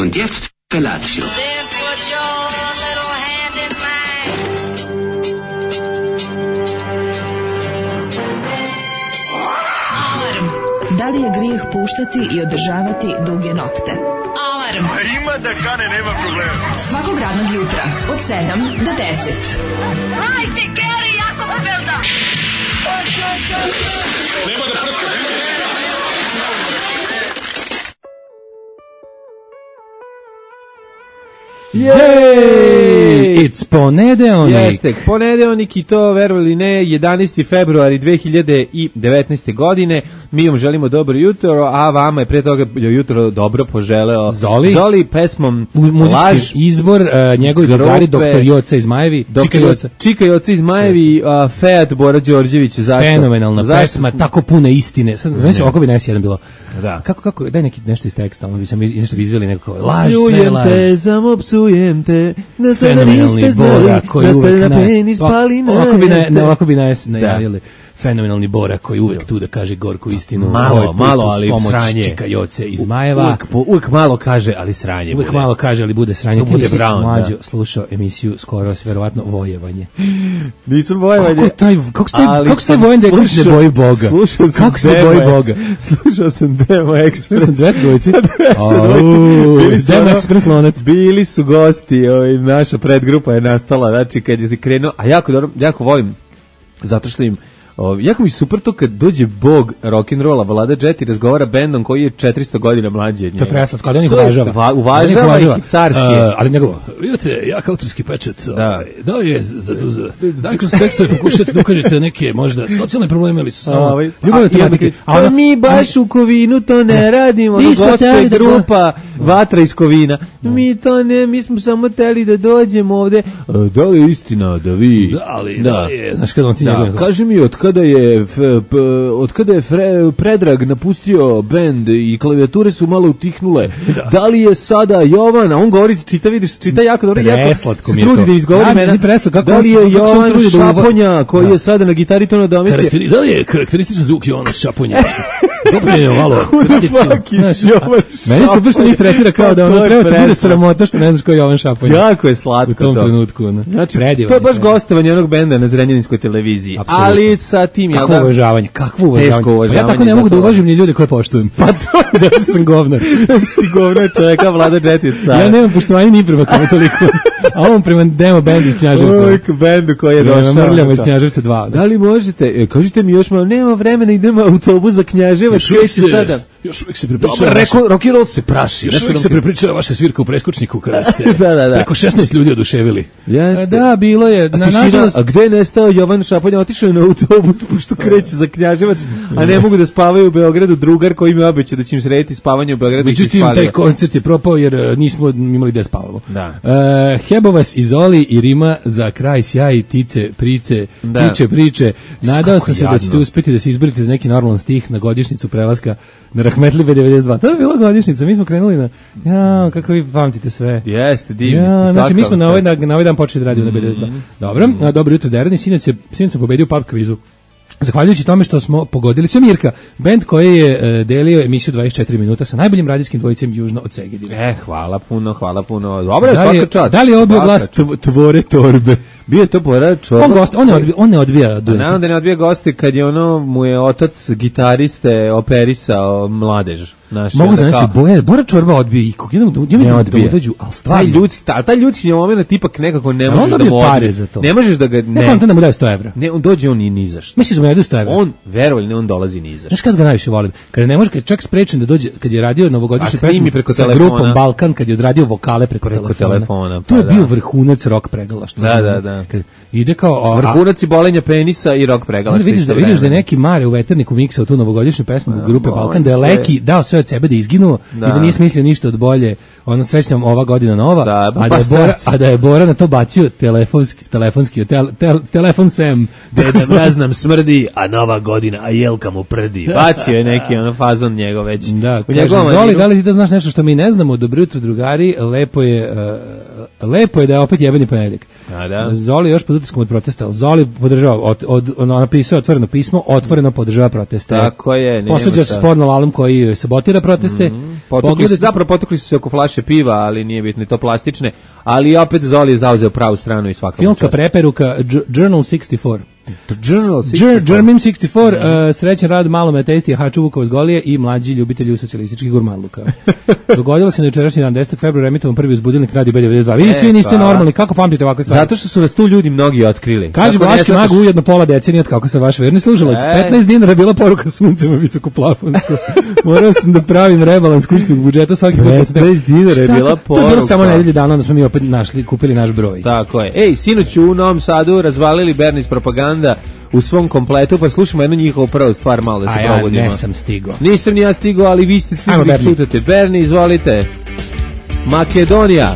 Und jetzt Felatio. Then put your little hand in mine. Alarm. Da li je grijeh puštati i održavati duge nokte? Alarm. Ima da kane, nema problema. Svakog radnog jutra od 7 do 10. Hajde, Geri, jako se velda. Nema da prska, Jej! It's ponedeonik. Jeste, ponedeonik i to, verovali ne, 11. februari 2019. godine. Mi vam želimo dobro jutro, a vama je pre toga jutro dobro poželeo Zoli pesmom muzički Laž. izbor, njegovi drugari, doktor Joca iz Majevi, Čika Joca iz Majevi, Fejat Bora Đorđević. Zašto? Fenomenalna pesma, tako puna istine. Sad, znači, ovako bi nas jedan bilo. Da. Kako, daj nešto iz teksta, ono bi sam nešto bi izveli neko laž, sve Pljujem laž. te, zamopsujem te, da to Fenomenalni niste znali, Bora koji da ste uvek na penis pali na ovako bi najavili. Fenomenalni Bora koji uvek tu da kaže gorku istinu. Malo, ali sranje. Čika Joce iz Majeva. Uvek malo kaže, ali sranje Uvek bude. malo kaže, ali bude sranje. Bude Brown, Mlađo slušao emisiju skoro, verovatno Vojevanje. Nisam Vojevanje. Kako se taj Vojen Deković ne boji Boga? Kako se ne boji Boga? Slušao sam Demo Express. 200 dvojci? Demo Express lonac. Bili su gosti, naša predgrupa je nastala, znači kad je krenuo, a jako volim, zato što im jako mi super to kad dođe bog rock'n'rolla, Vlada Jet i razgovara bendom koji je 400 godina mlađi od njega. To je preslatko, ali on ih uvažava. Uvažava ih carski. Ali njegovo, vidite, jak autorski pečet, da je daj kroz tekstove pokušajte da ukažete neke možda socijalne probleme ili su samo ljubavne tematike. A mi baš u Kovinu to ne radimo, goste grupa Vatra iz Kovina. Mi to ne, mi smo samo teli da dođemo ovde. Da li je istina da vi... Da, ali da je, znaš kada on ti njegove... Kaži mi, od kada je Predrag napustio bend i klavijature su malo utihnule, da li je sada Jovan, a on govori, čita jako dobro, preslatko mi je to. Da izgovori mene, da li je Jovan Šaponja koji je sada na gitari to nadomestio? Da li je karakterističan zvuk Jovana Šaponja? Dobro je malo tradiciju. Meni se baš njih tretira kao da ono treba ti bude sramota što ne znaš ko je Jovan Šaponja. Jako je slatko to. U tom trenutku. Znači, to je baš gostovanje onog benda na Zrenjaninskoj televiziji. Ali sa tim... Kakvo uvažavanje, Teško uvažavanje. Ja tako ne mogu da uvažim ni ljude koje poštujem. Pa to, zato sam govnar. Si govnar čovjeka, Vlada Džetica. Ja nemam poštovanje ni prema kome toliko. A ovom prema Demo bendu iz Knjaževca. Uvijek bendu koji je došao. Mrljamo iz Knjaževca 2. Da li možete, kažite mi još malo, nema vremena, idemo autobus za Knjaževac. Još uvijek se prepričava. Dobro, rock'n'roll se praši. Još uvijek se prepričava vaša svirka u Preskočniku kada ste da. preko 16 ljudi oduševili. Jeste. Da, bilo je. Nažalost, a gde je nestao Jovan Šaponja? Otišao je na autobus pošto kreće za Knjaževac, a ne mogu da spavaju u Beogradu. Drugar koji mi obećao da će im srediti spavanje u Beogradu. Međutim, taj koncert je propao jer nismo imali gde spavamo. Da. Hebovas iz Oli i Rima za kraj sjaj, tice, priče. Nadao sam se da ćete uspeti da se izborite za neki normalan stih na godišnjicu prelaska na Rahmetlibe 92. To je bila godišnjica, mi smo krenuli na... kako vi pamtite sve. Jeste, divni ste. Znači, mi smo na ovaj dan počeli da radimo na 92. Dobro jutro, Derani, sinoć sam pobedio pub kvizu. Zahvaljujući tome što smo pogodili sve Mirka, bend koji je delio emisiju 24 minuta sa najboljim radijskim dvojicem južno od Segedina. Hvala puno. Dobro je svaka čast. Da li je ovo bio glas Tvore Torbe? Bio je to Bora Čorba. On ne odbija duet. Naravno da ne odbija goste kad je mu je otac gitariste operisao mladež. Mogu znači Bora Čorba odbija i kog jednom da udađu, al stvarno. Taj ljudski moment ipak nekako ne možeš da mu pare za to. Ne možeš da ga ne da mu daje 100 evra. Ne, on dođe on i ni za šta. Misliš da mu daje 100 evra? On verovali ne on dolazi ni za šta. Znaš kad ga najviše volim? Kada ne može, kad čak sprečen da dođe, kad je radio novogodišnju pesmu preko sa grupom Balkan, kad je odradio vokale preko telefona. To je bio vrhunac rock pregalaštva. Da. Ide kao vrhunac bolenja penisa i rock pregalaštva. Vidiš da neki Mare u veterniku miksao tu novogodišnju pesmu grupe Balkan, da je Leki dao sve od sebe da izginuo i da nije smislio ništa od bolje. Ono srećnom ova godina nova, a da je Bora na to bacio telefonski telefon Sam. Ne znam, smrdi, a nova godina, a jelka mu prdi. Bacio je neki fazon njegov već. Da, kaže, Zoli, da li ti da znaš nešto što mi ne znamo? Dobro jutro, drugari, lepo je da je opet jebeni ponedjeljak. Zoli još pod utiskom od protesta. Zoli podržava, napisao otvoreno pismo, otvoreno podržava proteste. Tako je. Posuđa se sporno album koji sabotira proteste. Zapravo potukli su se oko flaše piva, ali nije bitno, to plastične. Ali opet Zoli je zauzeo pravu stranu i svaka filmska preperuka Journal 64. German 64, srećan rad malome testi Haču Vukova Zgolije i mlađi ljubitelji socijalističkih gurmanluka. Dogodilo se na jučerašnji dan 10. februara emitovan prvi uzbudilnik Radio B92. Vi svi niste normalni, kako pamtite ovakve stvari? Zato što su nas tu ljudi mnogi otkrili. Kaže Vlaški mag ujedno pola decenije od kako sam vaš verni slušalac. 15 dinara bila poruka suncema visokoplafonsko. Morao sam da pravim rebalans kućnog budžeta svaki put. 15 dinara je bila poruka. To je bilo samo nedelje dana, onda smo mi opet kupili naš broj. Tako je. Ej, sinoć u Novom Sadu razvalili Bernis propaganda u svom kompletu, pa slušamo jednu njihovu prvu stvar malo da se probudimo. Ja nisam stigao. Nisam ni ja stigao, ali vi ste svi čutate. Berni, izvolite. Makedonija.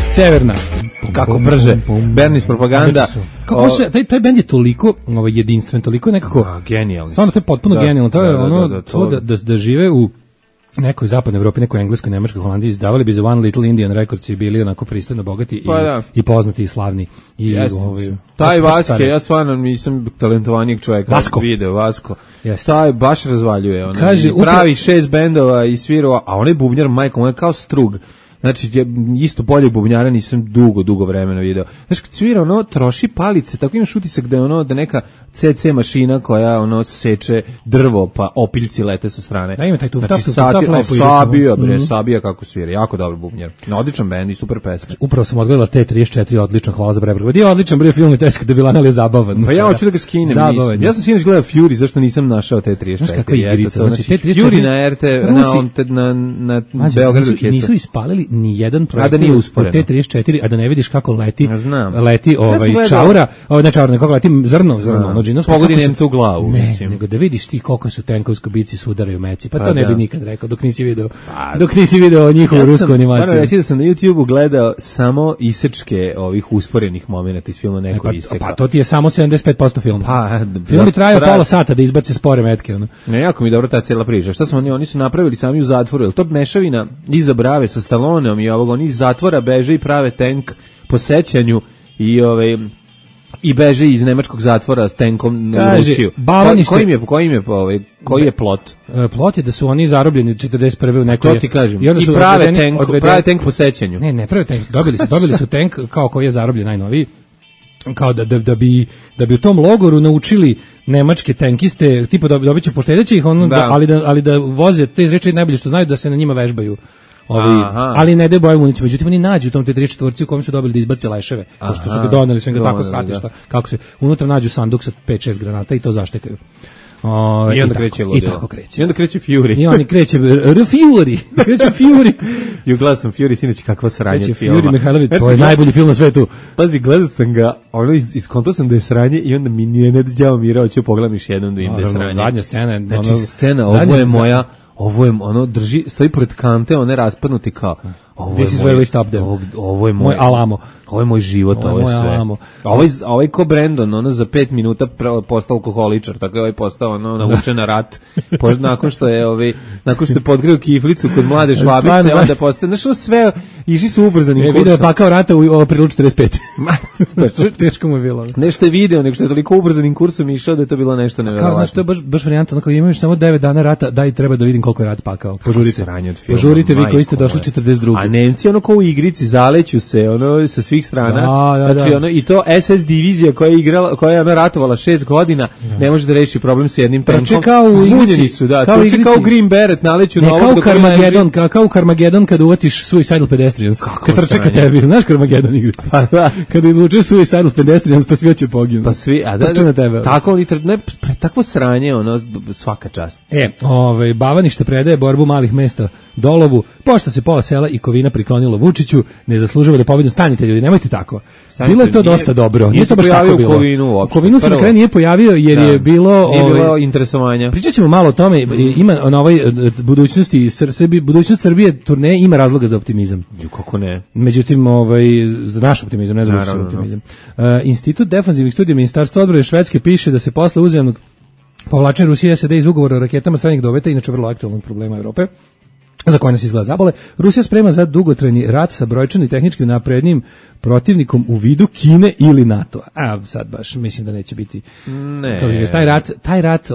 Severna. Kako brže. Bernis propaganda. Kako se taj bend je toliko jedinstven, toliko nekako genijalni. Stvarno to je potpuno genijalno. To je ono da žive u nekoj zapadnoj Evropi, nekoj engleskoj, nemačkoj, Holandiji, izdavali bi za One Little Indian Records i bili onako pristojno bogati i poznati i slavni. I taj Vaske, ja stvarno nisam talentovanijeg čovjeka. Vasko. Taj baš razvaljuje. Pravi 6 bendova i svirao, a onaj bubnjar, majko, on je kao strug. Znači, isto bolje bubnjara nisam dugo vremena video. Znaš, kad svira, troši palice, tako imaš utisak da je da neka CC mašina koja, seče drvo, pa opiljci lete sa strane. Da ima taj tuftaf, Sabija kako svira, jako dobar bubnjar. Odličan bend i super pesma. Upravo sam odgledala T34, odlično, hvala za prebrod. Je odličan bre film i teško da bila, ali je zabavan. Pa ja hoću da ga skinem. Ja sam sinoć gledao Fury, zašto nisam našao T34. Znaš kakva igrica, znači Fury na RT, na Beogradu Kecu. Nisu ispalili ni jedan projekt od T34, a da ne vidiš kako leti čaura, kako leti zrno, pogodi Nemca u glavu, mislim. Nego da vidiš ti koliko su tenkovsko bici sudaraju meci, pa to ne bi nikad rekao, dok nisi video njihovu rusku animaciju. Moram reći da sam na YouTubeu gledao samo isečke ovih usporenih momenata iz filma neko iseka. Pa to ti je samo 75% filma. Film bi trajao pola sata da izbace spore metke. Ne, jako mi dobro ta cijela priča. Šta su oni su napravili sami u zatvoru, jel to mešavina iza Brave sa Stalloneom i oni iz zatvora beže i prave tank po sećanju i beže iz nemačkog zatvora s tankom u Rusiju. Koji je plot? Plot je da su oni zarobljeni 41. u nekoj... To ti kažem. I prave tank po sećanju. Ne prave tank. Dobili su tank kao koji je zarobljen najnoviji. Kao da bi u tom logoru naučili nemačke tankiste, tipa dobit će poštedeće ih, ali da voze te reči najbolje što znaju, da se na njima vežbaju. Ali ne daju boju municiju. Međutim, oni nađu u tom T34 u kojem su dobili da izbace leševe, pošto su ga doneli, su im ga tako shvatili, kako se unutra nađu sanduk sa 5-6 granata i to zaštekaju. I onda kreće ludilo. I tako kreće. I onda kreće Fury. I oni kreće Fury. Kreće Fury. I gledao sam Fury, sinoć kakva sranje filma. Fury Mihajlović, to je najbolji film na svetu. Pazi, gledao sam ga, iskontao sam da je sranje i onda mi nije ne dođava mira, hoću pogledam još jednom da im da je sranje. Zadnja scena je... Znači, scena, ovo je drži, stoji pored kante, one raspadnuti kao... This is where we stop them. Ovo je moj Alamo. Ovo je moj život, ovo je sve. Alamo. Ovaj ko Brandon, za 5 minuta postao alkoholičar, tako je postao navučen na rat. Nakon što je podgrio kiflicu kod mlade švabice, onda postao, sve išli su ubrzanim kursom. Video je pakao rata u aprilu 45. Teško mu je bilo. Nešto je video, nego što je toliko ubrzanim kursom išao da je to bilo nešto neverovatno. Znaš, to je baš varijanta, onako imaš samo 9 dana rata, daj treba da vidim koliko je rat pakao. Požurite vi koji ste došli 42. A Nemci ko u igrici zaleću se sa svih strana. Znači i to SS divizija koja je igrala, koja je ratovala 6 godina, ne može da reši problem sa jednim tankom. Zbunjeni su, trče kao Green Beret, naleću na ovog kao u Carmageddon kad uvatiš Suicidal Pedestrians. Kad trče ka tebi, znaš Carmageddon igricu? Kada izvučeš Suicidal Pedestrians, pa svi hoće poginu. Pa svi, tako oni takvo sranje, svaka čast. Bavanište predaje borbu malih mesta Dolovu, pošto se pola sela i Kovina priklonilo Vučiću, ne zaslužuje da pobednu. Stanite ljudi, nemojte tako. Bilo je to dosta dobro. Nije to baš tako bilo. U Kovinu se na kraju nije pojavio jer je bilo... Nije bilo interesovanja. Pričat ćemo malo o tome. Ima na ovoj budućnost Srbije turneje ima razloga za optimizam. Kako ne? Međutim, za naš optimizam, ne za naš optimizam. Institut defanzivnih studija Ministarstva odbrane Švedske piše da se posle uzajamnog povlačenja Rusije SAD iz ugovora o raketama srednjeg dometa, inače vrlo aktualnog problema Evrope, za koje nas izgleda zabole. Rusija sprema za dugotrajni rat sa brojčano i tehničkim naprednim protivnikom u vidu Kine ili NATO. A sad baš mislim da neće biti. Ne. Kao vidiš, taj rat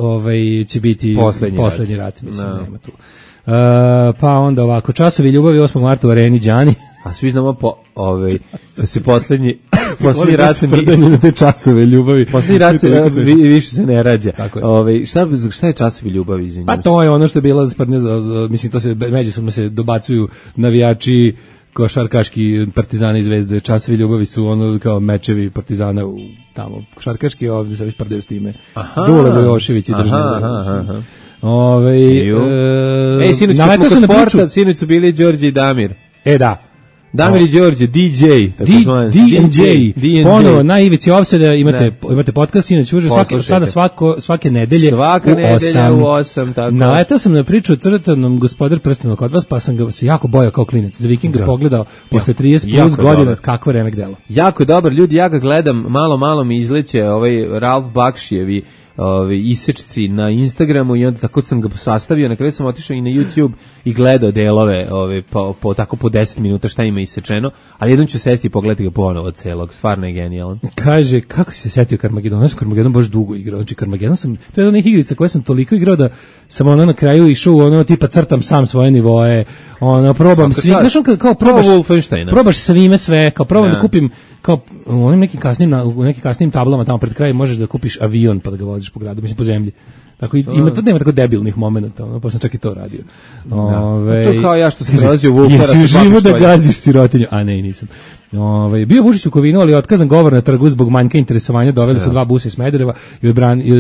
će biti poslednji rat, mislim, nema tu. Pa onda ovako, časovi ljubavi 8. marta u Areni Đani. A svi znamo da se poslednji rat na te časove ljubavi. Poslednji rat više se ne rađa. Šta je časovi ljubavi, izvinjam? Pa to je ono što je bilo sprdnje, mislim, to se međusobno se dobacuju navijači košarkaški Partizana i Zvezde. Časovi ljubavi su ono kao mečevi Partizana tamo košarkaški, ovdje se već prdaju s time. Dule Bojošević i Držan. Sinoć su bili Đorđe i Damir. Da. Damir i Đorđe, DJ. DJ. Ponovo, na ivici Offseda imate podcast, inače uže svake nedelje u 8. Tako. Naletao sam na priču o crtanom Gospodar prstenova kod vas, pa sam ga se jako bojao kao klinac. Za vikend ga pogledao posle 30 plus godina kakvo remek delo. Jako dobar, ljudi, ja ga gledam, malo mi izleće Ralf Bakšijevi isečci na Instagramu i onda tako sam ga sastavio, na kraju sam otišao i na YouTube i gledao delove po 10 minuta šta ima isečeno, ali jednom ću sesti i pogledati ga ponovo celog, stvarno je genijalan. Kaže, kako si se setio Carmageddon? Ja sam Carmageddon baš dugo igrao, znači Carmageddon to je jedna onih igrica koje sam toliko igrao da sam na kraju išao tipa crtam sam svoje nivoe, probam svi, znaš kao probaš svime sve, kao probam da kupim kao u nekim kasnim tablama tamo pred kraj možeš da kupiš avion pa da ga voziš po gradu, mislim po zemlji. Tako nema tako debilnih momenata, pa sam čak i to radio. To kao ja što sam prelazio Vulfara. Jesi živo da gaziš sirotinju? A ne, nisam. Bio Vučić u Kovinu, ali otkazan govor na trgu zbog manjka interesovanja, doveli su 2 busa iz Smedereva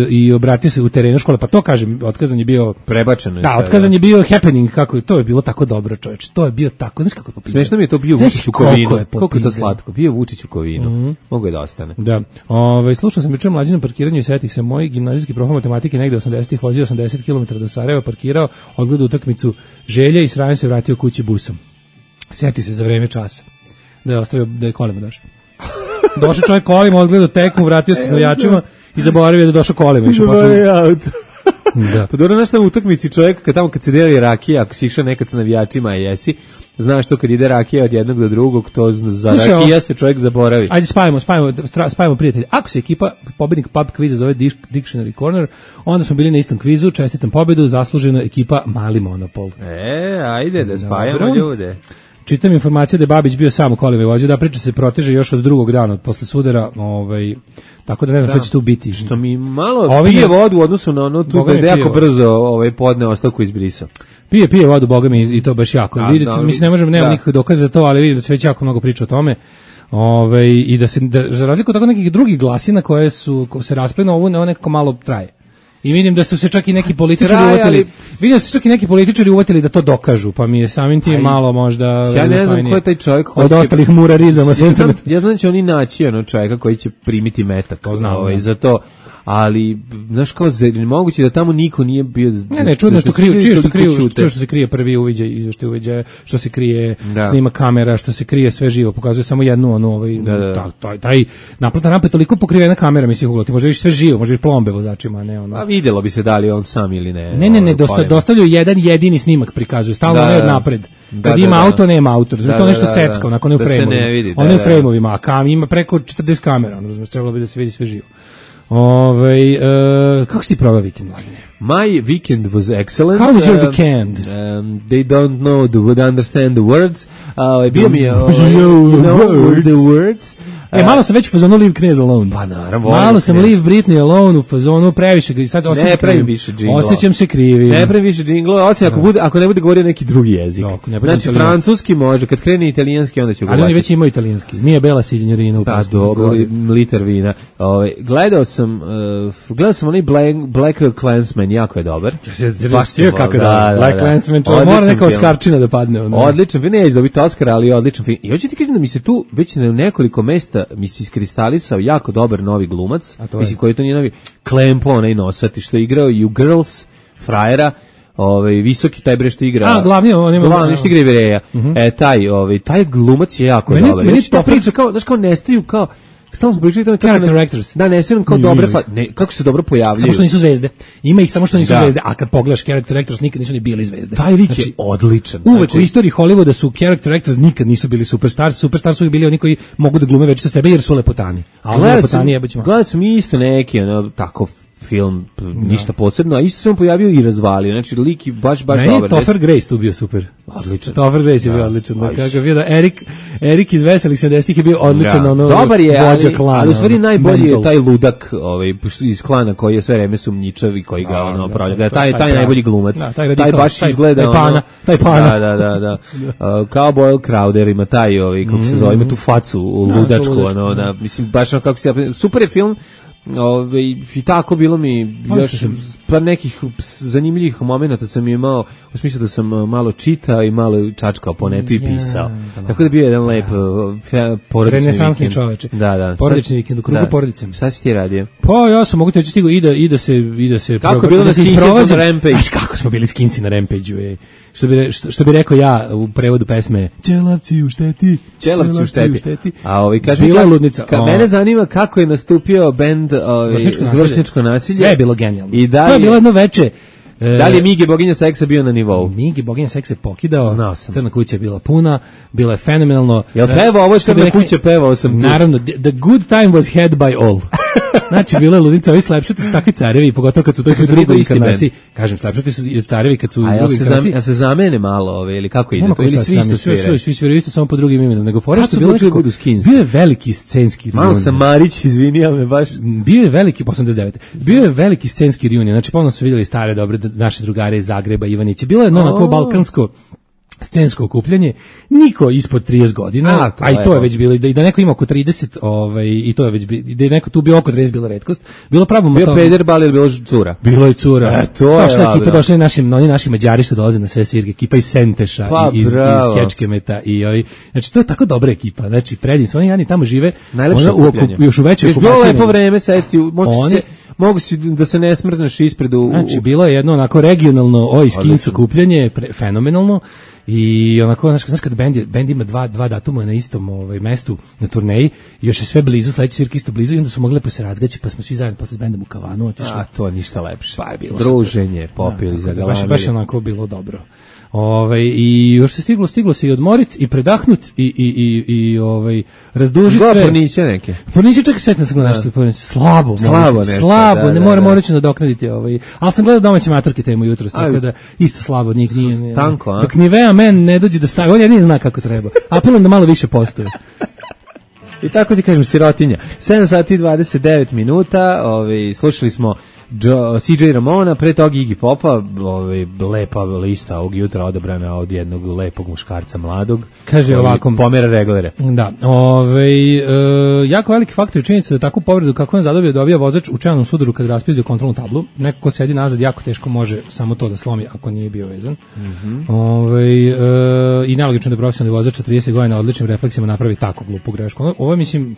i obratio se u terenu škole, pa to kažem, otkazan je bio prebačeno. Da, otkazan je bio happening, kako to je bilo tako dobro, čoveče. To je bio tako, znaš kako je popizano. Smešno mi je to bio Vučić u Kovinu. Koliko je to slatko. Bio Vučić u Kovinu. Mogu je da ostane. Da. Slušao sam juče mlađi na parkiranju i setih se moj gimnazijski prof matematike negde 80-ih vozio 80 km do Sarajeva, parkirao, odgledao utakmicu Želja i srajem se vratio kući busom. Seti se za vreme časa. Da je kolima došao. Došao čovjek kolima, odgledao tekmu, vratio se s navijačima i zaboravio da je došao kolima. Da. Pa dobro, znaš na utakmici čovjek, kad se deli rakija, ako si išao nekad sa navijačima, jesi, znaš to kad ide rakija od jednog do drugog, to za rakija se čovjek zaboravi. Ajde, spajamo prijatelji. Ako se ekipa, pobednik pub kviza zove Dictionary Corner, onda smo bili na istom kvizu, čestitam pobedu, zasluženo ekipa Mali Monopol. Ajde da spajamo ljude. Čitam informacije da je Babić bio sam u kolima i vozio, da priča se proteže još od drugog dana, posle sudara, tako da ne znam što će tu biti. Što mi malo pije vodu u odnosu na ono tu da je jako brzo podne ostavku izbrisao. Pije vodu, boga mi, i to baš jako. Mislim, ne možemo, nemam nikakve dokaze za to, ali vidim da se već jako mnogo priča o tome. I da za razliku od tako nekih drugih glasina koje se rasplenu, ovo nekako malo traje. I vidim da su se čak i neki političari uvatili da to dokažu, pa mi je samim tim malo možda ja ne znam ko je taj čovjek od ostalih murarizama s interneta. Ja znam da će oni naći čovjeka koji će primiti metak. To znam. Za to, ali znaš kao moguće da tamo niko nije bio. Ne, čudno što se krije prvi uviđaj, izveštaj uviđaja, što se krije snima kamera, što se krije sve živo, pokazuje samo jednu taj naplatna rampa je toliko pokrivena kamera, mislim, ti može više sve živo, može plombe vozačima, ne ono. A videlo bi se da li on sam ili ne. Ne, dostavljaju jedan jedini snimak, prikazuju stalno ne od napred. Kad ima auto, nema autor, to nešto secka, onako ne u frejmovima. Ono je u frejmovima, a ima preko 40 kamera, trebalo bi da se vidi sve živo. Kako si ti proveo vikend, Mladine? My weekend was excellent. How was your weekend? They don't would understand the words. Bio mi je the words. Malo sam već u fazonu Leave Knez Alone. Pa naravno. Malo sam Leave Britney Alone u fazonu, previše ga i sad osjećam se krivi. Ne pravim više džinglova, osim ako ne bude govorio neki drugi jezik. Znači francuski može, kad krene italijanski onda će govoriti. Ali oni već imaju italijanski. Nije Bela Signorina u pesmi. Pa dobro, liter vina. Gledao sam onaj Black Klansman, jako je dobar. Kako da, Black Klansman, mora neka Oskarčina da padne. Odličan film, neće dobiti Oscar, ali odličan film. I hoću ti kažem da mi se tu već na nekoliko mesta mi se iskristalisao jako dobar novi glumac, mislim koji to nije novi, Klempo, onaj nosati što je igrao i u Girls, frajera, visoki taj bre što igra. Glavni što igra Ivereja. Taj glumac je jako dobar. Meni to priča kao, znaš, kao nestaju, kao stalno smo pričali tome character actors. Da, ne sviram kao dobre, kako se dobro pojavljaju. Samo što nisu zvezde. Ima ih samo što nisu zvezde, a kad pogledaš character actors nikad nisu ni bili zvezde. Taj lik je odličan. Uvek u istoriji Hollywooda su character actors nikad nisu bili superstars. Superstars su bili oni koji mogu da glume već sa sebe jer su lepotani. A oni lepotani jebaćemo. Gledao sam isto neki tako film, ništa posebno, a isto se on pojavio i razvalio. Znači, lik je baš dobar. Meni je Topher Grace tu bio super. Odličan. Topher Grace je bio odličan. Kako je bio da Erik iz Veselih 70-ih je bio odličan. Dobar je, ali u stvari najbolji je taj ludak iz klana koji je sve vreme sumnjičav i koji ga opravlja. Taj najbolji glumac. Taj baš izgleda... Taj pana. Da. Kao Boyle Crowder ima taj, kako se zove, ima tu facu ludačku. Mislim, baš kako se... Super je film. I tako bilo mi još par nekih zanimljivih momenata sam imao u smislu da sam malo čitao i malo čačkao po netu i pisao. Tako da bio jedan lep porodični vikend. Čoveče. Da. Porodični vikend u krugu porodice. Šta si ti radio? Pa ja sam mogu te stigo i da se kako bilo da se isprovađa na Rampage. Kako smo bili skinci na Rampageu, ej. Što bi rekao ja u prevodu pesme Ćelavci u šteti. A kaže bila ludnica. Mene zanima kako je nastupio bend Vršnjačko nasilje. Sve je bilo genijalno. To je bilo jedno veče. Da li je Migi boginja seksa bio na nivou? Migi boginja seksa je pokidao. Znao sam. Crna kuća je bila puna, bila je fenomenalno. Jel pevao ovo Crna kuća, pevao sam tu. Naravno, the good time was had by all. Znači, bila je ludnica, ovi slepšati su takvi carevi, pogotovo kad su to u drugoj inkarnaciji. Kažem, slepšati su carevi kad su u drugoj inkarnaciji. A se zamene malo, ili kako ide? To ili svi isto sviraju? Svi sviraju isto, samo po drugim imenom. Nego fora što bilo bio je veliki scenski reunion. Malo sam Marić, izvini, ali me baš... Bio je veliki, 89. Bio je veliki scenski reunion. Znači, ponovno su vidjeli stare, dobre naše drugare iz Zagreba, Ivanića. Bilo je jedno onako balkansko scensko okupljanje, niko ispod 30 godina, a i to je već bilo, i da neko ima oko 30, i to je već bilo, da je neko tu bio oko 30, bila retkost, bilo pravo motorno. Bio pederbal ili bilo cura? Bilo je cura. To je ekipa, došli oni naši Mađari što dolaze na sve svirke, ekipa iz Senteša, iz Kečkemeta, i znači to je tako dobra ekipa, znači predivni su, oni jadni tamo žive, još u većoj okupaciji. Bilo lepo vreme sesti, mogu si da se ne smrzneš ispredu. Znači, bilo je jedno onako regionalno skins okupljanje, fenomenalno. I onako, znaš kad bend ima dva datuma na istom mestu na turneji, još je sve blizu, sledeći svirka isto blizu, i onda su mogli lepo se razgaći, pa smo svi zajedno posle s bendom u kavanu otišli. A to ništa lepše. Pa je bilo druženje, popili, zagalamili. Baš onako bilo dobro. I još se stiglo se i odmorit i predahnut i razdužit sve. Porniće neke. Porniće čak sve slabo, ne moramo reći nadoknaditi ali sam gledao domaće matorke temu jutros, tako da isto slabo od njih nije. Tanko, a? Dok Nivea Men ne dođe da stavi, on jedini zna kako treba. Apelujem da malo više postoje. I tako ti kažem, sirotinja. 7 sati i 29 minuta, slušali smo CJ Ramona, pre toga Iggy Popa, lepa lista ovog jutra odabrana od jednog lepog muškarca mladog. Kaže ovako, pomera reglere. Da, jako veliki faktor je činjenica da takvu povredu kako on zadobio dobija vozač u čelnom sudaru kad raspizio kontrolnu tablu. Neko ko sedi nazad jako teško može samo to da slomi ako nije bio vezan. I nelogično da profesionalni vozač od 30 godina odličnim refleksima napravi tako glupu grešku. Ovo mislim,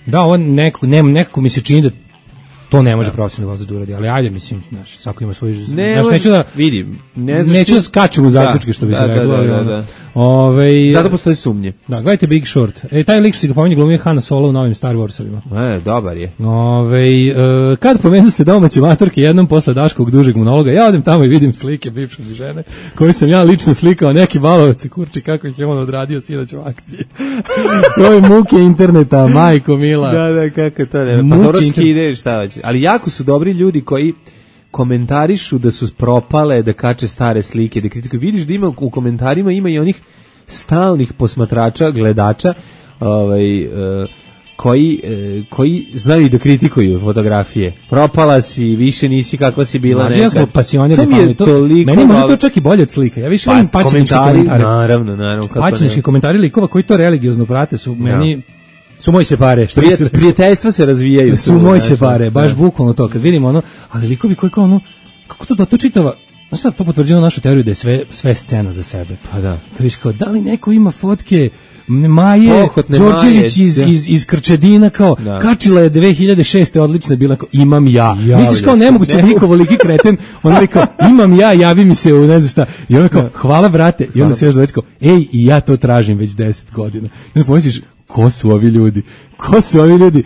da, ovo nekako mi se čini da to ne može profesionalni vozač da uradi, ali ajde, mislim, znaš, svako ima svoj... Neću da vidim. Neću da skačem u zaključke, što bi se reklo. Zato postoji sumnje. Da, gledajte Big Short. Taj lik što si ga pomenje glumio Han Solo u novim Star Warsovima. Dobar je. Kad pomenu ste domaće matorke jednom posle Daškovog dužeg monologa, ja odem tamo i vidim slike bivše mi žene, koje sam ja lično slikao, neki balovac i kurči kako ih je on odradio sinoć u akciji. Ove muke interneta, majko mila. Da, kako to ne. Pa dobro skideš, šta hoće. Ali jako su dobri ljudi koji komentarišu da su propale, da kače stare slike, da kritikuju. Vidiš da ima u komentarima ima i onih stalnih posmatrača, gledača, koji znaju da kritikuju fotografije. Propala si, više nisi kakva si bila nekad. Ja smo pasionirani. Meni može to čak i bolje od slika. Ja više volim pačnički komentari. Naravno. Pačnički komentari likova koji to religiozno prate su meni... Su moji se pare. Prijateljstva se razvijaju. Su moji se pare, baš bukvalno to. Kad vidimo ali likovi koji kao kako to čitava, znaš sad, to potvrđeno našu teoriju da je sve scena za sebe. Pa da. Kad viš kao, da li neko ima fotke Maje Đorđević iz Krčedina, kao, kačila je 2006. odlična bila, kao, imam ja. Misliš kao, nemoguće niko voliki kreten, ona je kao, imam ja, javi mi se u ne znam šta. I ona kao, hvala brate. I onda se još doveć kao, ej, i ja to tražim već 10 godina. I onda pomisliš, ko su ovi ljudi?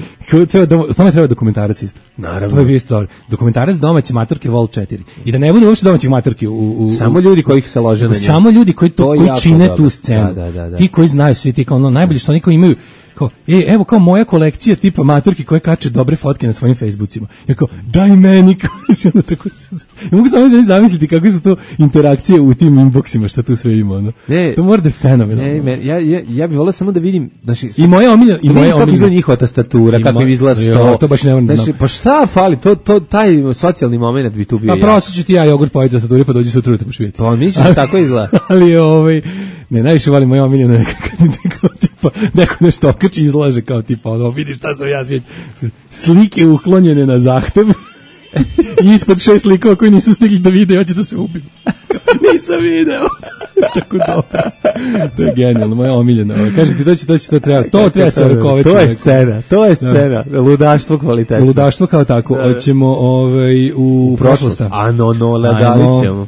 O tome treba dokumentarac isto. Naravno. To je bio isto dokumentarac domaće maturke Vol 4. I da ne bude uopšte domaćih maturki samo ljudi koji se lože na njemu. Samo ljudi koji čine dobro. tu scenu. Da. Ti koji znaju svi ti kao ono najbolji što oni kao imaju kao, evo kao moja kolekcija tipa maturki koje kače dobre fotke na svojim Facebookima. Ja kao, daj meni, kaže ono tako. Ja mogu samo zamisliti kakve su to interakcije u tim inboxima, šta tu sve ima, ono. To mora da je fenomenalno. Ja bih volio samo da vidim, znači, i moja omiljena, kako izgleda njihova tastatura, kako izgleda sto. To baš ne moram da znam. Pa šta fali, taj socijalni moment bi tu bio. Pa prosto ću ti ja jogurt pojeti tastaturi, pa dođi sutra pa ću vidjeti. Pa misliš da tako izgleda? Ali ne, najviše volim moja omiljena kao tipa, neko nešto okači izlaže kao tipa, ono, vidi šta sam ja sjeći. Slike uklonjene na zahtev i ispod 6 likova koji nisu stigli da vide, hoće da se ubiju. Nisam video. Tako dobro. To je genijalno, moja omiljena. Kaže ti, to treba. To treba se ovekovati. To je scena. Ludaštvo kvalitetno. Ludaštvo kao tako. Hoćemo u prošlost. Ladali ćemo.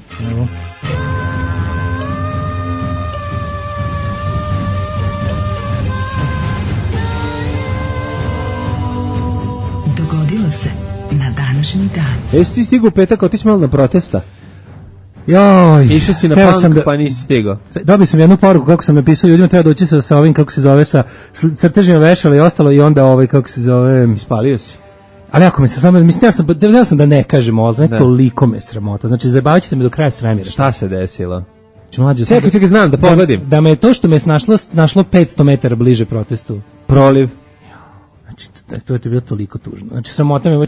Dogodilo se na današnji dan. Jesi ti stigao u petak otići malo na protesta? Joj, išao si na punk, pa nisi stigao. Dobio sam jednu poruku kako sam napisao, ljudima treba doći sa ovim, kako se zove, sa crtežima vešala i ostalo, i onda kako se zove... Ispalio si. Ali ako me se samo, mislim, ja sam da ne kažem ovo, ne toliko me sramota, znači zabavit ćete me do kraja svemira. Šta se desilo? Čekaj, znam da pogledim. Da me to što me našlo 500 metara bliže protestu. Proliv. To je bilo toliko tužno. Znači, sramota me,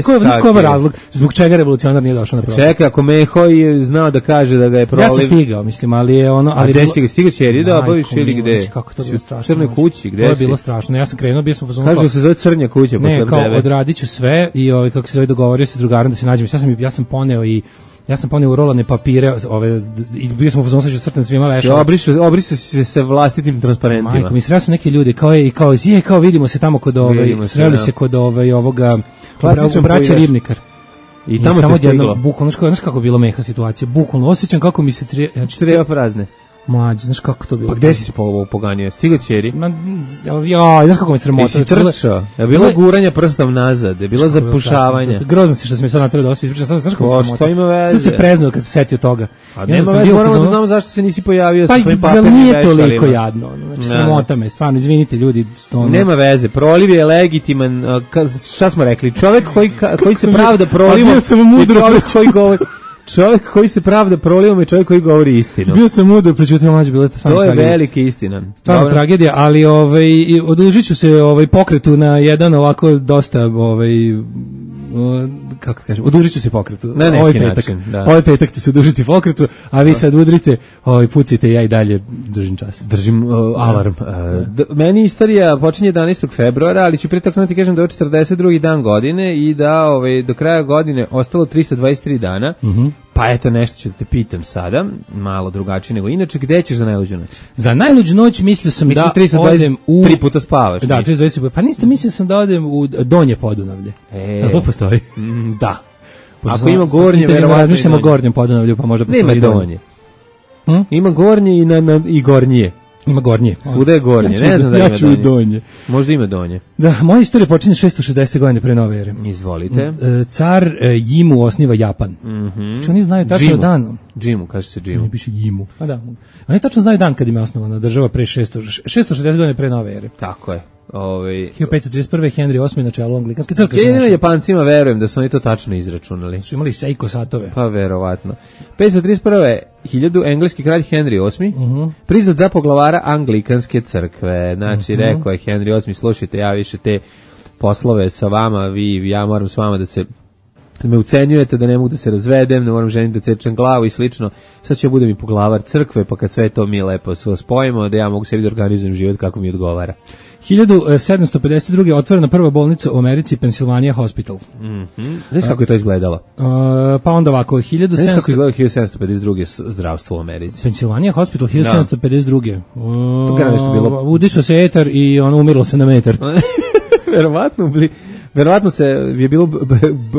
koji je razlog zbog čega revolucionar nije došao na protest? Čekaj, ako Meho je znao da kaže da ga je proliv... Ja sam stigao, mislim, ali je ono... A gde stigao? Stigao Ćeri da obaviš ili gde? Kako to bilo strašno? U Crnoj kući, gde si? To je bilo strašno. Ja sam krenuo, bio sam u fazonu... Kažu da se zove Crnja kuća. Ne, kao odradit ću sve i kako se zove, dogovorio se s drugarom da se nađemo. Ja sam poneo u rolane papire, i bio sam u fazonu, sad ću crtam svima vešala. Obrisu si se vlastitim transparentima. Majko, mi sreli su neki ljudi, kao vidimo se tamo kod sreli se kod ovoga, braća Ribnikar. I tamo te stiglo. Bukvalno, znaš kako je bilo Meha situacija, bukvalno, osjećam kako mi se treba prazne. Mađe, znaš kako to bilo? Pa gde si poganio? Stigo Ćeri? Znaš kako mi sramota? Jesi trčao? Je bilo guranja prstom nazad? Je bilo zapušavanja? Grozno si što se mi sad natreo da osim ispričam. Znaš kako mi sramota? Što ima veze? Sad se preznuo kad se setio toga. A nema veze, moramo da znamo zašto se nisi pojavio sa svojim papirnim vešalima. Pa nije toliko jadno. Znači, sramota me, stvarno, izvinite ljudi. Nema veze, proliv je legitiman. Šta smo rekli? Čovek koji se pravda prolivom je čovek koji govori... Čovjek koji se pravda prolivom je čovjek koji govori istinu. Bio sam mudro, prećutio mlađe, bilo to je velika istina. Stvarno tragedija, ali odužit ću se pokretu na jedan ovako dosta kako kažem, odužit ću se pokretu. Na neki način, da. Ovaj petak ću se odužiti pokretu, a vi sad udrite, pucite, ja i dalje držim čas. Držim alarm. Meni istorija počinje 11. februara, ali ću prije tako ti kažem da je 42. dan godine i da do kraja godine ostalo 323 dana. Pa eto, nešto ću da te pitam sada, malo drugačije nego inače, gde ćeš za najluđu noć? Za najluđu noć mislio sam da odem u... 3 puta spavaš. Da, 320 puta. Pa niste, mislio sam da odem u Donje Podunavlje. To postoji? Da. Ako ima gornje, verovatno razmišljamo o Gornjem Podunavlju, pa možda postoji Donje. Ima gornje i gornije. Ima gornje. Svuda je gornje, ne znam da ima donje. Možda ima donje. Da, moja istorija počinje 660. godine pre nove ere. Izvolite. Car Jimu osniva Japan. Znači oni znaju tačno dan. Džimu, kaže se Džimu. Ne piše Jimu. A da. Oni tačno znaju dan kad im je osnovana država pre 660 godina pre nove ere. Tako je. 1531. Henry VIII na čelu anglikanske crkve. Jedino Japancima verujem da su oni to tačno izračunali. Su imali Seiko satove. Pa verovatno. 531. 1000 engleski kralj Henry VIII priznat za poglavara anglikanske crkve. Znači rekao je Henry VIII, slušajte, ja više te poslove sa vama, ja moram s vama da me ucenjujete, da ne mogu da se razvedem, ne moram ženiti da cečem glavu i slično. Sad ću ja budem i poglavar crkve, pa kad sve to mi lepo spojimo, da ja mogu sebi da organizujem život kako mi odgovara. 1752. otvorena prva bolnica u Americi, Pennsylvania Hospital. Znaš kako je to izgledalo? Pa onda ovako, Znaš kako je izgledalo 1752. zdravstvo u Americi? Pennsylvania Hospital, 1752. To kada nešto bilo? Udišao se etar i umiralo se na metar. Verovatno verovatno se je bilo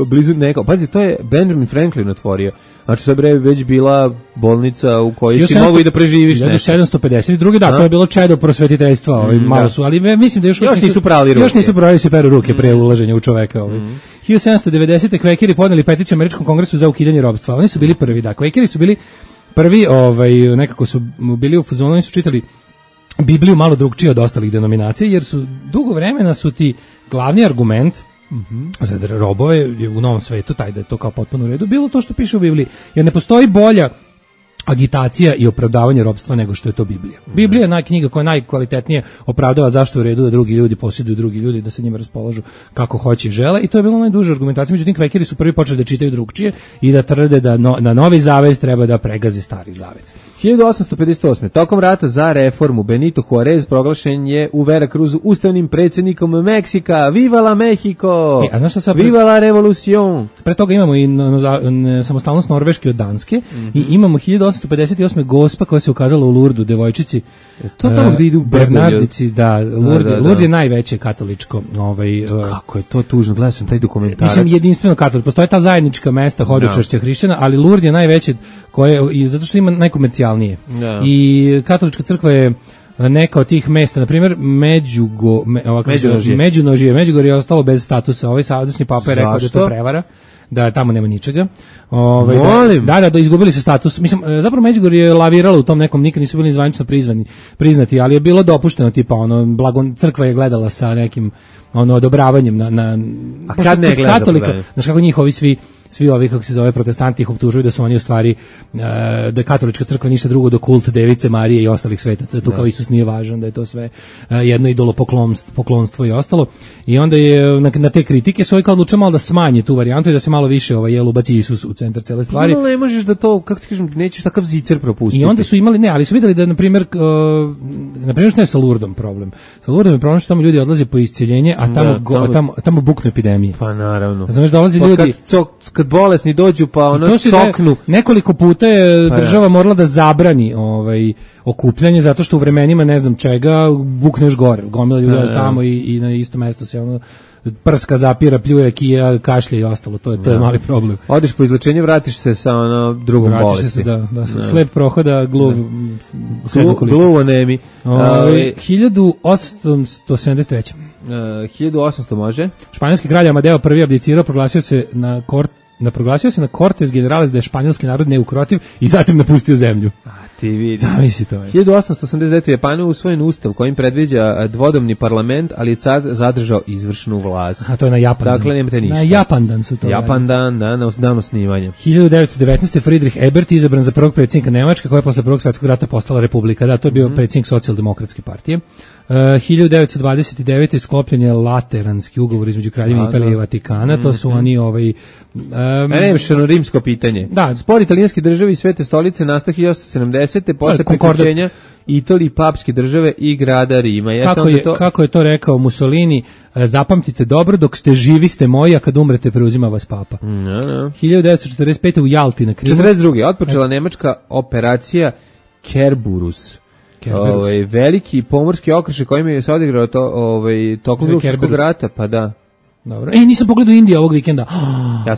blizu neko. Pazi, to je Benjamin Franklin otvorio. Znači, to je bre već bila bolnica u kojoj si mogu i da preživiš nešto. 1752. Da, to je bilo čedo prosvetiteljstva, malo su, ali mislim da još nisu prali ruke. Još nisu prali se peru ruke pre ulaženja u čoveka. 1790. Kvekeri podneli peticiju Američkom kongresu za ukidanje ropstva. Oni su bili prvi, da. Kvekeri su bili prvi, nekako su bili u fazonu, oni su čitali Bibliju malo drugčije od ostalih denominacija, jer su dugo vremena su ti glavni argument za robove u Novom svetu, taj da je to kao potpuno u redu, bilo to što piše u Bibliji, jer ne postoji bolja agitacija i opravdavanje ropstva nego što je to Biblija. Biblija je knjiga koja najkvalitetnije opravdava zašto je u redu da drugi ljudi posjeduju drugi ljudi, da se njima raspolažu kako hoće i žele, i to je bilo najduža argumentacija. Međutim, Kvekeri su prvi počeli da čitaju drugčije i da tvrde da na Novi Zavet treba da pregazi Stari Zavet. 1858. Tokom rata za reformu Benito Juarez proglašen je u Veracruzu ustavnim predsjednikom Meksika. Viva la Mexico! A znaš šta sad Viva la revolucion! Pre toga imamo i samostalnost Norveške od Danske i imamo 1858. Gospa koja se ukazala u Lurdu, devojčici. To tamo gde idu Bernardici, da, Lurd je najveće katoličko. Kako je to tužno, gledao sam taj dokumentarac. Mislim, jedinstveno katoličko. Postoje ta zajednička mesta hodočašća hrišćana, ali Lurd je najveće koje, zato što ima najkomercijalnije. I katolička crkva je neka od tih mesta, na primjer Međunožje je ostalo bez statusa. Ovaj sadašnji papa je rekao da je to prevara, da tamo nema ničega. Da, izgubili su status. Mislim, zapravo Međugorje je laviralo u tom nekom, nikad nisu bili zvanično priznati, ali je bilo dopušteno, tipa crkva je gledala sa nekim odobravanjem na a kad ne gleda katolika, znaš kako njihovi svi ovi, kako se zove, protestanti ih optužuju da su oni u stvari da je katolička crkva ništa drugo do kult Device Marije i ostalih svetaca, tu kao Isus nije važan, da je to sve jedno idolopoklonstvo i ostalo. I onda je na te kritike su ovi kao odlučili malo da smanje tu varijantu i da se malo više ubaci Isus u centar cele stvari. Ne možeš da to, kako ti kažem, nećeš takav zicer propustiti. I onda su imali, ali su videli da, na primjer što je sa Lurdom problem. Sa Lurdom je problem što tamo ljudi odlaze po isceljenje, a tamo buknu epidemije. Pa naravno. Znaš, dolazi ljudi kad bolesni dođu pa coknu. Nekoliko puta je država morala da zabrani okupljanje zato što u vremenima ne znam čega bukneš gore. Gomila ljudi tamo i na isto mesto se prska, zapira, pljuje, kija, kašlje i ostalo. To je mali problem. Odeš po izlečenju, vratiš se sa drugom bolesti. Sled prohoda, gluv anemi. 1873. 1800 može. Španjolski kralj Amadeo I abdicirao, proglasio se na Cortes Generales da je španjolski narod neukrotiv i zatim napustio zemlju. Ti vidi. Zamisli to. 1889. u Japanu usvojen ustav kojim predviđa dvodomni parlament, ali je car zadržao izvršnu vlast. A to je na Japandan. Dakle, nemate ništa. Na Japandan su to. Japandan, na dan osnivanja. 1919. Friedrich Ebert izabran za prvog predsjednika Nemačke, koja je posle Prvog svjetskog rata postala republika. Da, to je bio predsjednik socijaldemokratske partije. 1929. sklopljen je Lateranski ugovor između Kraljevine Italije i Vatikana. To su oni nemšano rimsko pitanje. Da. Spor italijanske države i Svete stolice nastao 1870. posle priključenja Italije, papske države i grada Rima. Kako je to rekao Mussolini, zapamtite dobro, dok ste živi ste moji, a kad umrete preuzima vas papa. 1945. u Jalti na Krimu. 1942. otpočela nemačka operacija Kerberus. Veliki pomorski okršaj kojim je se odigrao tokom Drugog svjetskog rata, pa da. Dobro. Nisam pogledao Indiju ovog vikenda.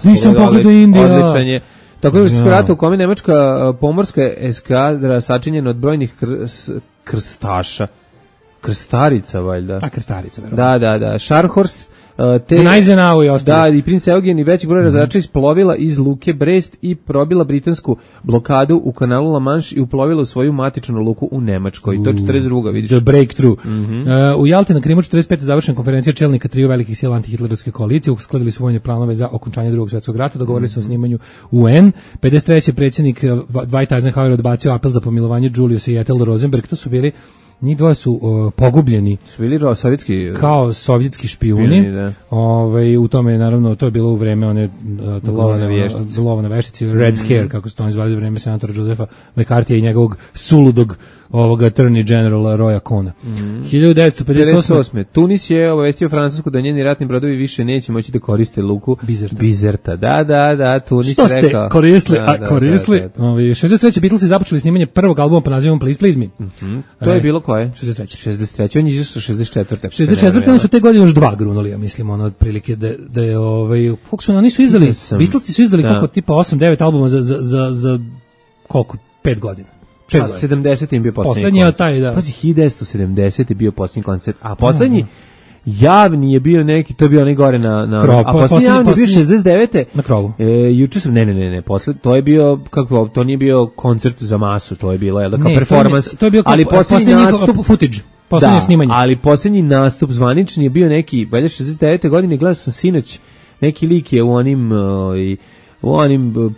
Nisam pogledao Indiju. Odličan je. Tako da se rata u kome nemačka pomorska eskadra sačinjena od brojnih krstaša. Krstarica, valjda. Krstarica, verovatno. Da. Scharnhorst, Najzenau i ostalo. Da, i princ Eugen i veći broj razrača isplovila iz luke Brest i probila britansku blokadu u kanalu La Manche i uplovila u svoju matičnu luku u Nemačkoj. To je 42. vidiš. The breakthrough. U Jalti na Krimu 45. završena konferencija čelnika triju velikih sila antihitlerovske koalicije, uskladili su vojne planove za okončanje Drugog svjetskog rata, dogovorili se o snimanju UN. 53. predsjednik Dwight Eisenhower odbacio apel za pomilovanje Juliusa i Ethel Rosenberg. To su bili njih dvoje su pogubljeni. Su bili sovjetski kao sovjetski špijuni. U tome naravno to je bilo u vreme one lova na veštici, Red Scare, kako se to zvali, u vreme senatora Josepha McCarthyja i njegovog suludog ovoga Attorney Generala Roya Cohna. 1958. Tunis je obavestio Francusku da njeni ratni brodovi više neće moći da koriste luku Bizerta. Da, Tunis što ste rekao. koristili, koristili. 63. Beatlesi započeli snimanje prvog albuma pod nazivom Please Please Me. To je bilo koje? 63. On je izašao 64. 64. Oni su te godine još 2 grunuli, ja mislim, ono otprilike da je koliko su oni su izdali, Beatlesi su izdali koliko tipa 8-9 albuma za koliko 5 godina. 70. im bio poslednji koncert. Taj, da. Pazi, 1970. je bio poslednji koncert, a poslednji javni je bio neki, to je bio onaj gore na Krov, a poslednji javni je bio 69. Na krovu. Juče sam, ne, posle, to je bio, kako, to nije bio koncert za masu, to je bilo, jel da, kao performans, to je bio kao ali poslednji nastup, footage, poslednje snimanje. Ali poslednji nastup zvanični je bio neki, valjda 69. godine, gledao sam sinoć, neki lik je u onim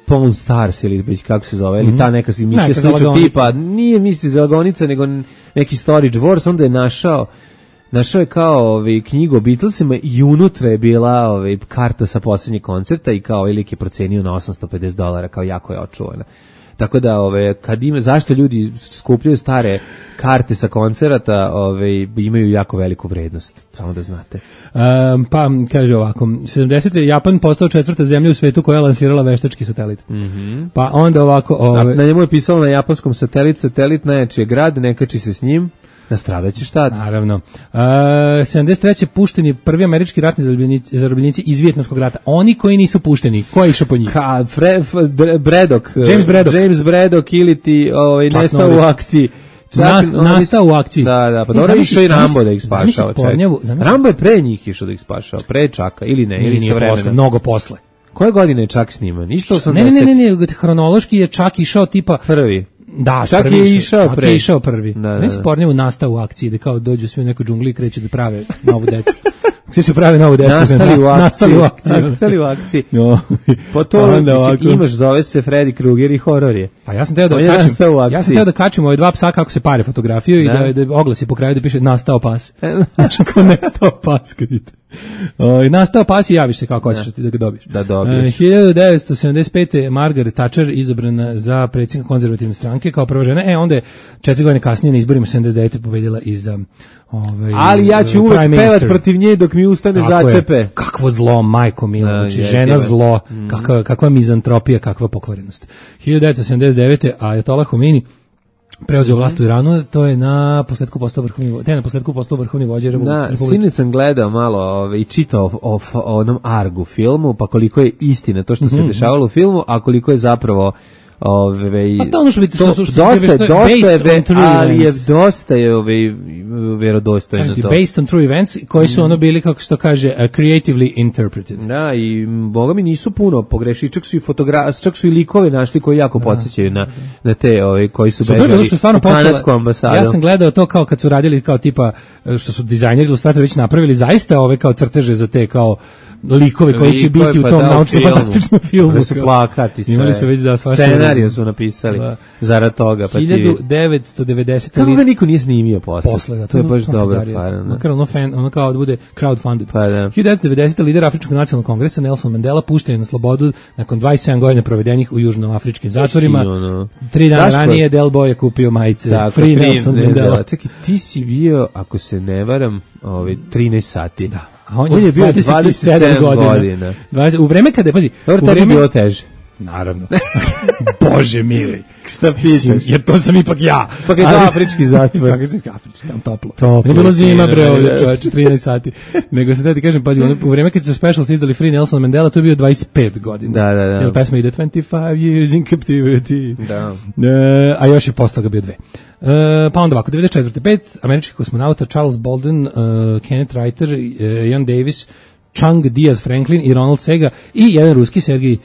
Pawn Stars ili već kako se zove, ili ta neka emisija sličnog tipa, nije misli zalagonica, nego neki Storage Wars, onda je našao je kao knjigu o Beatlesima i unutra je bila karta sa poslednjeg koncerta i kao lik je procenio na $850, kao jako je očuvana. Tako da kad zašto ljudi skupljaju stare karte sa koncerata, imaju jako veliku vrednost, samo da znate. Pa kaže ovako, 70. Japan postao 4. zemlja u svetu koja je lansirala veštački satelit. Pa onda ovako, na njemu je pisalo na japanskom satelit najjači je grad, ne kači se s njim. Nastradaće šta? Naravno. 73. pušteni prvi američki ratni zarobljenici iz Vijetnamskog rata. Oni koji nisu pušteni, ko je išao po njih? James Braddock ili ti nestao u akciji. Nastao u akciji. Da, pa dobro išao i Rambo da ih spašao. Rambo je pre njih išao da ih spašao, pre Čaka, ili ne? Ili nije posle, mnogo posle. Koje godine je Čak sniman? Isto 80? Ne, hronološki je Čak išao tipa... Prvi. Da, Čak je išao prvi. Ne se Pornjevu nastao u akciji, da kao dođu svi u neku džungli i kreću da prave novu decu. Svi su pravi novu decu. Nastali u akciji. No. Po to imaš, zove se Freddy Krueger i horor je. Pa ja sam teo da kačim ove dva psa kako se pare fotografiju i da oglasi po kraju da piše nastao pas. Znači kao nastao pas kad ide. Nastao pas i javiš se kako hoćeš da ga dobiješ. Da dobiješ. 1975. Margaret Thatcher izabrana za predsjednika konzervativne stranke kao prva žena. Onda je 4 godine kasnije na izborima 79. pobedila i za ali ja ću uvek pevat protiv nje dok mi ustane začepe. Kakvo zlo, majko milo, znači žena zlo, kakva mizantropija, kakva pokvarenost. 1979. Ajatollah Khomeini preuzeo vlast u Iranu, to je na posledku postao vrhovni vođa Republike. Sinoć sam gledao malo i čitao o onom Argu filmu, pa koliko je istina to što se dešavalo u filmu, a koliko je zapravo pa to ono što biti dosta je vjerodostojno to. Based on true events koji su ono bili, kako se to kaže, creatively interpreted. Da, i boga mi nisu puno pogrešili, čak su i likove našli koji jako podsjećaju na te koji su bežali u kanadsku ambasadu. Ja sam gledao to kao kad su radili kao tipa, što su dizajneri ilustratori već napravili, zaista kao crteže za te kao likove koji će biti u tom naučno-fantastičnom filmu. Da su plakati sve. Imali su već scenariju su napisali zarad toga. 1990. Kako ga niko nije snimio posle? To je baš dobra fara. Makar ono kao da bude crowdfunded. Pa da. 1990. lider Afričkog nacionalnog kongresa Nelson Mandela pušten je na slobodu nakon 27 godina provedenih u južnoafričkim zatvorima. 3 dana ranije Del Boy je kupio majice Free Nelson Mandela. Čekaj, ti si bio, ako se ne varam, 13 sati. Da. A on je bio 27 godina. U vreme kada, pazi, u vreme bilo teže. Naravno. Bože mili. Šta pitaš? Jer to sam ipak ja. Pa je to afrički zatvor. Afrički, tam toplo. Ne bilo zima, bre, ovdje čovječe, 13 sati. Nego se da ti kažem, pazi, u vreme kad su specials izdali Free Nelson Mandela, to je bio 25 godina. Da. Jer pesma ide 25 years in captivity. Da. A još je posle toga bio 2. Pa onda ovako, 94. 5 američkih kosmonauta Charles Bolden, Kenneth Reiter, Ian Davis, Chang Diaz Franklin i Ronald Sega i jedan ruski Sergij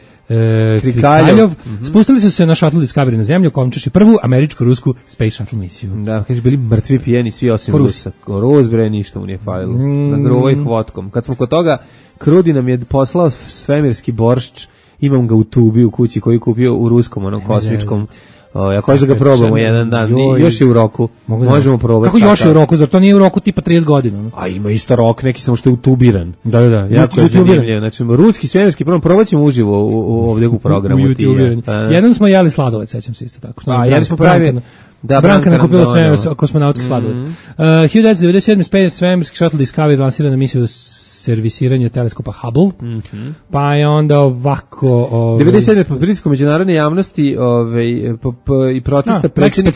Krikaljov spustili su se na Shuttle Discovery na zemlju, komčeši prvu američko-rusku Space Shuttle misiju. Da, kaže, bili mrtvi pijeni svi osim Rusa. Rus, bre, ništa mu nije falilo. Na gruvoj vodkom. Kad smo kod toga, Krudi nam je poslao svemirski boršč, imam ga u tubi u kući koji je kupio u ruskom, onom kosmičkom. Ja hoću da ga probamo jedan dan. Još je u roku. Možemo probati. Kako još je u roku? Zar to nije u roku tipa 30 godina? A ima isto rok, neki samo što je utubiran. Da. Jako je zanimljivo. Znači, ruski svemirski probat ćemo uživo ovdje u programu. Jednom smo jeli sladoled, sećam se isto tako. A jeli smo pravi Da, Branka Branka nakupila Randonova. kosmonautski sladoled. 1997. svemirski shuttle Discovery lansiran na misiju servisiranja teleskopa Hubble. Pa je onda ovako... 97. po pritisku međunarodne javnosti i protesta predsjednik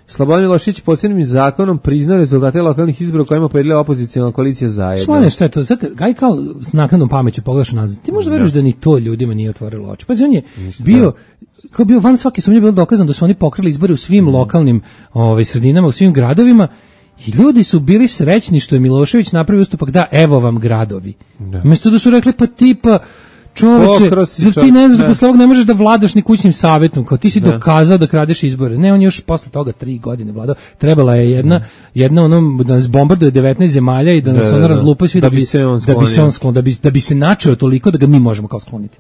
Slobodan Milošević posebnim zakonom priznao rezultate lokalnih izbora u kojima pobedila opozicionalna koalicija Zajedno. Slone, šta je to? Aj kao s naknadnom pameću pogledaš nazad. Ti možda veruješ da ni to ljudima nije otvorilo oči. Pa on je bio van svake sumnje, bilo dokazano da su oni pokrali izbore u svim lokalnim sredinama, u svim gradovima. I ljudi su bili srećni što je Milošević napravio ustupak, da, evo vam gradovi. Umesto da su rekli, pa tipa, čoveče, zar ti ne znaš da posle ovog ne možeš da vladaš ni kućnim savjetom, kao ti si dokazao da kradeš izbore. Ne, on je još posle toga 3 godine vladao. Trebala je jedna ono, da nas bombarduje 19 zemalja i da nas ono razlupa svi da bi se on sklonio, da bi se načeo toliko da ga mi možemo kao skloniti.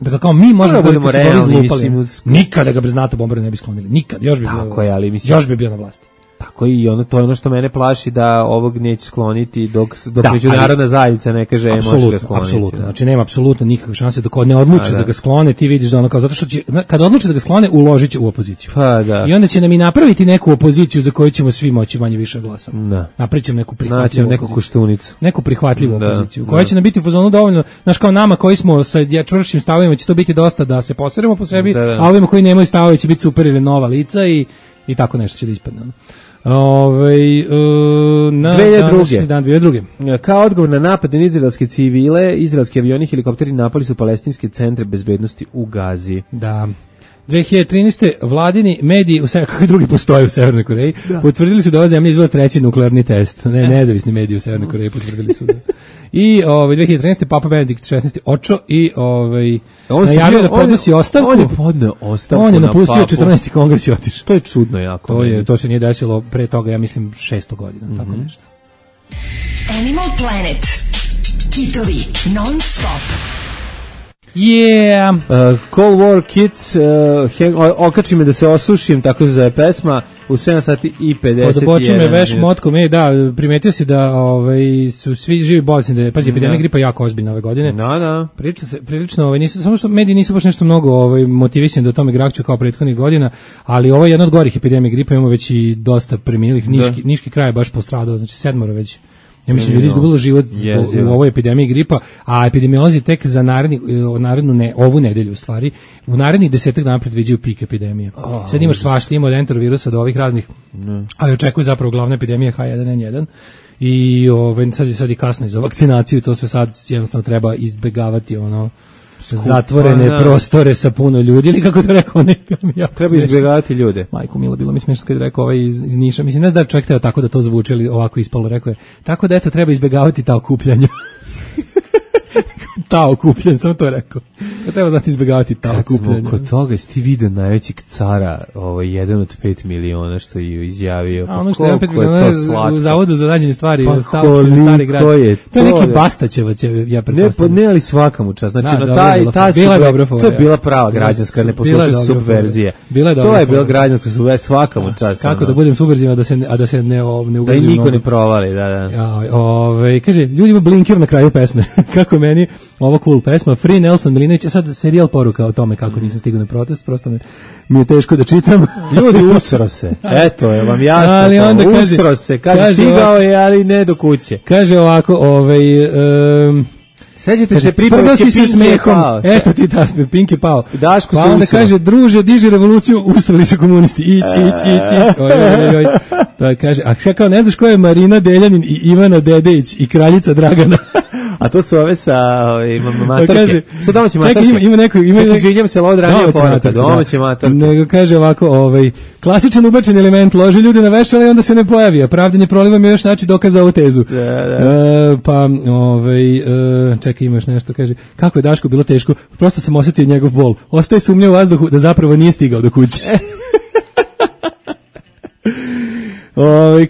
Da ga kao mi možemo da izlupali. Nikada ga bez NATO bombardovanja ne bi sklonili. Nikad, još bi bio na vlasti. Tako i to je ono što mene plaši, da ovog neće skloniti dok međunarodna zajednica ne kaže može ga skloniti. Apsolutno, znači nema apsolutno nikakve šanse dok ne odluče da ga sklone, ti vidiš da ono kao, zato što će, kad odluče da ga sklone, uložit će u opoziciju. I onda će nam i napraviti neku opoziciju za koju ćemo svi moći manje više glasati. Napričam neku prihvatljivu koštunicu. Neku prihvatljivu opoziciju, koja će nam biti u fazonu dovoljno, znaš kao nama koji smo sa čvršćim stavovima će to biti dosta da se poseremo po sebi, a ovima koji nemaju stavove će biti super ili nova lica i tako nešto će da ispadne. 2002. Kao odgovor na napad na izraelske civile, izraelski avioni i helikopteri napali su palestinske centre bezbednosti u Gazi. Da. 2013. vladini mediji, kakvi drugi postoje u Severnoj Koreji, potvrdili su da ova zemlja izvela 3. nuklearni test. Nezavisni mediji u Severnoj Koreji potvrdili su da. I 2013. Papa Benedikt XVI očo i najavio da podnosi ostavku. On je podneo ostavku. On je napustio 14. kongres i otišao. To je čudno jako. To se nije desilo pre toga, ja mislim 600 godina, tako nešto. Animal Planet. Kitovi non stop. Yeah. Cold War Kids, okači me da se osušim, tako se zove pesma, u 7 sati i 51. Odoboči me veš motkom, primetio si da su svi živi bolesni, pazi, epidemija gripa jako ozbiljna ove godine. Priča se prilično, nisu, samo što mediji nisu baš nešto mnogo motivisani da o tome grakću kao prethodnih godina, ali ovo je jedna od gorih epidemija gripa, imamo već i dosta preminulih, Niški kraj je baš postradao, znači 7 već. Ja mislim, ljudi izgubilo život u ovoj epidemiji gripa, a epidemiolozi tek za ovu nedelju u stvari, u narednih 10 dana predviđaju pik epidemije. Sad imaš svašta, ima od enterovirusa do ovih raznih, ali očekuje zapravo glavna epidemija H1N1 i sad je kasno za vakcinaciju, to sve sad jednostavno treba izbegavati zatvorene prostore sa puno ljudi, ili kako to rekao treba izbjegavati ljude. Majko milo, bilo mi smiješno kad je rekao iz Niša, mislim, ne znam da čovjek teo tako da to zvuči, ali ovako ispalo, rekao je, tako da eto treba izbjegavati ta okupljanja. Ta okupljanja, sam to rekao. Treba znati izbjegavati ta okupljanja. Kad smo kod toga, jesi ti vidio najvećeg cara, 1 od 5 miliona što je izjavio. A ono što je 5 miliona u Zavodu za rađenje stvari, pa stari grad. To je neki Bastaćeva će, ja pretpostavljam. Ne, ali svaka mu čast. Znači, to je bila prava građanska, ne poslušaj subverzije. To je bila građanska subverzija, svaka mu čast. Kako da budem subverzivan, a da se ne ugazim. Da i niko ne provali, da. Kaže, ljudi ima blinker na kraju pesme. Kako meni ovo cool pesma, Free Nelson Milinović, sad serijal poruka o tome kako nisam stigao na protest, prosto mi je teško da čitam. Ljudi, usro se, eto je vam jasno, usro se, kaže stigao je, ali ne do kuće. Kaže ovako, sećate se pripovetke Pinky pao. Eto ti da, Pinky pao. Pa onda kaže, druže, diži revoluciju, ustrali se komunisti, ić. Da kaže, a kao ne znaš ko je Marina Deljanin i Ivana Dedejić i kraljica Dragana? A to su ove sa matorke. Što domaće matorke? Čekaj, ima neko... Izvinjam se, ovo ranije poruka, domaće matorke. Nego kaže ovako, klasičan ubačen element, loži ljude na vešala i onda se ne pojavi, a pravdanje prolivom je još način dokaza ovu tezu. Čekaj, imaš nešto, kaže, kako je Daško bilo teško, prosto sam osjetio njegov bol. Ostaje sumnja u vazduhu da zapravo nije stigao do kuće.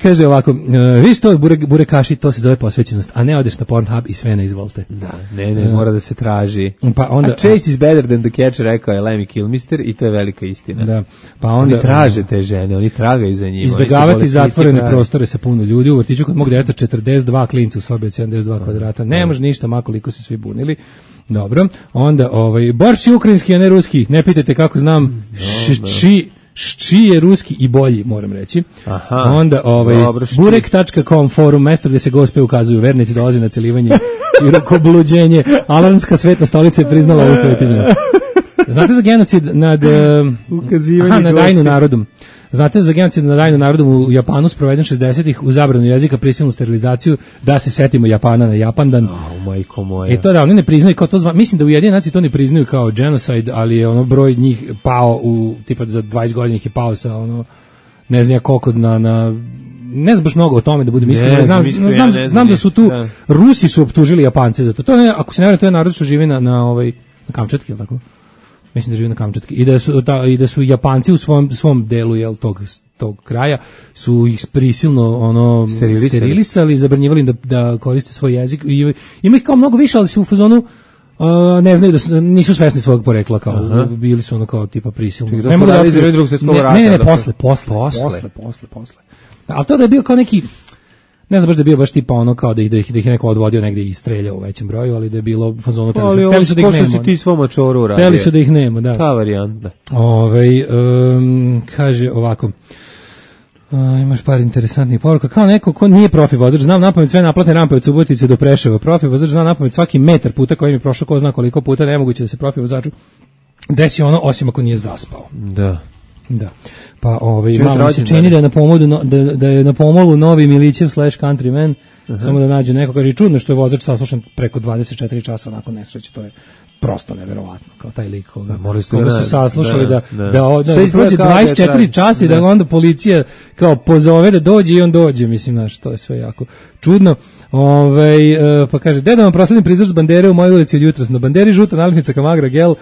Kaže ovako, viš to burekaši, to se zove posvećenost, a ne odeš na Pornhub i sve ne izvolite. Ne, mora da se traži. Pa onda, a Chase is better than the catch, rekao je Lemmy Kilmister, i to je velika istina. Da, pa onda, oni traže te žene, oni tragaju za njima. Izbjegavati zatvorene prostore sa puno ljudi, u vrtiću kod mog djeteta 42 klinca u sobi od 72 kvadrata, ne može ništa, makoliko se svi bunili. Dobro, onda, borš je ukrajinski, a ne ruski, ne pitajte kako znam, Šči je ruski i bolji, moram reći. Aha. Onda burek.com forum, mesto gdje se gospe ukazuju, vernici dolazi na celivanje i rukobluđenje. Alarmska sveta stolica je priznala ovu svetinju. Znate za genocid nad nad Ainu narodom? Znate za genocid nad Ainu narodom u Japanu sproveden 60-ih u zabranu jezika, prisilnu sterilizaciju, da se setimo Japana na Japandan. Majko moja. To da, oni ne priznaju kao to mislim da Ujedinjene nacije to ne priznaju kao genocide, ali je ono broj njih pao u, tipa za 20 godina ih je pao sa ono, ne znam koliko ne znam baš mnogo o tome da budem iskren, znam da su tu, Rusi su optužili Japance za to. To je, ako se ne varam, to je narod što živi na Kamčatki, je li tako? Mislim da živi na Kamčatki i da su Japanci u svom delu tog kraja su ih prisilno sterilisali, zabranjivali im da koriste svoj jezik. Ima ih kao mnogo više, ali su u fazonu ne znaju nisu svesni svog porekla, kao bili su ono kao tipa prisilno. Ne mogu da izravi drugog svjetskog rata. Posle. Ali to da je bio kao neki, ne znam baš da je bio baš tipa ono kao da ih je neko odvodio negdje i streljao u većem broju, ali da je bilo u fazonu teli su da ih nema. Si ti svom mačoru uradio. Teli su da ih nema, da. Ta varijanta. Kaže ovako, imaš par interesantnih poruka. Kao neko ko nije profi vozač, znam napamet sve naplatne rampe od Subotice do Preševa. Profi vozač zna napamet svaki metar puta koji mi prošao, ko zna koliko puta, nemoguće da se profi vozaču desi ono, osim ako nije zaspao. Da. Pa malo mi se čini da je na pomolu novi Milićev / Countryman, samo da nađu neko, kaže, čudno što je vozač saslušan preko 24 časa nakon nesreće, to je prosto neverovatno, kao taj lik koga su saslušali da prođe 24 časa i da onda policija kao pozove da dođe i on dođe, mislim, znaš, to je sve jako čudno. Pa kaže, da vam proslavim prizor s bandere u mojoj ulici od jutros, na banderi žuta nalepnica Kamagra gel,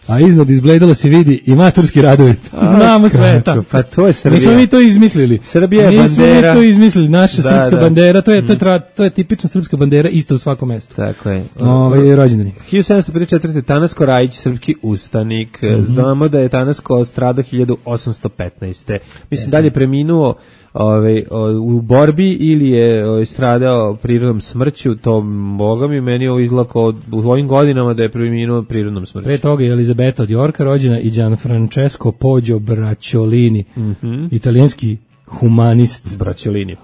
a iznad izbledalo se vidi i maturski radovi. Znamo sve. Pa to je Srbija. Nismo mi to izmislili. Srbija je bandera. Nismo mi to izmislili. Naša srpska bandera, to je tipična srpska bandera, isto u svakom mestu. Tako je. Rođendani. 1754. Tanasko Rajić, srpski ustanik. Znamo da je Tanasko stradao 1815. Mislim, dalje preminuo u borbi ili je stradao prirodnom smrću, to boga mi meni ovo izlako u ovim godinama da je preminuo prirodnom smrću. Pre toga je Elizabeta od Yorka rođena i Gianfrancesco Poggio Bracciolini, italijanski humanist. Bracciolini.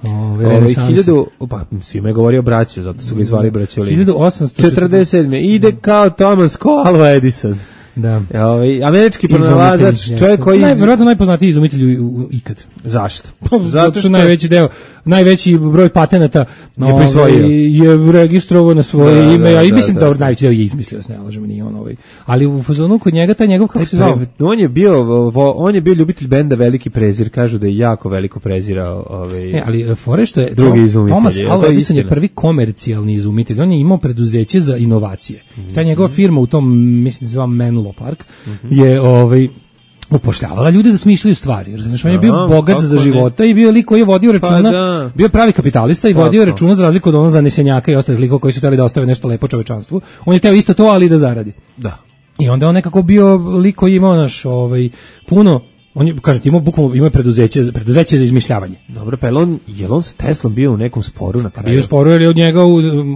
Pa svima je govorio braće, zato su ga izvali Bracciolini. 1847. Ide kao Thomas Alva Edison. Da. Američki pronalazač, čovjek koji verovatno najpoznatiji izumitelj ikad. Zašto? Zato što najveći broj patenata je registrovao na svoje ime, a i mislim da najveći deo je izmislio, se ne lažemo, nije on ali u fazonu kod njega taj njegov, kako se zvao? On je bio ljubitelj benda Veliki prezir, kažu da je jako veliko prezirao ali fore što je drugi izumitelj. Thomas Alva Edison je prvi komercijalni izumitelj, on je imao preduzeće za inovacije. Ta njegova firma u tom, mislim da se zva Menlo Park, je upošljavala ljude da smišljaju stvari. Razumeš, on je bio bogat za života i bio lik koji je vodio računa, bio pravi kapitalista i vodio računa za razliku od onog zanesenjaka i ostalih likova koji su hteli da ostave nešto lepo čovečanstvu. On je teo isto to, ali da zaradi. Da. I onda on nekako bio lik koji imao puno, on je, kažete, imao preduzeće za izmišljavanje. Dobro, pa je on sa Teslom bio u nekom sporu na kraju? Bio u sporu, jer je od njega,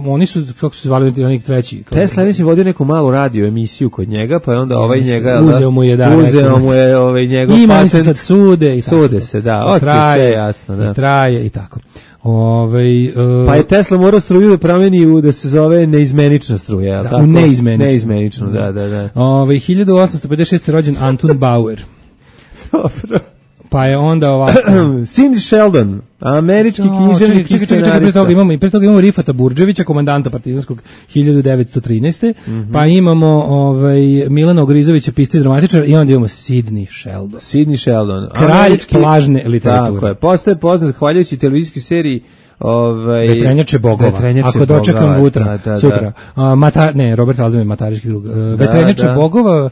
oni su, kako se zvali, onih treći. Tesla je vodio neku malu radio emisiju kod njega, pa je onda njega uzeo mu je njegov patent. Ima se sad sude i tako. Sude se, da, sve jasno. Da. Traje i tako. Pa je Tesla morao struju da promeni da se zove neizmenična struja. Da, u neizmeničnu, da. 1856. rođen Anton Bauer. Dobro. Pa je onda ovako Cindy Sheldon, američki književnik i scenarista. Pre toga imamo Rifata Burđevića, komandanta partizanskog 1913. Pa imamo Milana Ogrizovića, pisca i dramatičar, i onda imamo Sidney Sheldon. Kralj plažne literature. Tako je. Postaje poznat zahvaljujući televizijskoj seriji Vetrenjače bogova. Ako dočekam sutra. Robert Aldom je matariški drug. Vetrenjače bogova,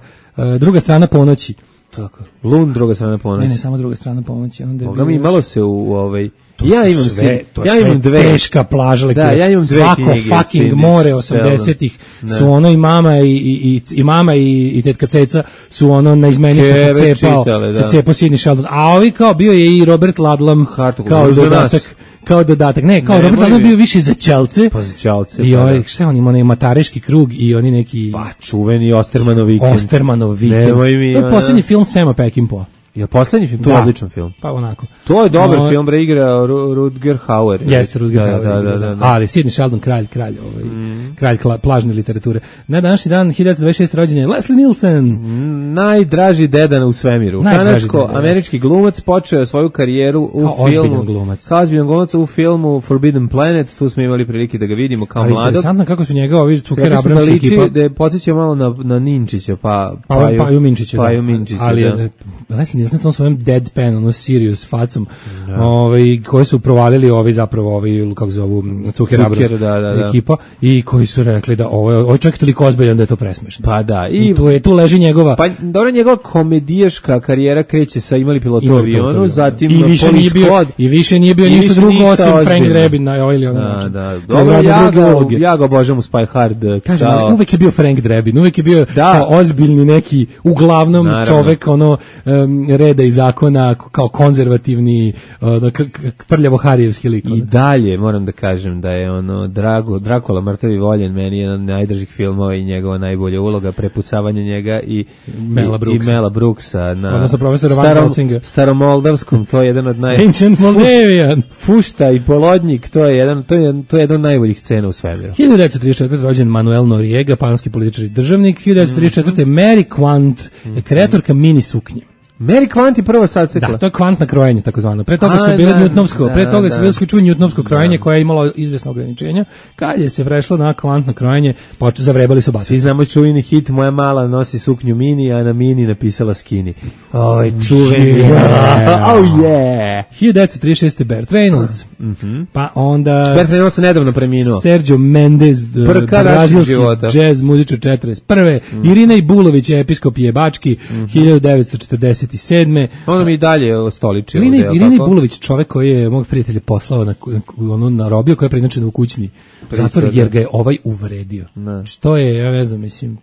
druga strana ponoći. Tako. Lund, druga strana pomoći. Ne, samo druga strana pomoći. Boga mi imalo se u Ja imam dve teška plaža lektura. Da, ja imam dve svako knjige. Svako fucking more 80-ih su ono i mama i tetka Ceca su ono na izmeni se cepao Sidney Sheldon. A ovi kao bio je i Robert Ludlum kao dodatak. Ne, kao Robert Ludlum bio više za ćelce. Pa za ćelce. I šta on ima, onaj matariški krug i oni neki... Pa čuveni Ostermanov vikend. To je posljednji film Sama Peckinpah. Je poslednji film, to je odličan film. Pa onako. To je dobar film, bre, igra Rutger Hauer. Jeste Rutger Hauer. Da. Ali Sidney Sheldon, kralj plažne literature. Na današnji dan 1926 rođen je Leslie Nielsen. Najdraži deda u svemiru. Kanadsko-američki glumac, počeo svoju karijeru u filmu. Kao ozbiljan glumac u filmu Forbidden Planet. Tu smo imali prilike da ga vidimo kao mladog. Interesantno kako su njega ovi Cuker Abrams ekipa. Da podsjeća malo na Ninčića, Paju Minčića. Ali Leslie Nielsen s tom svojom deadpan, ono serious facom, koji su provalili zapravo kako zovu Cuker Abrams ekipa i koji su rekli da ovo je čak toliko ozbiljan da je to presmešno. Pa da. I tu leži njegova... Pa dobro, njegova komedijaška karijera kreće sa imali pilotu avionu, zatim I više nije bio ništa drugo osim Frank Drebin na ili ono. Da. Ja ga obožavam u Spy Hard. Kažem, uvek je bio Frank Drebin, uvek je bio ozbiljni neki, uglavnom čovek reda i zakona, kao konzervativni, prljavo-harijevski lik. I dalje moram da kažem da je Dracula mrtav i voljen meni jedan od najdražih filmova i njegova najbolja uloga, prepucavanje njega i Mela Brooksa na odnosno profesora Van Helsinga. Staromoldavskom, to je jedan od Ancient Moldavian. Fušta i Polodnjik, to je jedan od najboljih scena u svemiru. 1934. rođen Manuel Noriega, panamski političar i državnik. 1934. Mary Quant, kreatorka mini suknje. Mary Quant je prva sacekla. Da, to je kvantna krojenje takozvano. Pre toga su bile njutnovsko, njutnovsko krojenje koje je imalo izvesno ograničenja. Kad je se prešlo na kvantno krojenje, zavrebali su baci. Svi znamo čuveni hit Moja mala nosi suknju mini, a na mini napisala skini. Oj, čuveni. Oh yeah. 1936. Burt Reynolds. Pa onda Burt Reynolds je nedavno preminuo. Sergio Mendes, brazilski jazz muzičar 41. Irina Ibulović, episkop Jebački, 1947. Ono mi i dalje ostoličio. Irina Ibulović, čovek koji je mog prijatelja poslao na robiju, koji je preinačen u kućni zatvor, jer ga je uvredio. Što je, ja ne znam, mislim,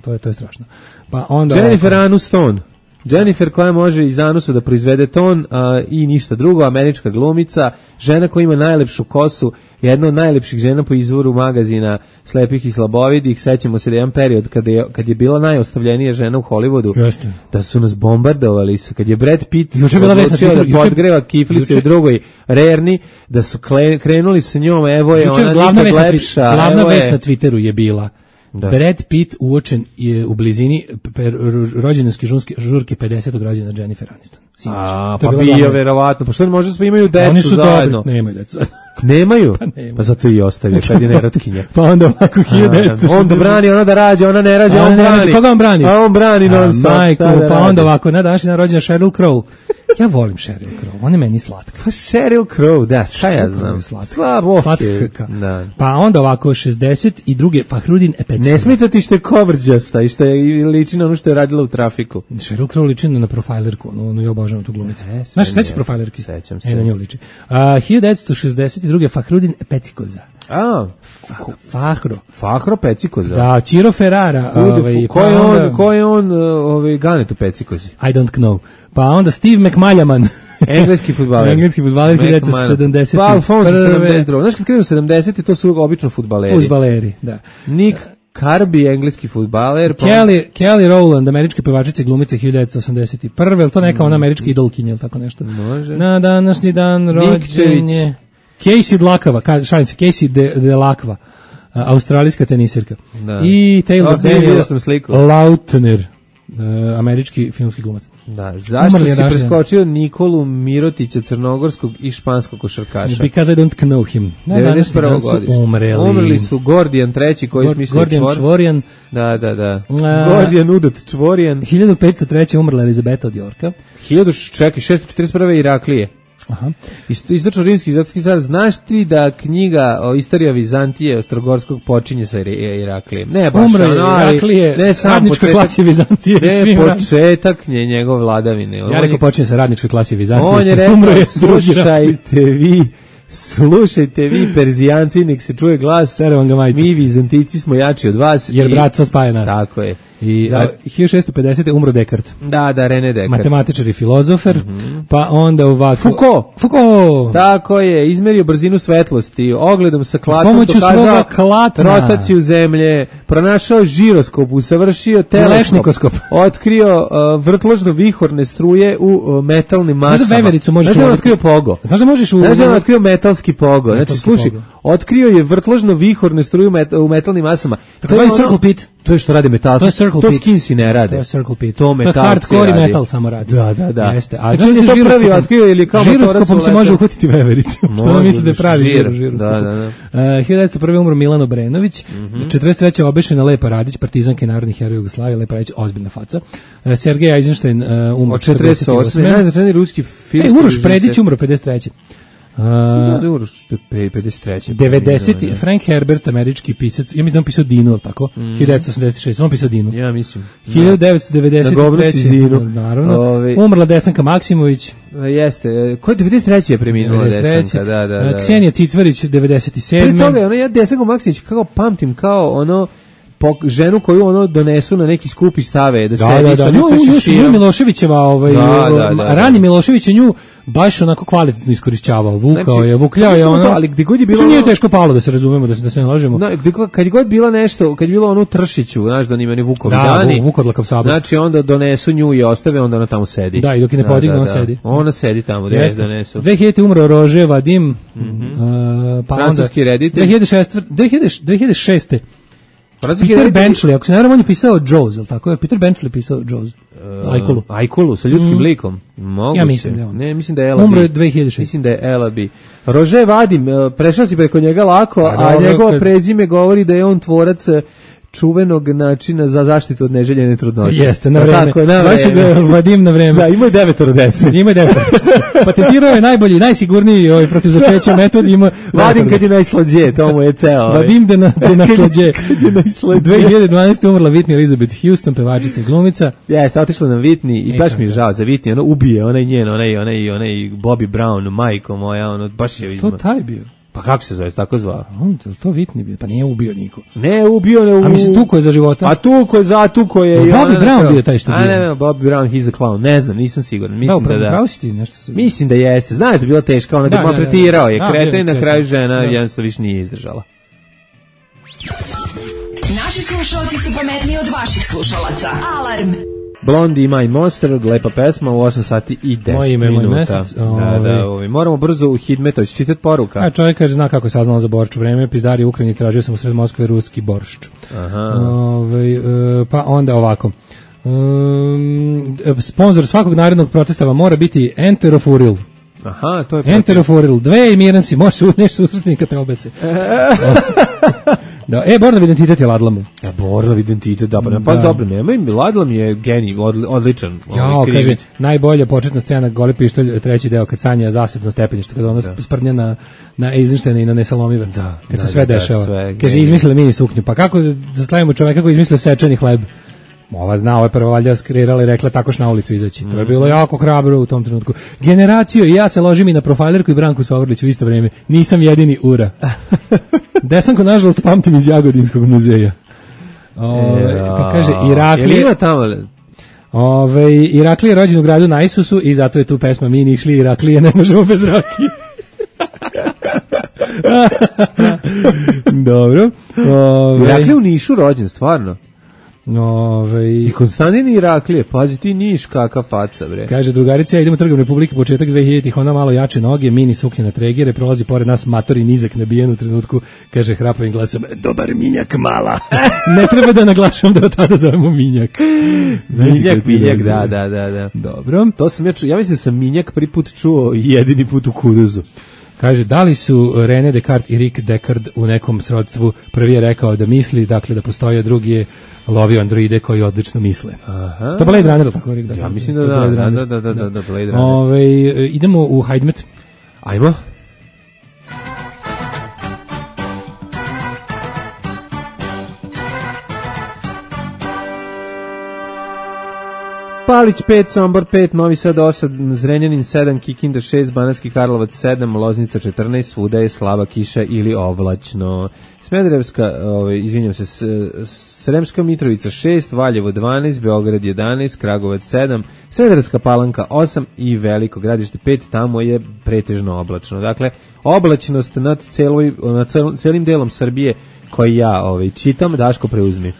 to je strašno. Pa onda Jennifer Aniston. Jennifer koja može iz anusa da proizvede ton i ništa drugo, američka glumica, žena koja ima najlepšu kosu, jedna od najlepših žena po izvoru magazina Slepih i slabovidih. Sećamo se da jedan period kad je bila najostavljenija žena u Hollywoodu, da su nas bombardovali, kad je Brad Pitt odlučio da podgreva kiflice u drugoj rerni, da su krenuli sa njom, evo je ona nikad lepša. Glavna vest na Twitteru je bila Brad Pitt uočen je u blizini rođendanske žurke 50. rođena Jennifer Aniston. Pa bio verovatno. Pa što ne može da imaju decu oni su zajedno? Dobri. Nemaju decu. Nemaju? Pa zato i ostavio kad je nerotkinja. Pa onda ovako 1960. Onda brani, ona da rađe, ona ne rađe, on brani. Koga on brani? A on brani non stop. Pa onda ovako, na današnji dan rođena Sheryl Crow. Ja volim Sheryl Crow, ona je meni slatka. Pa Sheryl Crow, da, šta ja znam. Slatka. Pa onda ovako 62. Fahrudin Epecki. Ne smeta ti što je kovrđasta i što je liči na ono što je radila u Trafiku. Sheryl Crow liči na profilerku, ono je obožavam tu glumicu. Znaš, sećaš profilerki? Sećam se. Na nju liči. 1962. Fahrudin Epecikoza. Fahro Pecikoza. Da, Ciro Ferrara. Ko je on Ganetu Pecikozi? I don't know. Pa onda Steve McMaljaman. Engleski fudbaler. 1970. Pa Alfonso 72. Znaš kad krenu 70. to su obično fudbaleri. Fudbaleri, da. Nick Carby, engleski fudbaler. Kelly Rowland, američka pevačica i glumica 1981. Je li to neka ona američka idolkinja ili tako nešto? Može. Na današnji dan rođen je Casey Dlakava, šalim se, Casey Delacqua, australijska tenisirka. I Taylor Daniel Lautner, američki filmski glumac. Da, zašto si preskočio Nikolu Mirotića, crnogorskog i španskog košarkaša? Because I don't know him. 91. godište. Umrli su Gordijan III, koji smislio Gordijan Čvorjan. Da. Gordijan Udot Čvorjan. 1503. umrla Elizabeta od Jorka. 641. Iraklije. Aha. Istočno rimski zatski car, znaš ti da knjiga o istorija Vizantije Ostrogorskog počinje sa Iraklijem? Ne baš umre Iraklije, ne radnička klasa Vizantije. Ne početak njegov vladavine. Ja rekao počinje sa radničkoj klasi Vizantije. On je rekao, slušajte vi Perzijanci, nek se čuje glas, mi Vizantici smo jači od vas. Jer bratstvo spaja nas. Tako je. I 1650. umro Descartes. Da, René Descartes. Matematičar i filozofer, pa onda ovako... Foucault! Tako je, izmerio brzinu svetlosti, ogledom sa klatom dokazao rotaciju zemlje, pronašao žiroskop, usavršio teleskop, otkrio vrtložno-vihorne struje u metalnim masama. Znaš da vevericu možeš... Znaš da otkrio pogo? Znaš da možeš Znaš da otkrio metalski pogo? Znači, slušaj, otkrio je vrtložno-vihorne struje u metalnim masama. Tako je circle pit. To je što rade metalci. To je circle pit. To skinsi ne rade. To je circle pit. To metalci rade. To je hardcore i metal samo radi. Da. Jeste. A znači je to prvi otkrio ili kao žiroskopom se može uhvatiti vevericu. Što ne misli da je pravi žiroskop. Da. 1901. umro Milan Obrenović. 43. obešena Lepa Radić, partizanka i narodni heroj Jugoslavije. Lepa Radić, ozbiljna faca. Sergej Eisenstein umro 48. Najznačajniji ruski film. Uroš Predić umro 53. 53. 90. Frank Herbert, američki pisac, ja mislim da on pisao Dinu, ali tako? 1986, on pisao Dinu. Ja mislim. 1993. Naravno. Umrla Desanka Maksimović. Jeste. Ko je 93. je preminula Desanka? Da. Ksenija Cicvarić, 97. Prije toga je ja Desanka Maksimović kako pamtim kao ono ženu koju ono donesu na neki skup i stave da sedi sa nju Miloševićeva rani Milošević je nju baš onako kvalitetno iskorišćavao, vukljao je ono, ali gdje god je bilo nije teško palo da se razumemo, da se ne lažemo. Kad je god bila nešto, kad je bilo ono u Tršiću, znaš da nima ni Vukovi dani, Vukodlakav sabor. Znači onda donesu nju i ostave, onda ona tamo sedi. Da, i dok je ne podigne, ona sedi. Ona sedi tamo, gdje je donesu. 2000. umro Rože Vadim, pa onda francuski reditelj. 2006. Peter Benchley, ako se ne varam, on je pisao Jaws, ili tako je? Peter Benchley pisao Jaws. Ajkulu, sa ljudskim likom. Moguće. Ja mislim da je on. Ne, mislim da je Ela B. Umro je 2006. Mislim da je Ela B. Rože Vadim, prešao si preko njega lako, a njegovo prezime govori da je on tvorac čuvenog načina za zaštitu od neželjene trudnoće. Jeste, na vreme. Tako je, na vreme. Vadim na vreme. Da, ima je 9 dece. Patentirao je najbolji, najsigurniji protiv začeća metod. Vadim kad je najslađe, to mu je ceo. Vadim da naslađe. 2012. umrla Whitney Elizabeth Houston, pevačica i glumica. Jeste, otišla nam Whitney i baš mi je žao za Whitney, ono ubije, onaj njen, onaj Bobby Brown, majko moja, ono, baš je to taj bio. Pa kako se zove, tako zvao? To Whitney bio, pa nije ubio niko. Ne ubio, ne ubio. A mislim, tuko je za života? A tuko je. Bobby Brown bio taj što bio. A ne, Bobby Brown, he's a clown. Ne znam, nisam siguran. Mislim da. Pravo si ti nešto. Mislim da jeste. Znaš da je bila teška, ona ga maltretirao je. Kreta i na kraju žena jednostavno više nije izdržala. Naši slušalci su pametniji od vaših slušalaca. Alarm! Blondie My Monster, lepa pesma u 8 sati i 10 Moje ime, minuta. Moj mesec. Moramo brzo u Hidmetović čitati poruka. A čovjek kaže, zna kako je saznalo za boršč. U vreme pizdari u Ukrajini tražio sam u sred Moskve ruski boršč. Pa onda ovako. Sponzor svakog narednog protesta vam mora biti Enterofuril. Aha, to je Enterofuril. Dve i miran si, možeš nešto usretni kad te obese. Da, Bornov identitet je Ladlamov. Bornov identitet, pa dobro, nema, Ladlam je genij, odličan. Kaže, najbolja početna scena Goli pištolj, treći deo, kad sanja zasetno stepenište, kada ona sprdnja na Eisensteina i na Nesalomive, kad se sve dešava. Kaže, izmislili mini suknju, pa kako da slavimo čoveka koji izmislio sečeni hleb? Ova zna, ovo je prva valjda skreirala i rekla takoš na ulicu izaći. To je bilo jako hrabro u tom trenutku. Generaciju, i ja se ložim i na Profilerku i Branku Sovrlić u isto vrijeme. Nisam jedini ura. Desanko, nažalost, pamtim iz Jagodinskog muzeja. Pa kaže, Iraklije... Ima tamo... Iraklije je rođen u gradu Najsusu i zato je tu pesma Mi ni išli Iraklije, ne možemo bez rakije. Dobro. Iraklije u Nišu rođen, stvarno. I Konstantin Iraklije, pazi ti Niš, kakav faca, bre. Kaže, drugarica, idemo trgom Republike, početak 2000-ih, ona malo jače noge, mini suknje na tregere, prolazi pored nas matori nizak nabijen u trenutku, kaže hrapavim glasom, dobar minjak mala. Ne treba da naglašam da od tada zovemo minjak. Minjak, da. Dobro. To sam ja mislim da sam minjak prvi put čuo jedini put u kuduzu. Kaže, da li su René Descartes i Rick Deckard u nekom srodstvu? Prvi je rekao da misli, dakle da postoji, a drugi je lovio androide koji odlično misle. Aha. To Blade Runner, tako Rick Deckard? Ja mislim da Blade Runner. Idemo u Hajdmet. Ajmo. Palić 5, Sombor 5, Novi Sad 8, Zrenjanin 7, Kikinda 6, Banatski Karlovac 7, Loznica 14, svuda je slaba kiša ili oblačno. Smederevska, izvinjam se, Sremska Mitrovica 6, Valjevo 12, Beograd 11, Kragovac 7, Smederevska Palanka 8 i Veliko Gradište 5, tamo je pretežno oblačno. Dakle, oblačnost nad celim delom Srbije koji ja čitam, Daško preuzmi.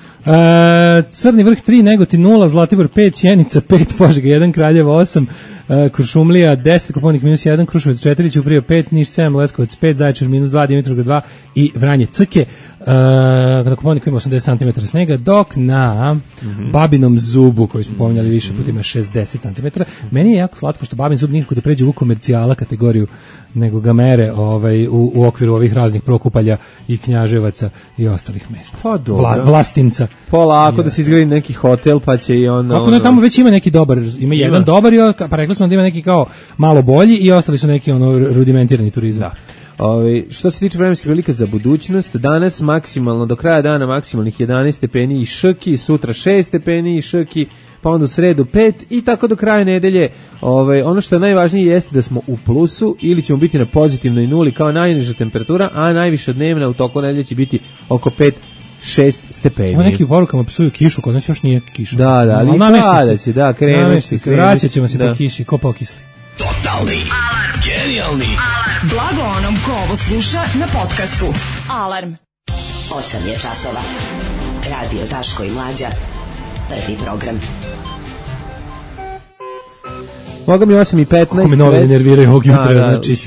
Crni vrh 3, Negotin 0, Zlatibor 5, Sjenica 5, Požega 1, Kraljevo 8, Kuršumlija 10, Koponik -1, Kruševac 4, Ćuprija 5, Niš 7, Leskovac 5, Zaječar -2, Dimitrovgrad 2 i Vranje Crke. Na Koponiku ima 80 cm snega, dok na Babinom zubu, koji smo pominjali više puta, ima 60 cm. Meni je jako slatko što Babin zub nikako da pređe u komercijala kategoriju, nego ga mere u okviru ovih raznih Prokupalja i Knjaževaca i ostalih mesta. Pa dobro. Vlastinca. Polako da se izgradi neki hotel, pa će i on... Ako tamo već ima neki dobar, ima jedan dobar, pa rekli smo da ima neki kao malo bolji i ostali su neki rudimentirani turizam. Da. Što se tiče vremenskih prilika za budućnost, danas maksimalno, do kraja dana maksimalnih 11 stepeni i Šrki, sutra 6 stepeni i Šrki, pa onda u sredu 5 i tako do kraja nedelje. Ono što je najvažnije jeste da smo u plusu ili ćemo biti na pozitivnoj nuli kao najniža temperatura, a najviša dnevna u toku nedelje će biti oko 5-6 stepeni. Ovo neki u porukama psuju kišu, kod nas još nije kiša. Da, ali pada će, da, krenući. Vraćat ćemo se po kiši, ko pokisli. Totalni alarm. Genijalni alarm. Blago onom ko ovo sluša na podcastu. Alarm. 8 je časova. Radio Daško i Mlađa. Prvi program. Moga mi 8:15. Kako me nove nerviraju ovog jutra, znači,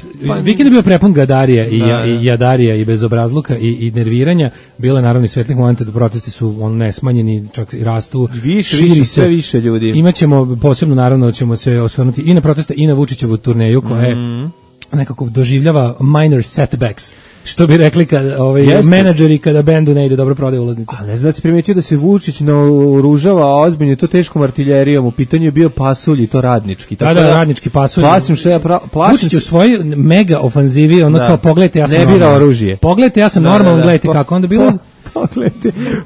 vikend je bio prepun gadarija i jadarija i bezobrazluka i nerviranja, bilo je naravno i svetlih momenta da protesti su nesmanjeni, čak i rastu, širi se, sve više ljudi. Imaćemo posebno, naravno, ćemo se osvrnuti i na proteste i na Vučićevu turneju, koja je nekako doživljava minor setbacks, što bi rekli menadžeri kada bendu ne ide dobro prodaje ulaznice. A ne znam da si primetio da se Vučić naoružava ozbiljno to teškom artiljerijom, u pitanju je bio pasulj i to radnički. Tako da, radnički pasulj. Vučić u svojoj mega ofanzivi, kao pogledajte, ja sam ne bira oružje. Pogledajte, ja sam normalan, gledajte kako onda bilo.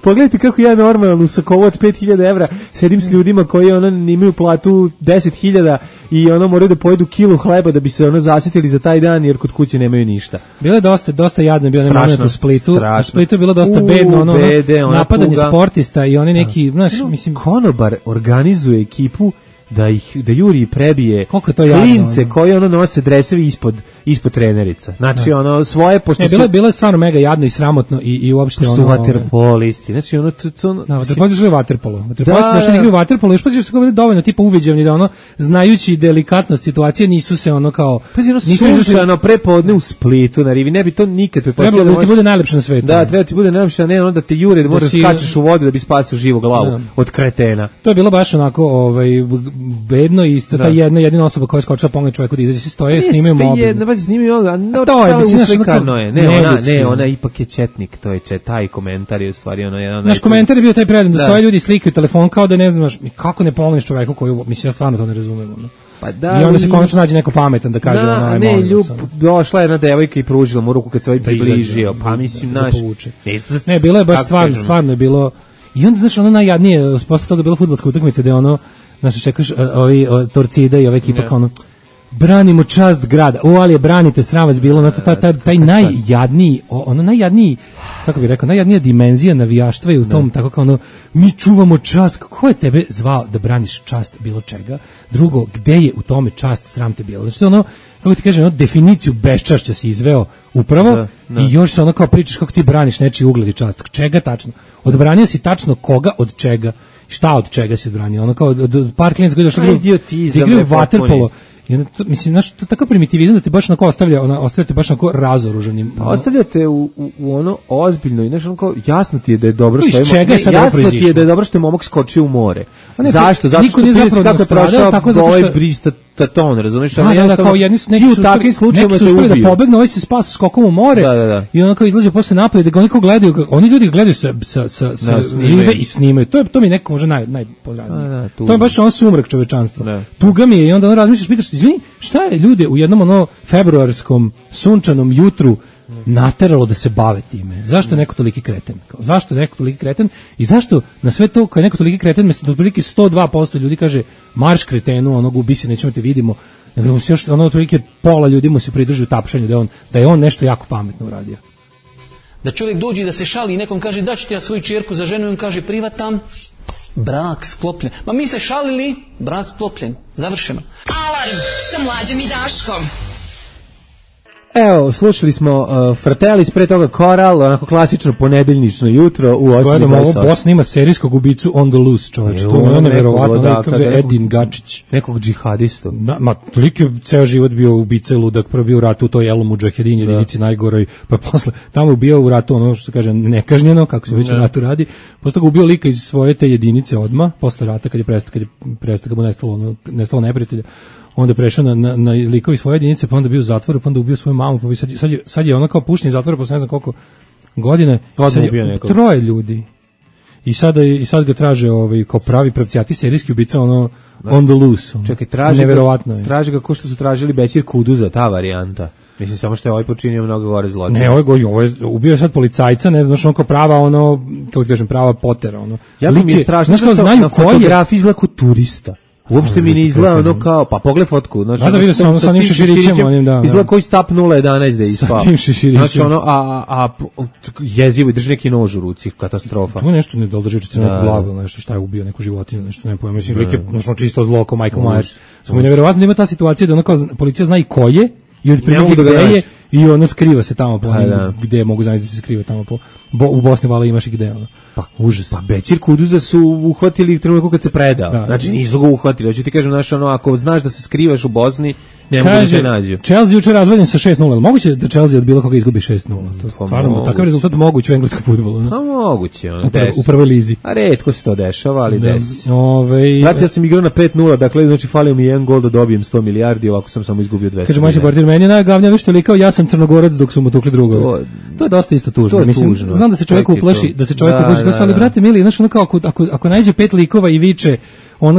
Pogledajte kako ja normalno u sakovu od 5000 evra sedim s ljudima koji imaju platu 10.000 i moraju da pojedu kilu hleba da bi se zasitili za taj dan jer kod kuće nemaju ništa. Bilo je dosta jadno, bio moment u Splitu. U Splitu je bilo dosta bedno, napadanje sportista i oni neki, mislim, konobar organizuje ekipu da juri i prebije klince koji nose dresevi ispod trenerica. Znači svoje, pošto bilo je stvarno mega jadno i sramotno i uopšte su vaterpolisti. Znači vaterpolisti žele vaterpolo. Vaterpolisti igraju vaterpolo, još pa se kao dovoljno tipa uviđavni da znajući delikatnost situacije nisu se kao... Sunčano prepodne u Splitu na rivi, ne bi to nikad prepostavio. Trebalo da ti bude najlepše na svetu. Da, treba ti bude najlepše, a ne onda te jure da moraš skačeš u vodu da bi spasio živu glavu od kretena. To je bilo baš onako bedno i ta jedina osoba koja je skočila pomoći čovjeku da izađe, stoje, snimaju mobil. To je, uslikano je. Ne, ona ipak je četnik, to je taj komentar je u stvari jedan... Naš komentar je bio taj predan, da stoje ljudi i slikaju telefon kao da ne znaš, kako ne pomoliš čovjeku koju, mislim, ja stvarno to ne razumijem. I onda se konačno nađe neko pametan da kaže došla je jedna devojka i pružila mu ruku kad se približio, pa mislim, naš... Ne, bilo je baš stvarno je bilo... I onda, znaš, najjadnije, posle toga je bila fudbalska utakmica gde znaš, čekaš ovi Torcida i ova ekipa kao branimo čast grada, ali je branite, sram vas bilo, taj najjadniji, kako bih rekao, najjadnija dimenzija navijaštva je u tom, tako kao mi čuvamo čast, ko je tebe zvao da braniš čast bilo čega, drugo, gde je u tome čast, sram te bilo, znači kako ti kažem, definiciju beščašća si izveo upravo i još se kao pričaš kako ti braniš nečiji ugled i čast, čega tačno, odbranio si tačno koga, od čega, šta od čega si odbranio, kao od par klijenca koji došli da igraju vaterpolo. Mislim, znaš, to je takav primitivizam da te baš ostavljate baš onako razoružanim. Ostavljate u ozbiljno i znaš, jasno ti je da je dobro što je momak skočio u more. Zašto? Zato što ti je kako prošao ovaj bristaton, razumiješ? Kao jedni su uspeli da pobegnu, ovaj se spasa skokom u more i ono kao izlaže posle napolje, da oni ljudi gledaju sa žive i snimaju. To mi je neko možda najpodraznije. To je baš sumrak čovečanstva. Tuga mi je i onda razmišljaš, pitaš, izvini, šta je ljude u jednom februarskom sunčanom jutru nateralo da se bave time? Zašto je neko toliki kreten? Zašto je neko toliki kreten? I zašto na sve to, kad je neko toliki kreten, mesto da otprilike 102% ljudi kaže marš kretenu, onog ubi se, nećemo te vidimo, nego mu se još, otprilike pola ljudi mu se pridrži u tapšanju da je on nešto jako pametno uradio. Da čovjek dođe da se šali i nekom kaže da ću ti ja svoju čerku za ženu i on kaže privatam, brak sklopljen. Ma mi se šalili, brak sklopljen, završeno. Alarm sa Mlađom i Daškom. Evo, slušali smo Fratellis, pre toga Koral, onako klasično ponedeljnično jutro u 8:28. Bosna ima serijskog ubicu on the loose, čovječ. To je neverovatno, kako se Edin Gačić. Nekog džihadistu. Ma, toliko je ceo život bio ubica i ludak, prvo bio u ratu u toj Elu Mudžahedin jedinici najgoroj, pa posle tamo bio u ratu ono što se kaže nekažnjeno, kako se već u ratu radi, posle ga ubio lika iz svoje te jedinice odma, posle rata kad je prestao mu nestalo neprijatelja. Onda je prešao na likovi svoje jedinice, pa onda bio u zatvoru, pa onda ubio svoju mamu, pa sad je ona kao pušni zatvor, posle ne znam koliko godine, sad je 3 ljudi. I sad ga traže kao pravi pravcijati serijski ubica, ono on the loose. Čekaj, traže ga ko što su tražili Bećir Kuduza, ta varijanta. Mislim, samo što je ovaj počinio mnogo gore zločine. Ne, ovo je ubio sad policajca, ne znaš, on kao prava, kako ti kažem, prava potera, Ja mi je strašno, znaš što na fotografiji izgleda kao turista. Uopšte mi ne izgleda ono kao, pa pogled fotku, znači da vidio sam sa njim šeširićem, onim da. Izgleda koji stap 011 da je ispao. Sa tim šeširićem. Znači ono, a jezivo i drži neki nož u ruci, katastrofa. To je nešto ne drži neku glavu, nešto šta je ubio neku životinju, nešto ne pojma, mislim lik je čisto zlo kao Michael Myers. Samo neverovatno da ima ta situacija da ono kao policija zna i ko je i otprilike gde je i ono skriva se tamo po gde mogu znači da se skriva tamo u Bosni vala imaš i gde ono. Pa užas. Pa Bećir Kuduza su uhvatili trenutku kad se predao. Znači nisu ga uhvatili. Hoću ti kažem, znači ono, ako znaš da se skrivaš u Bosni, ne mogu da te nađu. Chelsea juče razvaljen sa 6:0. Moguće da Chelsea od bilo koga izgubi 6:0. Stvarno, takav rezultat moguć u engleskom fudbalu. Pa moguće, u prvoj lizi. A retko se to dešava, ali desi. Ja sam igrao na 5:0, dakle znači falio mi 1 gol da dobijem 100 milijardi, ovako sam samo izgubio 200. Kaže moj portir, meni je najgavnije što likao ja sam Crnogorac dok su mu tukli drugovi. To je dosta isto tužno. Mislim, znam da se čovjek uplaši, ali brate mili, znaš ono kao ako nađe 5 likova i viče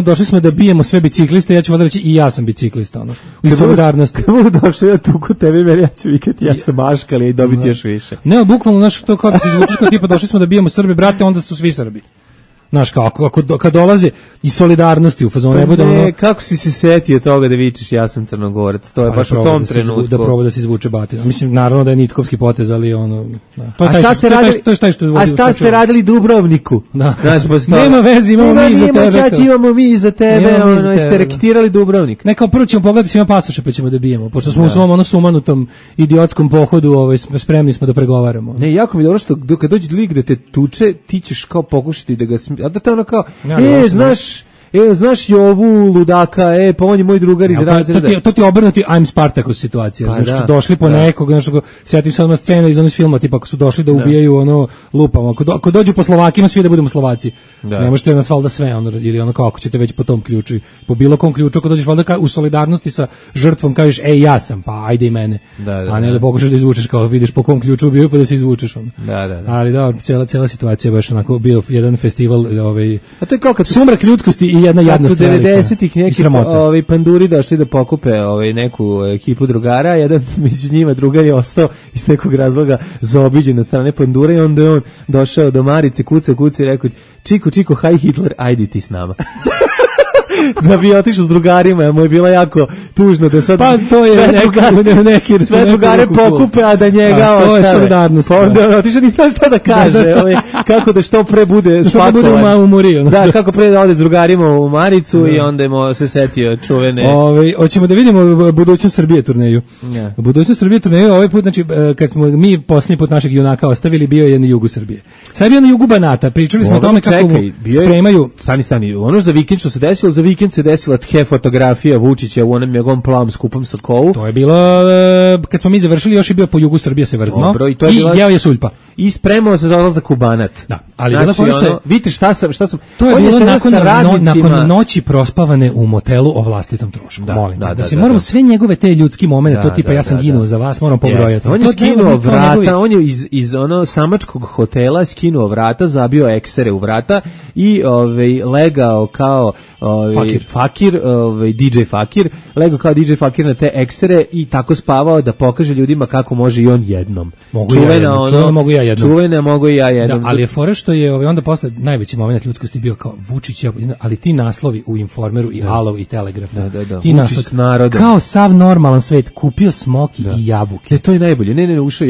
došli smo da bijemo sve bicikliste, ja ću valjda reći i ja sam biciklista, u solidarnosti. Kako došli da tuku tebe, meni ja ću vikati, ja sam maškali i dobiti još više. Ne, bukvalno, znaš, to kao da se izvučeš kao tipa, došli smo da bijemo Srbi, brate, onda su svi Srbi. Znaš, kad dolaze iz solidarnosti u fazonu, ne bude kako si se setio toga da vičeš ja sam Crnogorac, to je baš u tom trenutku. Da proba da se izvuče batina. Mislim, naravno da je nitkovski potez, ali A šta ste radili Dubrovniku? Nema veze, imamo mi za tebe, ste reketirali Dubrovnik. Ne, kao prvo ćemo pogledati svima pasoše pa ćemo da bijemo, pošto smo u svom sumanutom idiotskom pohodu spremni smo da pregovaramo. Ne, jako mi je dobro što kad dođe lik da te tuče, ti ćeš kao pokušati da ga a da te ono kao, znaš Jovu ludaka, pa on je moj drugar iz razreda. To ti obrnuti I'm Spartacus situacija. Znači su došli po nekog, sjetim se scena iz onog filma, tipa ako su došli da ubijaju lupamo. Ako dođu po Slovakima, svi da budemo Slovaci. Ne možete nas valjda sve, ili kao ako ćete već po tom ključu, po bilo kom ključu, ako dođeš valjda u solidarnosti sa žrtvom, kažeš, ja sam, pa ajde i mene. A ne da pokušaš da izvučeš, kao vidiš po kom ključu ubijaju, pa da se izvučeš. Ali da, cijela situacija je baš onako bio jedan festival, sumrak ljudskosti jedna jadna stvar. Kad su 90-ih neki panduri došli da pokupe neku ekipu drugara, jedan među njima drugar je ostao iz nekog razloga zaobiđen od strane pandura i onda je on došao do Marice, kucao i rekao, Čiko, hi Hitler, ajdi ti s nama. Da bi otišao s drugarima, jer mu je bilo jako tužno da sad to je sve drugare pokupe, a da njega ostave. To je solidarnost. Pa onda otišao, nisam šta da kaže, kako da što pre bude spakovan. Da, kako pre da ode s drugarima u Maricu i onda je se setio čuvene. Hoćemo da vidimo budućnost Srbije turneju. Budućnost Srbije turneju ovaj put, znači kad smo mi posljednji put našeg junaka ostavili, bio je na jugu Srbije. Sad je bio na jugu Banata, pričali smo o tome kako spremaju. Stani, ono za vikend što se desilo, za vikend se desila fotografija Vučića u onom njegovom plavom skupom Sokovu. To je bilo, kad smo mi završili, još je bio po jugu Srbije se vrzmao i jeo je suljpa. i spremao se za odlazak u Banat. Da, ali znači, bilo što vidite šta sam to je bilo radnicima... nakon noći prospavane u motelu o vlastitom trošku. Molim da se moramo sve njegove te ljudski momente, to tipa ja sam ginuo za vas, moram pobrojati. On je skinuo vrata, on je iz ono samačkog hotela skinuo vrata, zabio eksere u vrata i legao kao fakir, DJ Fakir, legao kao DJ Fakir na te eksere i tako spavao da pokaže ljudima kako može i on jednom. Čuvena mogu i ja jednom. Da, ali je fora što je onda posle najveći moment ljudskosti bio kao Vučić, ali ti naslovi u Informeru i Alov i Telegraf. Ti naslovi kao sav normalan svet, kupio smoki i jabuke. To je najbolje. Ne, ušao.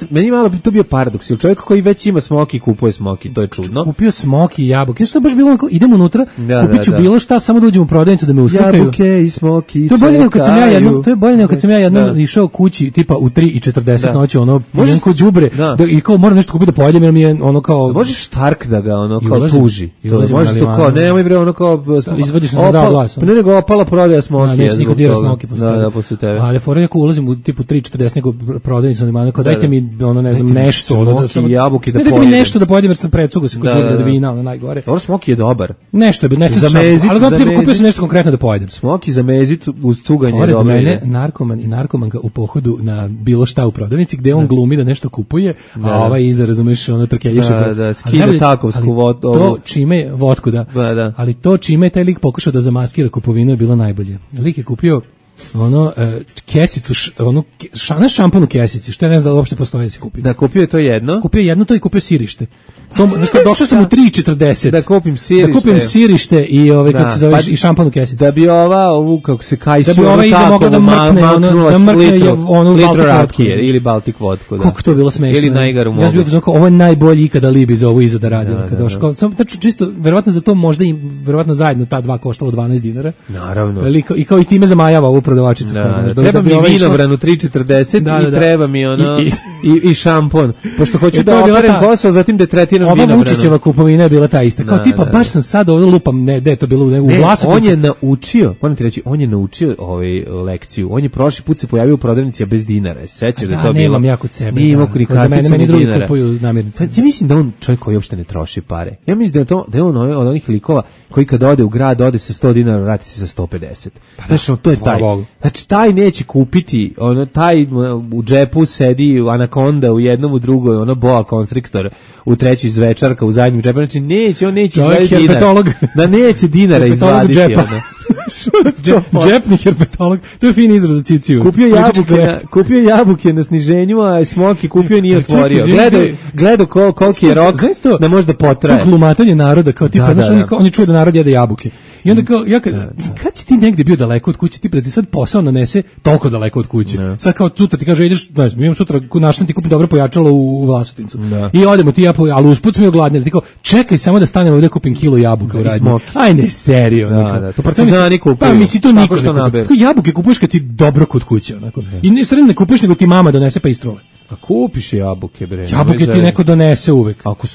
Meni malo to bio paradoks. Jer čovjek koji već ima smoki kupuje smoki, to je čudno. Kupio smoki i jabuke. Što baš bilo onako, idemo unutra, kupit ću bilo šta, samo da uđem u prodavnicu da me uslikaju. Jabuke i smoki. To je bolje nego kad sam ja jednom išao kući tipa u 3:40 noći, ono ko đubre i kao moram nešto kupiti da pojedem jer mi je ono kao možeš Štark da ga ono kao tuži. To može to kao nemoj bre ono kao izvadiš se za glas. Pa ne nego opala prodaja smoki. Neće niko dira smoki posle tebe. Ali fora je ako ulazim u tipu 3:40 nego prodavnicu ima kao dajte mi ono ne znam nešto da sam jabuke da pojedem. Dajte mi nešto da pojedem jer sam precugo se kod đubre da vina ono najgore. Ovo smoki je dobar. Nešto je nešto ali da tipa kupio sam nešto konkretno da pojedem. Smoki za mezit uz cuganje je dobro. Mene narkoman i narkomanka u pohodu na bilo šta u prodavnici gde on glumi da nešto kupuje, a ovaj iza razumeš ono trkeljiše. Da, skida takovsku vodku. To čime vodku ali to čime je taj lik pokušao da zamaskira kupovinu je bilo najbolje. Lik je kupio kesicu, šampon u kesici, što ja ne znam da uopšte postoje da se kupi. Da, kupio je to jedno? Kupio jedno to i kupio sirište. Došao sam u 3:40. Da kupim sirište i kako se zove i šampon u kesici. Da bi ovu kako se kajsio, da bi ova iza mogla da mrkne onu rakije ili Baltic vodku. Kako to bilo smešno. Ili najgaru mogu. Ja sam bio ovo je najbolji ikada libi za ovo iza da radi. Kad došao, znači čisto verovatno za to možda i verovatno zajedno ta dva koštalo $12. Naravno. I kao i time zamajava ovu prodavačicu. Treba mi vinobranu 3:40 i treba mi ono i šampon. Pošto hoću da operem posao, zatim da tretiram vinobranu. Ova Vučićeva kupovina je bila ta ista. Kao tipa, baš sam sad ovdje lupam, gde je to bilo u Vlasotincu. On je naučio, moram ti reći, on je naučio lekciju. On je prošli put se pojavio u prodavnici bez dinara. Sećaš da to bilo? Nemam ja kod sebe. Nije imao ni karticu meni drugi kupuju namirnice. Ja mislim da on čovjek koji uopšte ne troši pare. Ja mislim da je on od onih likova koji kad ode u grad, ode sa $100, vrati se sa 150. Znači, to je taj. Znači, taj neće kupiti, taj u džepu sedi anakonda u jednom, u drugoj, boa konstriktor u trećoj zvečarka u zadnjem džepu. Znači, on neće izvaditi dinar. Da neće dinara izvaditi. Džepni herpetolog, to je fin izraz za ciciju. Kupio jabuke na sniženju, a smoki kupio nije otvorio. Gledao koliki je rok da može da potraje. To glumatanje naroda, kao tipa, on je čuo da narod jede jabuke. I onda kao, kad si ti negde bio daleko od kuće, tipa da ti sad posao nanese toliko daleko od kuće. Sad kao sutra ti kaže, ideš, mi imam sutra naštem ti kupim dobro pojačalo u Vlasotincu. I odemo ti ali usput smo i ogladnili. Ti kao, čekaj samo da stanem ovdje kupim kilo jabuka u radnji. Aj ne, serio. To partizani kupuju. Pa misli to niko ne kupuje. Jabuke kupuješ kad si dobro kod kuće. I ne kupuješ nego ti mama donese pa istrole. A kupiš jabuke, bre. Jabuke ti neko donese uvek. Ako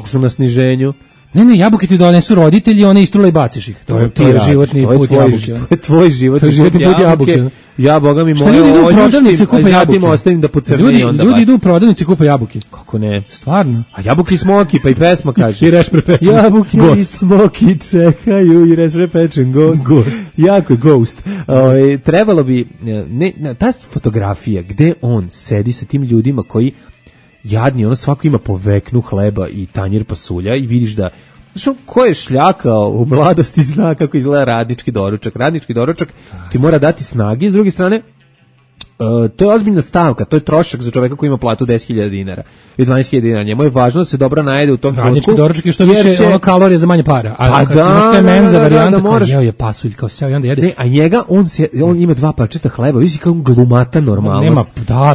su na sniženju. Ne, jabuke ti donesu roditelji, one istrule i baciš ih. To je životni put jabuke. To je tvoj životni put jabuke. Ja, boga mi moje oljuštim, a zatim ostavim da pocrni onda. Ljudi idu u prodavnici i kupe jabuke. Kako ne? Stvarno? A jabuke i smoki, pa i pesma kaže. I reš prepečen. Jabuke i smoki čekaju i reš prepečen gost. Jako je Ghost. Trebalo bi, ta fotografija gde on sedi sa tim ljudima koji jadni, svako ima po veknu hleba i tanjir pasulja i vidiš da, znaš, ko je šljakao u mladosti zna kako izgleda radnički doručak. Radnički doručak ti mora dati snage, s druge strane, to je ozbiljna stavka, to je trošak za čoveka koji ima platu $10.000 i $12.000. Njemu je važno da se dobro najede u tom trenutku. Radnički doručak je što više kalorije za manje para. A kad se što je menza varijanta, kao jeo je pasulj, kao seo i onda jede. Ne, a njega, on ima 2 parčeta hleba, vidi kao glumata normalnost.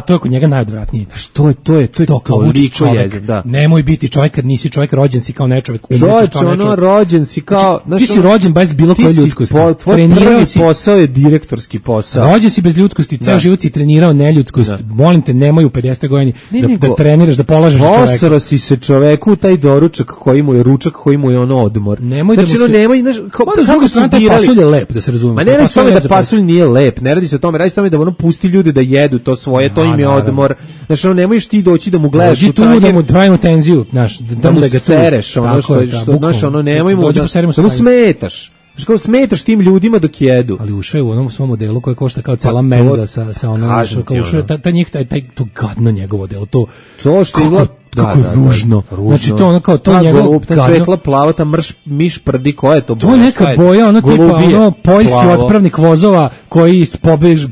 To je kod njega najodvratnije. Što je to toliko jezik, da. Nemoj biti čovjek kad nisi čovjek, rođen si kao nečovjek. Rođen si kao... Ti si rođen bez bilo koje ljudskosti. Tvoj prvi posao je direktorski posao. Rođen si bez ljudskosti, ceo život si trenirao neljudskost, molim te, nemoj u 50 godini da treniraš, da polažeš čoveka. Posro si se čoveku taj doručak koji mu je ručak, koji mu je ono odmor. Nemoj znači, da mu se... nemoj, kako su taj pasulj je lep, da se razumemo. Ma ne radi se o tome da pasulj nije lep, ne radi se o tome, radi se o tome da ono pusti ljude da jedu to svoje, to im je odmor. Znači, ono, nemojš ti doći da mu gledaš u tranje. Da mu trajnu tenziju, znaš, da mu sereš, ono što, znaš, ono, nemoj mu da mu smetaš. Znaš, kao smetaš tim ljudima dok jedu. Ali ušao je u onom svom modelu koje košta kao cela menza sa onom, kao ušao je to gadno njegovo delo, to što kako je ružno. Znači to ono kao to njegovo ta svetla plava, ta miš prdi, koja je to boja? To je neka boja, ono tipa ono poljski otpravnik vozova koji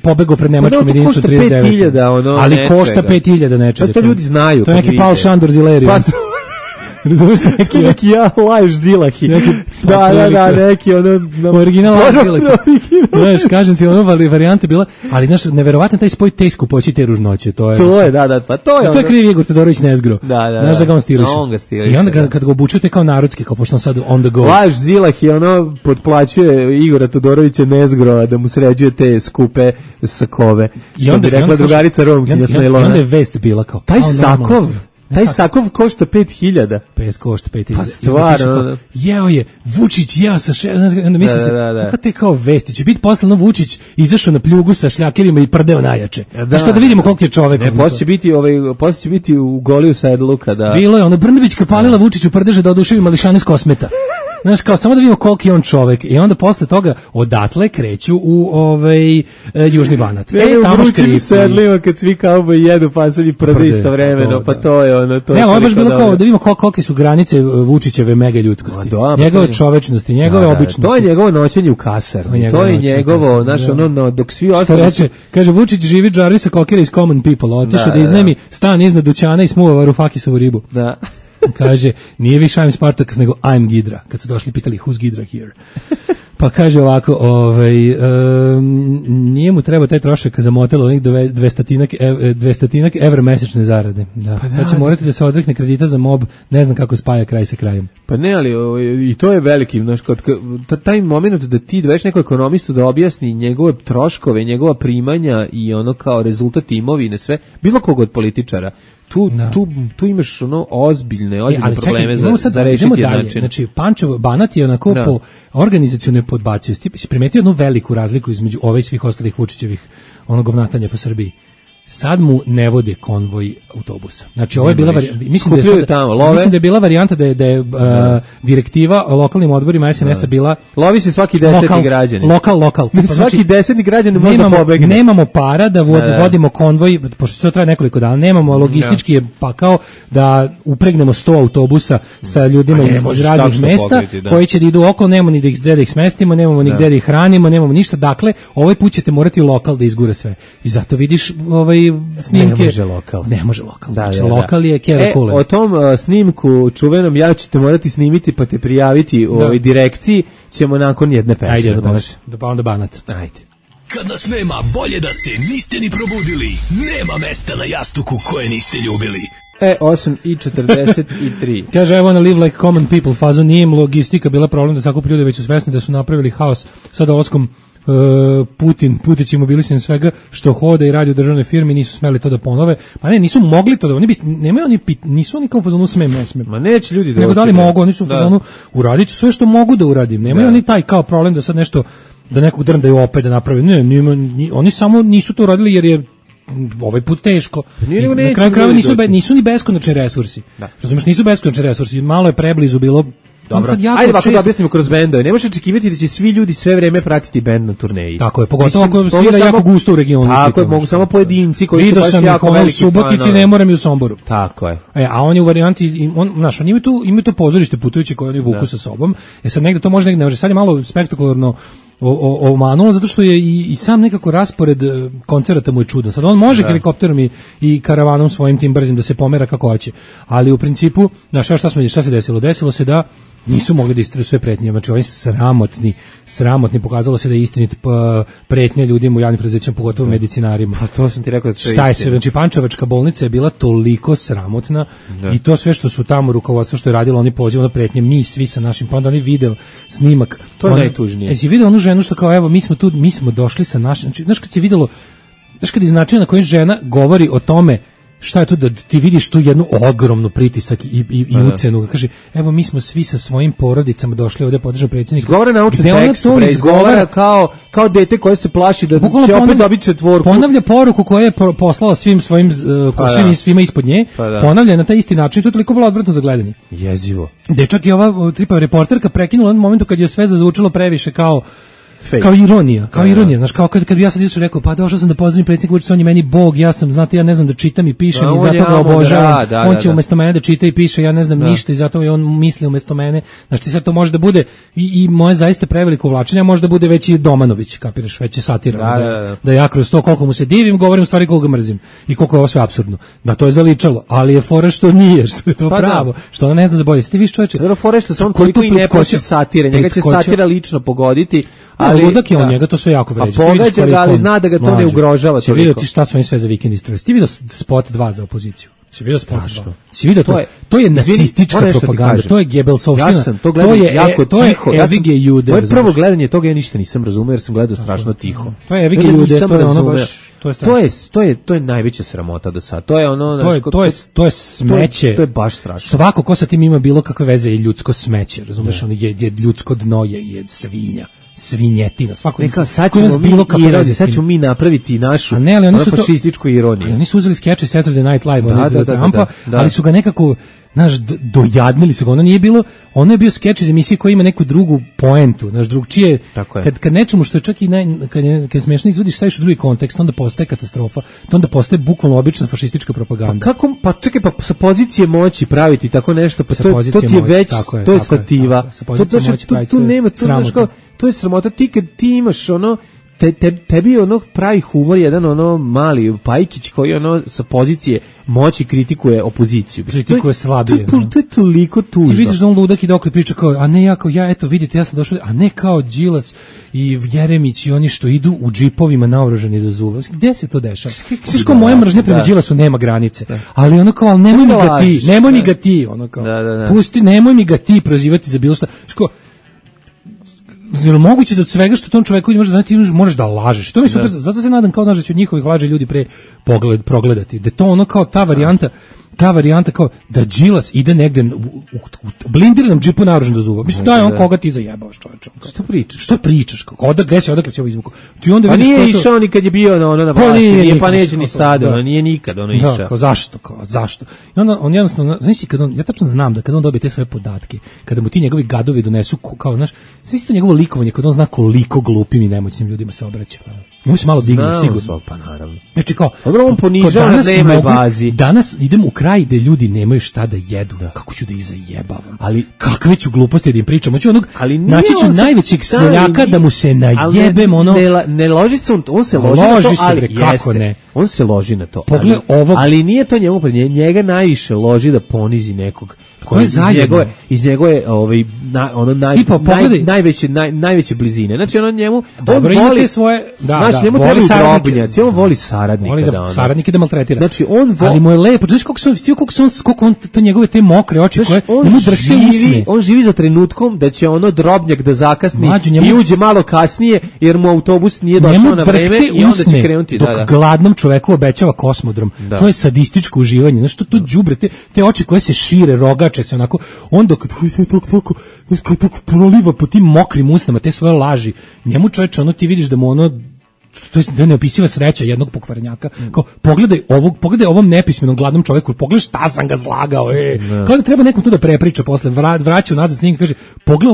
pobegao pred nemačkom jedinicom 39. Ali košta 5000 nečega. To ljudi znaju. To je neki Paul Šandor Zileriju. Razumiješ neki ja laješ Zilahi. Da, neki ono... Original Zilahi. Znaš, kažem ti, ono varijante bila, ali znaš, neverovatno taj spoj te skupoći te ružnoće. To je, da, pa to je... To je kriv Igor Todorović Nezgro. Da. Znaš da ga on stiliše. On ga stiliše. I onda kad ga obučujete kao narodski, kao pošto on sad on the go. Laješ Zilahi, ono, potplaćuje Igora Todorovića Nezgro da mu sređuje te skupe sakove. Što bi rekla drugarica Romkinja s najlona. I onda je vest bila kao... Taj sakov košta 5000. Košta 5000. Pa stvarno. Jeo je, Vučić jeo sa mislim se, kako te kao vesti, će biti poslano Vučić izašao na pljugu sa šljakerima i prdeo najjače. Znaš kada vidimo koliko je čovek. Ne, poslije će biti u goli u sedlu kada... Bilo je, ono, Brnabićka palila Vučiću prdeže da oduševi mališane s Kosmeta. Znaš, kao, samo da vidimo koliko je on čovek. I onda posle toga odatle kreću u Južni Banat. Tamo škripi. Sedlima kad svi kauboj jedu pasulj i prde istovremeno, pa to je ono... Ne, ovo je baš bilo kao da vidimo kolike su granice Vučićeve mega ljudskosti. Njegove čovečnosti, njegove običnosti. To je njegovo noćenje u kasarni. To je njegovo, znaš, ono, dok svi ostali... Što reče, kaže, Vučić živi Jarvisa Kokera iz Common People, otišao da iznajmi stan iznad dućana i smuva Varufakisovu ribu. Da. Kaže, nije više I'm Spartacus, nego I'm Gidra. Kad su došli, pitali, who's Gidra here? Pa kaže ovako, nije mu treba taj trošak za motel, onih 200 evra mesečne zarade. Da. Pa sad će morati da se odrekne kredita za mob, ne znam kako spaja kraj sa krajem. Pa ne, ali i to je veliki, znaš, taj moment da ti doveš neko ekonomistu da objasni njegove troškove, njegova primanja i ono kao rezultat imovine, sve, bilo kog od političara. Tu imaš ono ozbiljne probleme za rešiti način. Znači, Pančevo, Banat je onako po organizacijone podbacio. Si primetio jednu veliku razliku između ove i svih ostalih Vučićevih govnatanja po Srbiji. Sad mu ne vode konvoj autobusa. Znači, ovo je bila mislim da je bila varijanta da je direktiva o lokalnim odborima SNS-a bila... Lovi se svaki 10. građanin. Lokal. Svaki 10. građanin može da pobegne. Nemamo para da vodimo konvoj, pošto to traje nekoliko dana, nemamo logistički je pakao da upregnemo 100 autobusa sa ljudima iz raznih mesta koji će da idu okolo, nemamo ni gde da ih smestimo, nemamo ni gde da ih hranimo, nemamo ništa. Dakle, ovaj put ćete morati lokal da izgura sve. I zato vidiš snimke. Ne može lokal. Znači, lokal je Keva Kule. O tom snimku čuvenom ja ćete morati snimiti pa te prijaviti u ovoj direkciji, ćemo nakon jedne pesme. Ajde, pa onda Banat. Ajde. Kad nas nema, bolje da se niste ni probudili. Nema mesta na jastuku koje niste ljubili. 8:43. Kaže, I wanna live like common people, fazo nije im logistika bila problem da sakupi ljude, već su svesni da su napravili haos sa dolaskom Putić i mobilisan svega što hoda i radi u državnoj firmi, nisu smeli to da ponove. Pa ne, nisu mogli to da, nisu oni kao u fazonu smem, ne smem. Ma neće ljudi da... Nego da li mogu, oni su u fazonu, uradit ću sve što mogu da uradim. Nemaju oni taj kao problem da sad nešto, da nekog drndaju opet da napravi. Ne, oni samo nisu to uradili jer je ovaj put teško. Na kraju krajeva nisu ni beskonačni resursi. Razumiješ, nisu beskonačni resursi. Malo je preblizu bilo. Dobro. Ajde ovako da objasnimo kroz bendove. Ne možeš očekivati da će svi ljudi sve vreme pratiti bend na turneji. Tako je, pogotovo ako svira jako gusto u regionu. Tako je, mogu samo pojedinci koji su baš jako veliki fanovi. U Subotici, ne moram i u Somboru. Tako je. A on je u varijanti, znaš, oni imaju to pozorište putujući koje oni vuku sa sobom. Sad negde to može, negde ne može. Sad je malo spektakularno omanulo, zato što je i sam nekako raspored koncerata mu je čudan. Sad on može helikopterom i karavanom svojim tim brzim da se pomera kako hoće. Ali u principu, znaš, šta se desilo? Desilo se da nisu mogli da istraju sve pretnje. Znači, oni sramotni, pokazalo se da je istinit pretnje ljudima u javnim preduzećima, pogotovo medicinarima. Pa to sam ti rekao da to je Šta je se, znači, Pančevačka bolnica je bila toliko sramotna i to sve što su tamo rukovodstvo što je radilo, oni pozivali na pretnje, mi svi sa našim, pa onda oni video snimak. To je najtužnije. Jesi video onu ženu što kao, evo, mi smo došli sa našim, znači, znaš kad si videlo znaš kad iz načina na koji žena govori o tome šta je to da ti vidiš tu jednu ogromnu pritisak i ucenu. Kaže, evo mi smo svi sa svojim porodicama došli ovdje podržati predsjednika. Izgovara naučni tekst, izgovara kao dete koje se plaši da će opet dobiti četvorku. Ponavlja poruku koju je poslala svim svojim, svima ispod nje, ponavlja na taj isti način, to je toliko bilo odvratno za gledanje. Jezivo. Gde čak i ova tripava reporterka prekinula na momentu kad je sve zazvučilo previše kao ironija, znaš, kao kad bi ja sad isto rekao, pa došao sam da pozdravim predsjednika Vučića, on je meni bog, ja sam, znate, ja ne znam da čitam i pišem i zato ga obožavam, on će umjesto mene da čita i piše, ja ne znam ništa i zato je on misli umjesto mene, znaš, ti sad to može da bude i moje zaista preveliko uvlačenje, može da bude već i Domanović, kapiraš, već je satira, da ja kroz to koliko mu se divim, govorim u stvari koliko ga mrzim i koliko je ovo sve apsurdno, da to je zaličalo, ali je fora što nije, što je to pravo, što ona ne zna za bolje, ti viš čoveče. Fora što se on koliko i ne plaši satire, njega će satira lično pogoditi. Ali ludak je on, njega to sve jako vređa. A pogađa ga, ali zna da ga to ne ugrožava. Si vidio ti šta su oni sve za vikend istrali? Ti vidio spot 2 za opoziciju? Si vidio spot 2? Si vidio to? To je nacistička propaganda, to je Gebelsovština. Ja sam to gledao jako tiho. Evige Jude. Moje prvo gledanje toga ja ništa nisam razumeo jer sam gledao strašno tiho. To je Evige Jude, to je ono baš... To je najveća sramota do sada. To je ono, to je smeće. To je baš strašno. Svako ko sa tim ima bilo kakve veze je ljudsko smeće, razumeš, ono je ljudsko dno je svinja. Svinjetina, svako neka sad ćemo mi napraviti našu fašističku ironiju. Oni su uzeli skeče Saturday Night Live od Trumpa, ali su ga nekako dojadnili su ga, ono je bio skeč iz emisije koja ima neku drugu poentu, drugčije, kad nečemu što je čak i kad smiješno izvodiš, staviš u drugi kontekst, onda postaje katastrofa, to onda postaje bukvalno obična fašistička propaganda. Čekaj, sa pozicije moći praviti tako nešto, pa to ti je već, to je stativa, tu nema, to je sramota, ti kad ti imaš ono, tebi ono pravi humor jedan ono mali Pajkić koji ono sa pozicije moći kritikuje opoziciju. Kritikuje slabije. To je toliko tužno. Ti vidiš da on ludak i dok priča kao, a ne ja eto vidite ja sam došao, a ne kao Đilas i Jeremić i oni što idu u džipovima naoružani do zuba. Gde se to dešava? Znaš kao moja mržnja prema Đilasu nema granice. Ali ono kao, nemoj mi ga ti, ono kao, pusti, nemoj mi ga ti prozivati za bilo šta. Zar moguće da od svega što tom čoveku može znati možeš da lažeš. To mi super, zato se nadam kao da će od njihovih laži ljudi pre progledati. Da to ono kao ta varijanta kao da Đilas ide negde u blindiranom džipu naoružan do zuba. Mislim da je on koga ti zajebavaš, čoveče. Što pričaš? Odakle si ovo izvuko? Ti onda vidiš nije išao ni kad je bio na vlasti, pa neće ni sada, nije nikad ono išao. Kao zašto? I onda on jednostavno, znaš ja tačno znam da kad on dobije te svoje podatke, kada mu ti njegovi gadovi donesu kao, znaš, znaš to njegovo likovanje, kad on zna koliko glupim i nemoćnim ljudima se obraća. Mu se malo digne, sigurno. Pa naravno. Znači kao, on ponižava na dnevnoj bazi. Danas idem u kraj gde ljudi nemaju šta da jedu. Kako ću da ih zajebavam? Ali kakve ću gluposti da im pričam? Hoću naći ću najvećeg seljaka da mu se najebem ono. Ne loži se on se loži na to, ali kako ne? On se loži na to. Ali nije to njemu, njega najviše loži da ponizi nekog. Ko je iz njegove najveće blizine. Znači ono njemu dobro voli svoje, njemu treba drobnjaci, on voli saradnika, saradnike da maltretira. Znači ali mu je lepo, znaš koliko on to njegove te mokre oči koje njemu drže usne. On živi za trenutkom da će ono drobnjak da zakasni i uđe malo kasnije jer mu autobus nije došao na vreme i onda će krenuti dok gladnom čoveku obećava kosmodrom. To je sadističko uživanje. Znaš to đubre, te oči koje se šire, rogače se onako, onda kad tako proliva po tim mokrim usnama te svoje laži, njemu čoveče, ono ti vidiš da mu ono, to je neopisiva sreća jednog pokvarenjaka, kao pogledaj ovom nepismenom gladnom čoveku, pogledaj šta sam ga zlagao, kao da treba nekom to da prepriča posle, vraća nazad s njim i kaže, pogledaj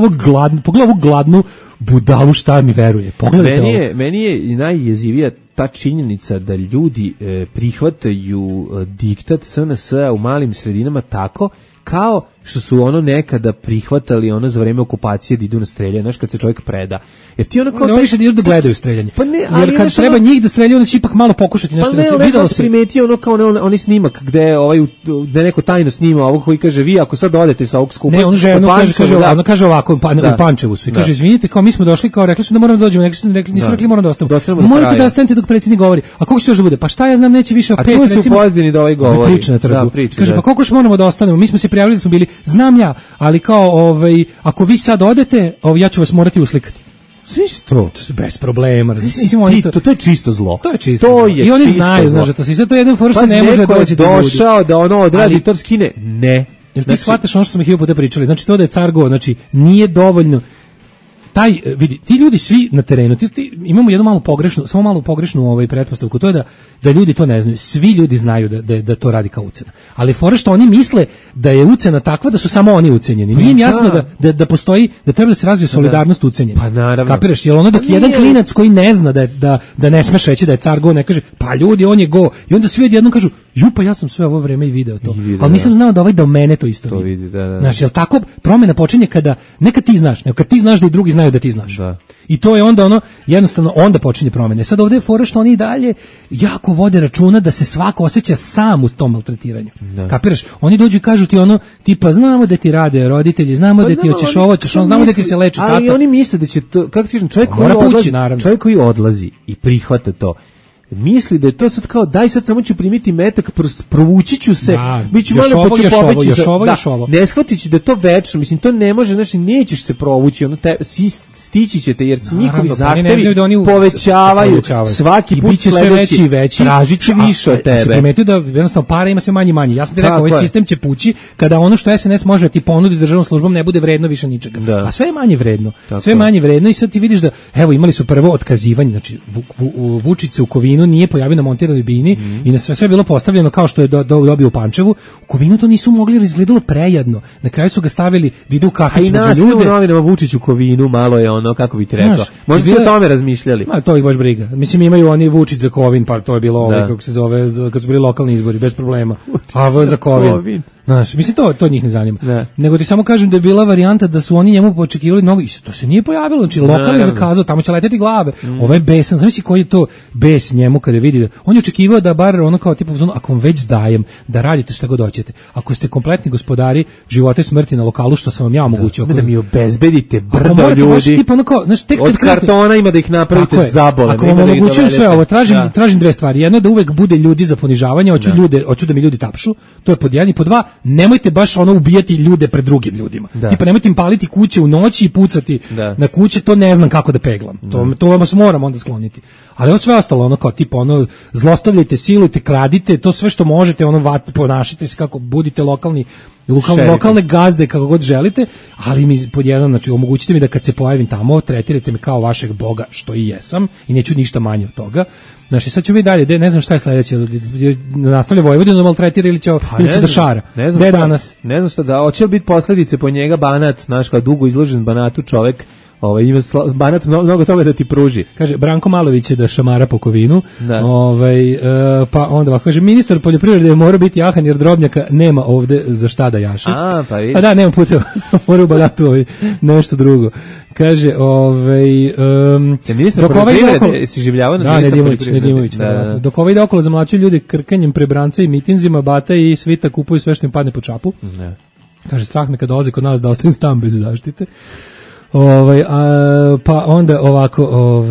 ovog gladnu budalu šta mi veruje, pogledajte meni je najjezivija ta činjenica da ljudi prihvataju diktat SNS-a u malim sredinama tako kao što su ono nekada prihvatali ono za vreme okupacije da idu na streljanje, znaš kad se čovjek preda. Jer ti ono kao ne više da gledaju streljanje. Pa ne, jer kad treba njih da streljaju, onda će ipak malo pokušati nešto da se videlo se. Primetio ono kao oni snimak gde gde neko tajno snima ovog koji kaže vi ako sad odete sa ovog skupa. Ne, on kaže ovako u Pančevu su i kaže izvinite, kao mi smo došli, kao rekli su da moramo da dođemo, nisu rekli moramo da ostanemo. Morate da ostanete dok predsjednik govori. A koliko će još da bude? Pa šta ja znam, neće više od 5 recimo. A tu su pozdini da ovaj govori. Kaže pa koliko još moramo da ostanemo? Mi smo se prijavili da smo bili, znam ja, ali kao ako vi sad odete, ja ću vas morati uslikati. To bez problema. To je čisto zlo. To je čisto zlo. I oni znaju, znaš, to se sve to jedan for što ne može doći do ljudi. Došao da ono odradi to skine. Ne. Jel ti shvataš ono što smo hiljadu puta pričali? Znači to da je car go, znači nije dovoljno. Vidi, ti ljudi svi na terenu, imamo jednu malu pogrešnu pretpostavku, to je da ljudi to ne znaju. Svi ljudi znaju da to radi kao ucena. Ali fora što oni misle da je ucena takva da su samo oni ucenjeni. Nije im jasno da postoji, da treba da se razvije solidarnost ucenjenih. Pa naravno. Kapiraš, jel ono dok jedan klinac koji ne zna da ne smeš reći da je car go, ne kaže, pa ljudi, on je go. I onda svi odjednom kažu, pa ja sam sve ovo vreme i video to. Ali nisam znao da da mene to isto vidi. Znaš, jel tako promjena počinje ne kad ti znaš, nego kad ti znaš da i drugi znaju da ti znaš. Da. I to je onda jednostavno onda počinje promjene. Sad ovdje je fora što oni dalje jako vode računa da se svako osjeća sam u tom maltretiranju. Da. Kapiraš? Oni dođu i kažu ti tipa znamo da ti rade roditelji, znamo da ti hoćeš ovo, znamo da ti se leči tata. Ali oni misle da će to, kako ti kažem, čovjek koji odlazi i prihvata to, misli da je to sad kao daj sad samo ću primiti metak, provući ću se, biću malo pa ću pobeći još ovo. Ne shvatit ću da je to večno, mislim to ne može, znači nećeš se provući, stići ćete jer njihovi zahtevi povećavaju svaki put sledeći, tražit će više od tebe. Se primetio da jednostavno para ima sve manje. Ja sam ti rekao, ovaj sistem će pući kada ono što SNS može ti ponudi državnom službom ne bude vredno više ničega. A sve je manje vredno. Sve manje vredno i sad ti vidiš da evo imali su prvo otkazivanje, znači Vučić se u Kovinu nije pojavio na montiranoj bini i na sve bilo postavljeno kao što je dobio u Pančevu. U Kovinu to nisu mogli jer izgledalo prejadno. Na kraju su ga stavili da ide u kafić među ljude. A i novinama Vučić u Kovinu malo je kako bi ti rekao. Možda su o tome razmišljali. To ih baš briga. Mislim imaju oni Vučić za Kovin, pa to je bilo kako se zove, kad su bili lokalni izbori, bez problema. A ovo je za Kovin. Znaš, mislim to njih ne zanima. Nego ti samo kažem da je bila varijanta da su oni njemu očekivali novo, i to se nije pojavilo, znači lokal je zakazao, tamo će leteti glave. Ovo je besan, znači koji je to bes njemu kada vidi da on je očekivao da bar ono kao tipa ako vam već dajem da radite šta god hoćete. Ako ste kompletni gospodari života i smrti na lokalu što sam vam ja omogućio. Da mi obezbedite brdo ljudi. Od kartona ima da ih napravite zabole. Ako vam omogućujem sve ovo, tražim dve stvari. Jedno da uvek bude ljudi za ponižavanje, hoću da mi ljudi tapšu. To je pod jedan i pod dva. Nemojte baš ubijati ljude pred drugim ljudima. Tipa nemojte im paliti kuće u noći i pucati na kuće, to ne znam kako da peglam. To vas moram onda skloniti. Ali ovo sve ostalo kao tipa zlostavljajte, silujte, kradite, to sve što možete, ponašajte se kako budite lokalne gazde kako god želite, ali mi pod jedan, znači omogućite mi da kad se pojavim tamo, tretirajte me kao vašeg boga, što i jesam, i neću ništa manje od toga. Znači sad ću vi dalje, ne znam šta je sledeće, nastavlja Vojvodinu da maltretira ili će da šara. Gde danas? Ne znam šta da, hoće li biti posledice po njega Banat, znaš kao dugo izložen Banatu čovek, ima Banat mnogo toga da ti pruži. Kaže, Branko Malović će da šamara po Kovinu, pa onda ovako kaže, ministar poljoprivrede mora biti jahan jer drobnjaka nema ovde za šta da jaše. Pa da, nema puta, mora u Banatu nešto drugo. Kaže, ministar poljoprivrede si življavao na ministar poljoprivrede. Dok ide okolo zamlačuju ljudi krkanjem prebranca i mitinzima, Bata i Svita kupuju sve što im padne po čapu. Kaže, strah me kad dolaze kod nas da ostavim stan bez zaštite. Pa onda ovako,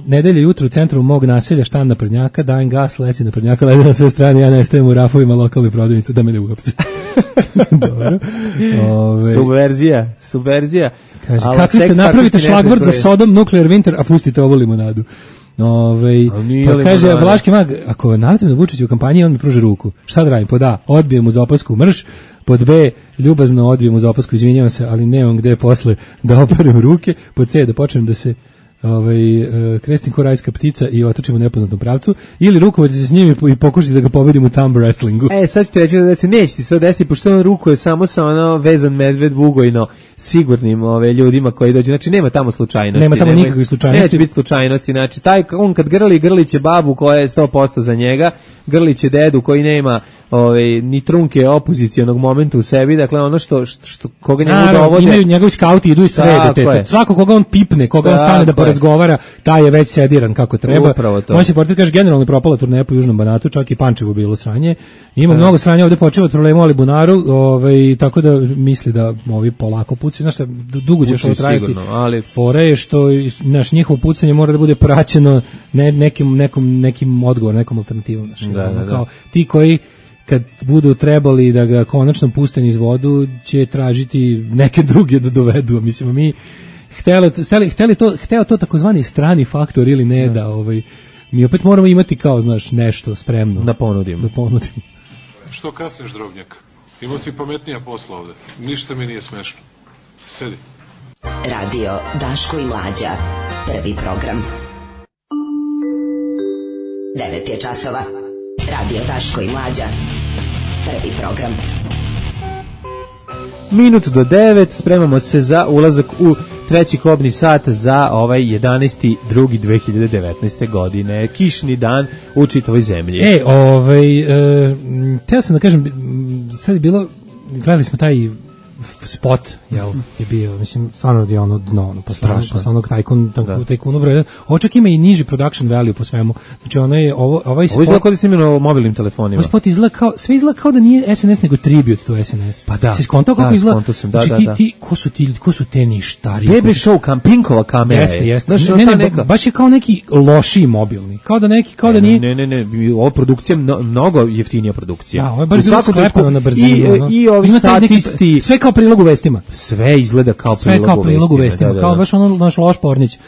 nedelja jutro u centru mog naselja štan naprednjaka, dajem gas, leci naprednjaka, lede na sve strane, ja nestajem u rafovima lokalne prodavnice da me ne uhapse. Dobro. Subverzija. Kaže, kakvi ste, napravite šlagvort za Sodom, Nuclear Winter, a pustite ovo limonadu. Pa kaže, Vlaški mag, ako navetim da Vučić u kampanji, on mi pruži ruku. Šta da radim? Pod A, odbijem uz opasku mrš, pod B, ljubazno odbijem uz opasku, izvinjavam se, ali nemam gde posle da operem ruke, pod C, da počnem da se krestim ko rajska ptica i otrčim u nepoznatom pravcu, ili rukovati se s njim i pokušati da ga pobedim u thumb wrestlingu. Sad ću ti reći da se neće ti se desiti, pošto on rukuje samo sa vezan medved Bugojno sigurnim ljudima koji dođu, znači nema tamo slučajnosti. Nema tamo nikakvih slučajnosti. Neće biti slučajnosti, znači on kad grliće babu koja je 100% za njega, grliće dedu koji nema ni trunke opozicionog momenta u sebi, dakle ono što koga njemu dovode. Imaju njegovi skauti, idu i srede. Svako koga on pipne, koga on stane da razgovara, taj je već sediran kako treba. On se portir kaže, generalno propala turneja po Južnom Banatu, čak i Pančevo bilo sranje. Ima mnogo sranja ovde počelo od problema u Alibunaru, tako da misli da ovi polako pucaju. Znaš šta, dugo će što trajati. Fora je što njihovo pucanje mora da bude praćeno nekim odgovorom, nekom alternativom. Kao ti koji kad budu trebali da ga konačno puste niz vodu, će tražiti neke druge da dovedu. Mislim, mi hteo to takozvani strani faktor ili ne, da mi opet moramo imati kao, znaš, nešto spremno. Da ponudim. Što kasniš, drobnjak? Imao si pametnija posla ovde. Ništa mi nije smešno. Sedi. Radio Daško i Mlađa. Prvi program. 9 je časova. Radio Daško i Mlađa. Prvi program. Minut do 9, spremamo se za ulazak u treći kobni sat za ovaj 11.2.2019. godine. Kišni dan u čitavoj zemlji. Teo sam da kažem, sad je bilo, gledali smo taj spot, jel, je bio, mislim, stvarno je ono dno, posle onog tajkunu broj 1. Ovo čak ima i niži production value po svemu. Znači, ovaj spot... Ovo izgleda kao da snimljeno mobilnim telefonima. Ovaj spot sve izgleda kao da nije SNS, nego tribute to SNS. Pa da. Si skontao kako izgleda? Znači, ko su te ništari? Baby show, Pinkova kamera. Jeste. Baš je kao neki lošiji mobilni. Kao da nije... Ne, ovo produkcija, mnogo jeftinija produkcija. Da, ovo je baš bilo sklepano na brzinu. I ovi statisti... Sve kao prilog u vestima. Sve izgleda kao prilog u vestima. Kao baš ono naš loš Pornić.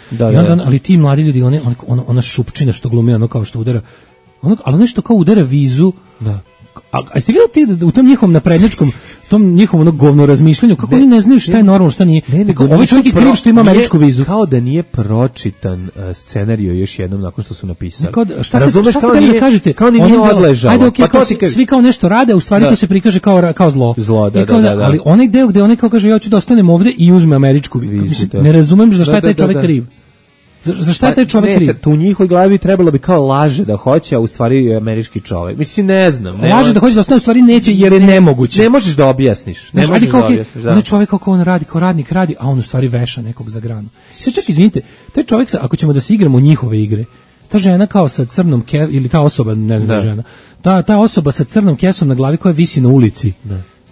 Ali ti mladi ljudi, ona šupčina što glumi, ono kao što udara, ali nešto kao udara vizu. Da. A ste vidjeli ti u tom njihovom naprednjačkom, tom njihovom govno razmišljanju, kako oni ne znaju šta je normalno, šta nije. Ovaj čovjek je kriv što ima američku vizu. Kao da nije pročitan scenario još jednom nakon što su napisali. Razumeš, šta ste da kažete? Kao ni nije odležalo. Ajde, okej, svi kao nešto rade, a u stvari to se prikaže kao zlo. Da. Ali onaj deo gde onaj kao kaže ja ću da ostanem ovde i uzme američku vizu. Ne razumem za šta je taj čovjek kriv. Za šta je taj čovjek kriv? Tu u njihovoj glavi trebalo bi kao laže da hoće, a u stvari američki čovjek. Mislim, ne znam. Laže da hoće da ostane, u stvari neće jer je nemoguće. Ne možeš da objasniš. On je čovjek kako on radi, kao radnik radi, a on u stvari veša nekog za granu. Sad čak izvinite, taj čovjek, ako ćemo da se igramo njihove igre, ta žena kao sa crnom kesom, ili ta osoba, ne znam žena, ta osoba sa crnom kesom na glavi koja visi na ulici,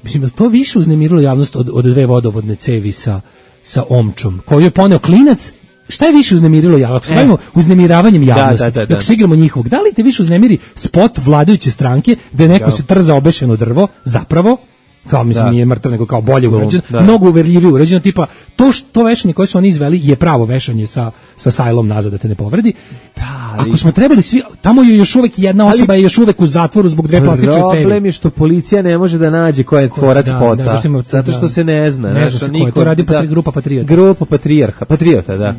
mislim, to više uznemirilo javnost od dve vodovodne cevi sa omčom, koju je poneo klinac. Šta je više uznemirilo javnost? Ako se bavimo uznemiravanjem javnosti, ako se igramo njihovog, da li te više uznemiri spot vladajuće stranke gde neko se trza obešeno drvo, zapravo, kao mislim nije mrtav, nego kao bolje urađeno, mnogo uverljivije urađeno, tipa to vešanje koje su oni izveli je pravo vešanje sa sajlom nazad da te ne povredi. Ako smo trebali svi, tamo je još uvek jedna osoba je još uvek u zatvoru zbog dve plastične cevi. Problem je što policija ne može da nađe ko je tvorac spota, zato što se ne zna. Ne zna se ko je, to radi grupa Patriota. Grupa Patriota, da.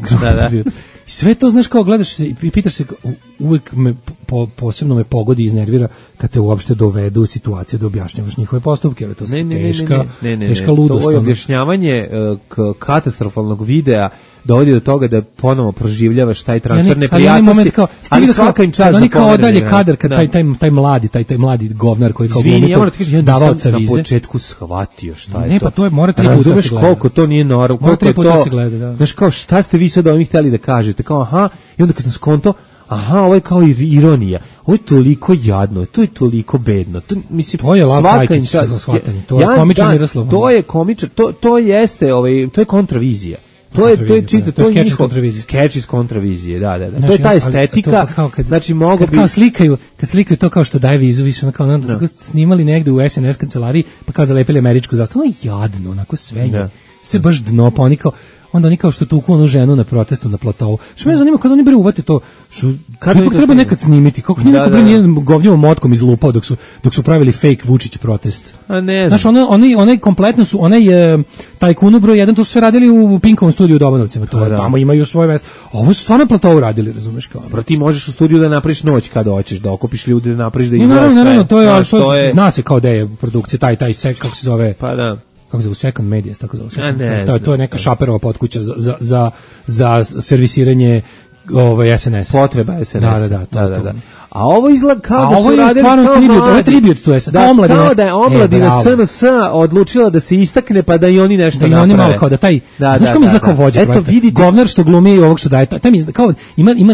Sve to, znaš, kao gledaš se i pitaš se, uvek me posebno me pogodi i iznervira kad te uopšte dovedu u situaciju da objašnjavaš njihove postupke, ali to je teška ludost. To je objašnjavanje katastrofalnog videa dovodi do toga da ponovo proživljavaš taj transfer neprijatnosti, ali svaka im čast za oni kao odalje kadar, kad taj mladi govnar koji kao glumi to, davaoca vize. Na početku shvatio šta je to. Ne, pa to je, mora 3 puta se gleda. Razumeš koliko to nije normalno, koliko je to, znaš, kao šta ste vi sad ovim htjeli da kažete, kao aha, i onda kad sam skonto, aha, ovo je kao ironija, ovo je toliko jadno, to je toliko bedno, to je svaka im čast, to je komičan Miroslav. To je komičan, to jeste, to je kontravizija. To je skeč iz kontravizije, da. To je ta estetika, znači mogu bi... Kad slikaju to kao što daje vizu, više onako snimali negde u SNS kancelariji, pa kao zalepili američku zastavu, ono jadno, onako sve baš dno, pa oni kao što tuku onu ženu na protestu na platovu. Što me zanima, kada oni bre uvate to, kako treba nekad snimiti, kako neko bre nije govnjevom motkom izlupao dok su pravili fake Vučić protest. A ne znam. Znaš, onaj kompletno su, tajkunu broj 1, to su sve radili u Pinkovom studiju u Dobanovcima, tamo imaju svoje mesto. Ovo su stvarno platovu radili, razumeš kao. Pro ti možeš u studiju da napraviš noć kada hoćeš, da okupiš ljude, da napraviš da izgleda sve. Naravno, to je, zna se kao da je produkcija, taj sek, kako se zove. Pa da. Kako se zove, Second Media, tako zove. To je neka Šaperova potkuća za servisiranje SNS. Potreba SNS. Da. A ovo izgleda kao da su radili kao tribut, to je kao da je omladina SNS odlučila da se istakne pa da i oni nešto naprave. Da i oni malo kao da taj, znaš kao mi izgleda kao vođa projekta. Govnar što glumi ovog što daje, kao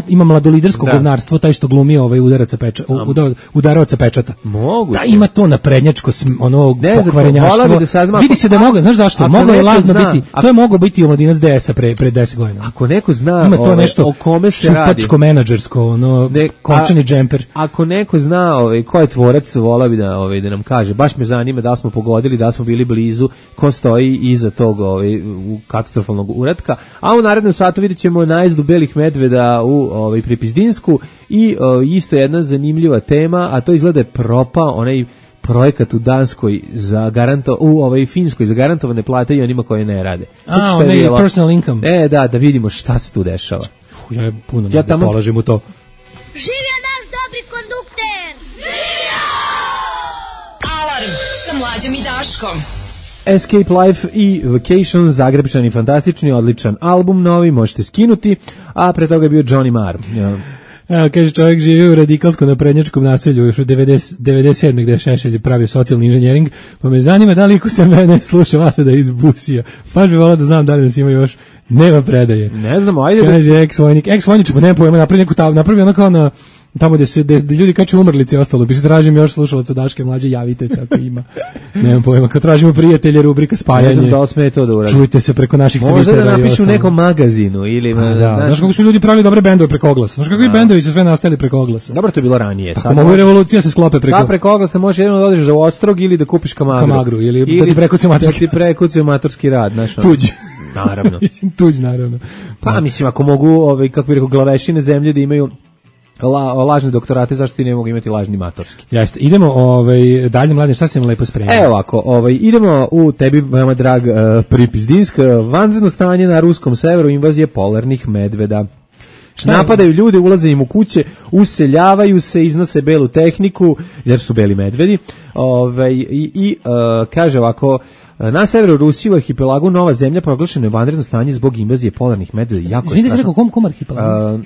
ima mladolidersko govnarstvo, taj što glumi udaravaca pečata. Moguće. Da ima to naprednjačko pokvarenjaštvo. Vidi se da je moglo, znaš zašto? Moglo je lazno biti, to je moglo biti omladinac DS-a pre 10 godina. Ako neko zna ima to nešto o kome se radi. Šupačko menadžersko, končani džemper. Kemper. Ako neko zna ko je tvorac, volao bi da nam kaže. Baš me zanima da li smo pogodili, da li smo bili blizu, ko stoji iza tog katastrofalnog uratka. A u narednom satu vidjet ćemo najezdu belih medveda u Pripizdinsku i isto jedna zanimljiva tema, a to izgleda je propao onaj projekat u Danskoj u Finskoj za garantovane plate i onima koje ne rade. Onaj personal income. Da vidimo šta se tu dešava. Ja puno ne polažem u to. Živio naš dobri kondukter! Živio! Alarm sa Mlađom i Daškom. Escape Life i Vacation, Zagrebčani, fantastični, odličan album, novi, možete skinuti, a pre toga je bio Johnny Marr. Kaže, čovjek živi u radikalsko-naprednjačkom naselju još u 97. gde je Šešelj pravio socijalni inženjering, pa me zanima da li iko se mene sluša vas da je iz busija. Baš bi volao da znam da li nas ima još. Nema predaje. Ne znamo, ajde. Kaže, ex-vojnič, pa nema pojma, napravi ono kao na tamo gde ljudi kače umrlice i ostalo, bi se tražim još slušalaca Daške Mlađe, javite se ako ima. Nemam pojma, kad tražimo prijatelje, rubrika spajanje. Ne znam da li sme to da uradi. Čujte se preko naših Twittera. Možda da napišu u nekom magazinu ili... Znaš kako su ljudi pravili dobre bendove preko oglasa. Znaš kako i bendovi su sve nastali preko oglasa. Dobro, to je bilo ranije. Tako mogu i revolucija se sklope preko... Sad preko oglasa možeš jedno da odeš za Ostrog ili da kupiš Kamagru. Ili da ti prekucaju maturski rad. Tuđ. Naravno. Tuđ, naravno. Pa mislim, ako mogu, kako bi rekao, glavešine zemlje da imaju lažne doktorate, zašto ti ne mogu imati lažni matorski? Jeste, idemo dalje, Mladen, šta se vam lepo spremio? Evo ovako, idemo u tebi veoma drag Pripizdinsk, vanredno stanje na ruskom severu, invazije polarnih medveda. Napadaju ljude, ulaze im u kuće, useljavaju se, iznose belu tehniku, jer su beli medvedi, kaže ovako, na severu Rusije u arhipelagu Nova zemlja proglašeno je vanredno stanje zbog invazije polarnih medveda. Jako je strašno. Kom arhipelagu?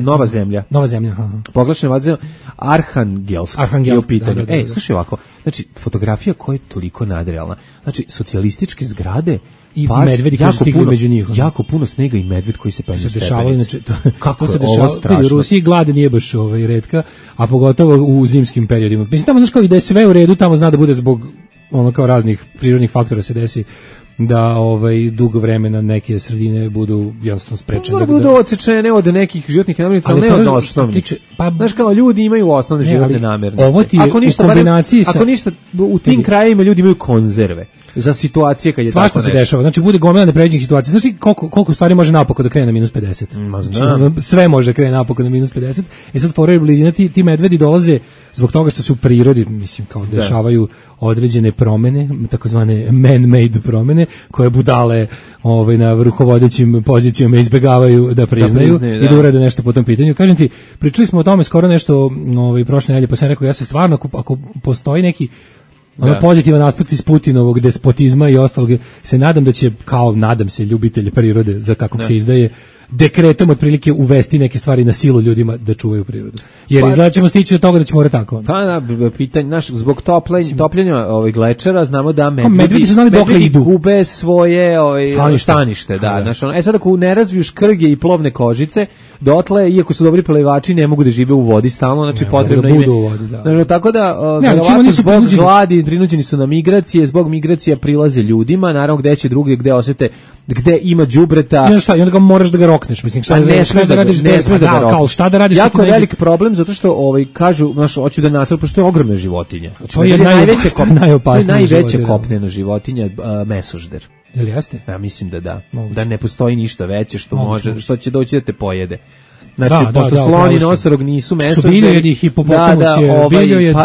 Nova zemlja. Nova zemlja, aha. Proglašeno je vanredno Arhangelsk. Da. Slušaj ovako, znači fotografija koja je toliko nadrealna. Znači socijalističke zgrade i medvedi koji su stigli među njih. Jako puno snega i medved koji se penju stepenice. Znači, kako se dešava? U Rusiji glad nije baš retka, a pogotovo u zimskim periodima. Mislim, tamo znaš kao i da je sve u redu, tamo zna da bude zbog kao raznih prirodnih faktora se desi da dugo vremena neke sredine budu jednostavno sprečene. Da budu odsečene od nekih životnih namirnica, ali ne od osnovnih. Znaš kao, ljudi imaju osnovne životne namirnice. Ovo ti je u kombinaciji sa... Ako ništa, u tim krajevima ljudi imaju konzerve za situacije kad je svašta tako se dešava. Znači, bude gomila nepređenih situacija. Znaš ti koliko stvari može napoko da krene na -50? Znači, sve može da krene napoko na -50. I sad fora je blizina, ti medvedi dolaze zbog toga što se u prirodi, mislim, kao dešavaju određene promene, takozvane man-made promene, koje budale na rukovodećim pozicijama izbegavaju da priznaju i da urade nešto po tom pitanju. Kažem ti, pričali smo o tome skoro nešto prošle nedelje, pa sam rekao, ja se stvarno, ako postoji neki pozitivan aspekt iz Putinovog despotizma i ostalog, se nadam da će, nadam se, ljubitelje prirode, za kakvog se izdaje, dekretom otprilike uvesti neke stvari na silu ljudima da čuvaju prirodu. Jer izgleda ćemo stići do toga da ćemo morati tako. Pa pitanje, zbog topljenja glečera znamo da medvedi su znali dokle idu. Gube svoje stanište. Sad ako ne razviju škrge i plovne kožice, dotle, iako su dobri plivači, ne mogu da žive u vodi stalno, znači potrebno im je. Tako da, zbog gladi, prinuđeni su na migracije, zbog migracija prilaze ljudima, naravno gde će drugdje, gde osete, gde ima đubreta. I onda ga moraš da ga rokneš, mislim, ne smeš da radiš, kao šta da radiš. Jako velik problem, zato što kažu, hoću da nasrnu, pošto je ogromna životinja. To je najveća kopnena životinja, mesožder. Jel jeste? Ja mislim da da. Da ne postoji ništa veće što će doći da te pojede. Znači, pošto sloni i nosorog nisu mesožderi. Su biljojedi, hipopotamus je biljojed,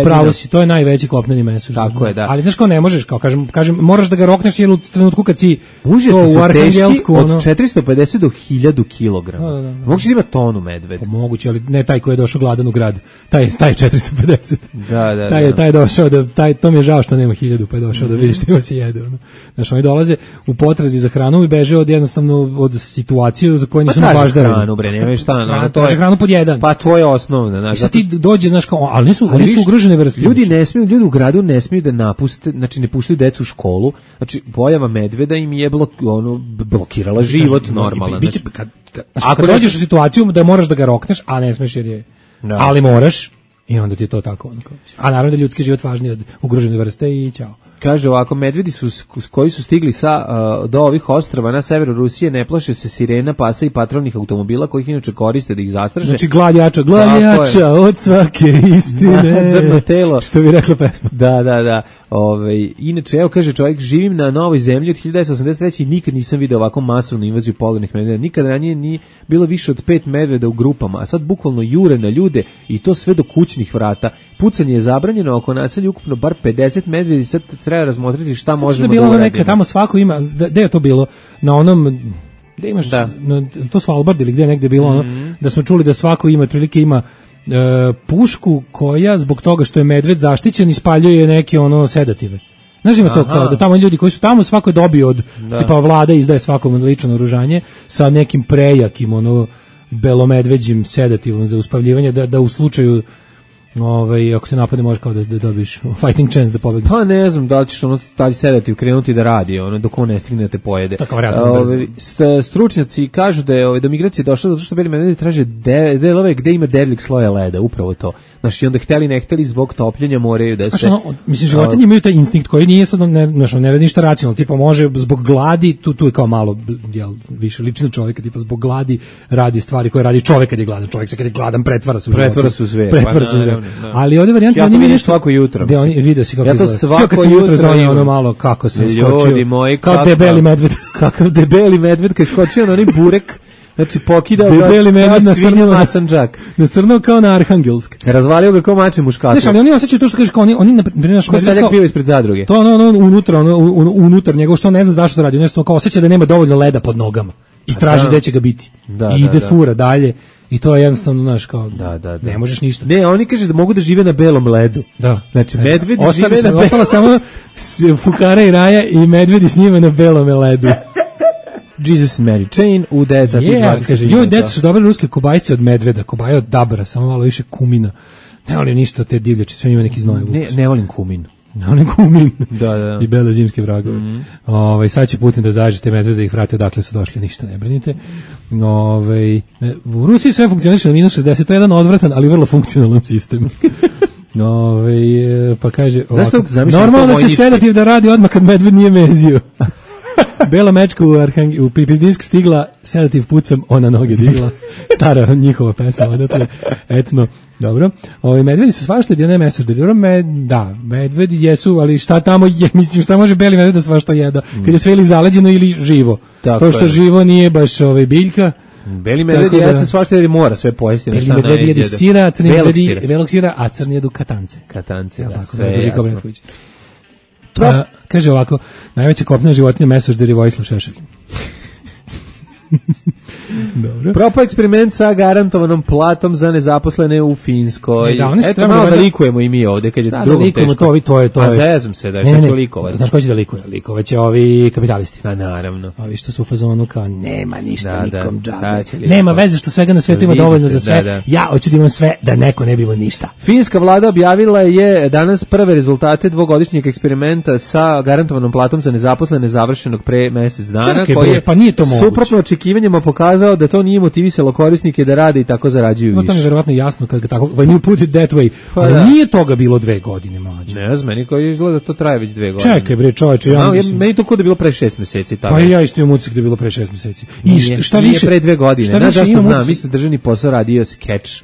upravo si, to je najveći kopneni mesožder. Tako je, da. Ali znaš kao ne možeš, kao kažem, moraš da ga rokneš jer u trenutku kad si to u Arhangelsku. Od 450 do 1000 kilograma. Moguće da ima tonu medved. Moguće, ali ne taj koji je došao gladan u grad. Taj je 450. Da. Taj je došao, to mi je žao što nema 1000, pa je došao da vidiš što se jede. Znaš, oni dolaze u potrazi za hranom i beže od situacije za koje nisu nabaždari. Nemaju šta, to je hranu pod jedan. Pa to je osnovno, znači. Sad ti dođe, znaš kao, ali nisu ugrožene vrste. Ljudi u gradu ne smiju da napuste, znači ne puštaju decu u školu. Znači pojava medveda im je blokirala život normalan. Ako dođeš u situaciju da moraš da ga rokneš, a ne smeš jer je. Ali moraš. I onda ti je to tako. A naravno da ljudski život važniji od ugrožene vrste i ćao. Kaže ovako, medvedi koji su stigli do ovih ostrava na severu Rusije ne plaše se sirena, pasa i patrolnih automobila kojih inače koriste da ih zastraže. Znači glad jača od svake istine. Nadzorno telo. Što bi rekla pesma. Da. Inače, evo kaže čovjek, živim na novoj zemlji od 1983 i nikad nisam video ovako masovnu invaziju polarnih medveda. Nikad ranije nije bilo više od 5 medveda u grupama, a sad bukvalno jure na ljude i to sve do kućnih vrata. Pucanje je zabranjeno, oko naselja ukupno bar 50 medvedi, sad treba razmotriti šta možemo da uradimo. Neka, tamo svako ima, gde je to bilo? Na onom, gde imaš, to Svalbard ili gde je negde bilo ono, da smo čuli da svako ima, otprilike ima pušku koja zbog toga što je medved zaštićen ispaljuje neke ono sedative. Znaš ima to kao da tamo ljudi koji su tamo svako je dobio od tipa vlada izdaje svakom lično oružanje sa nekim prejakim ono belomedveđim sedativom za uspavljivanje da u slučaju ako se napadne može kao da dobiš fighting chance da pobegne. Pa ne znam da li ćeš taj sedativ krenuti da radi dok on ne stigne da te pojede. Stručnjaci kažu da je do migracije došlo zato što beli medvedi traže delove gde ima debljeg sloja leda, upravo to. Znači onda hteli ne hteli zbog topljenja moraju da se... Mislim, životinje imaju taj instinkt koji nije sad, ne radi ništa racionalno, tipa može zbog gladi, tu je kao malo više liči na čovjeka, tipa zbog gladi radi stvari koje radi čovjek kad je gladan. Čovjek se kad je gladan pretvara se u zver. Ali ovdje varijanta ja to vidim svako jutro. Da oni vide se kako ja to svako jutro ono malo kako se skočio. Kao debeli medved. Kakav debeli medved kad skočio na onaj burek. Znači pokidao debeli medved na srnu masanđak. Nasrnuo kao na Arhangelsk. Razvalio ga kao mače muškarac. Znaš, ali oni osjećaju to što kažeš kao oni na primjer naš medved kao bio ispred zadruge. To unutar njegov što ne zna zašto radi. On kao osjeća da nema dovoljno leda pod nogama i traži gde će ga biti. I ide fura dalje. I to je jednostavno, znaš, kao, ne možeš ništa. Ne, oni kaže da mogu da žive na belom ledu. Da. Znači, medvedi žive na belom ledu. Ostala samo fukara i raja i medvedi s njima na belom ledu. Jesus and Mary Chain u 9:20. Kaže, deca su dobre ruske kobajce od medveda, kobaje od dabra, samo malo više kumina. Ne volim ništa od te divljače, sve njima neki znojevu. Ne volim kumin. Oni kumin da. I bele zimske vragove. Sad će Putin da zažete medvede da ih vrate odakle su došli, ništa ne brinite. U Rusiji sve funkcioniše na -60, to je jedan odvratan, ali vrlo funkcionalan sistem. Pa kaže ovako, normalno da će sedativ da radi odmah kad medved nije mezio. Bela mečka u Pipizdinsk stigla, sedativ pucam, ona noge digla. Stara njihova pesma, odatle, etno. Dobro. Medvedi su svašta jedne mesažde. Da, medvedi jesu, ali šta tamo je, mislim, šta može beli medved da svašta jeda? Kad je sve ili zaleđeno ili živo. To što živo nije baš biljka. Beli medved jeste svašta jer mora sve pojesti. Beli medvedi jedu sira, crni medvedi belog sira, a crni jedu katance. Katance, da, sve jasno. Kaže ovako, najveća kopnena životinja mesožder je Vojislav Šešelj. Dobro. Propao eksperiment sa garantovanom platom za nezaposlene u Finskoj. Eto, malo da likujemo i mi ovde, kad je drugom teško. To je. A zezam se, da što će likovati. Znaš ko će da likuje? Likovaće ovi kapitalisti. Pa naravno. Ovi što su u fazonu kao, nema ništa, nikom džabe. Nema veze što svega na svetu ima dovoljno za sve. Ja hoću da imam sve, da neko ne bi imao ništa. Finska vlada objavila je danas prve rezultate dvogodišnjeg eksperimenta sa garantovanom platom za nezaposlene završenog pre mesec dana. Pa nije to moguće. Suprotno očekivanjima pokazao da to nije motivisalo korisnike da rade i tako zarađuju više. To mi je verovatno jasno kad tako, when you put it that way. Ali nije toga bilo 2 godine, mlađe. Ne znam, meni koji izgleda da to traje već 2 godine. Čekaj bre, čoveče, meni to kod da bilo pre 6 meseci. Pa ja isto imam utisak da je bilo pre 6 meseci. I šta više pre 2 godine. Znaš zašto znam? Mislim državni posao radio skeč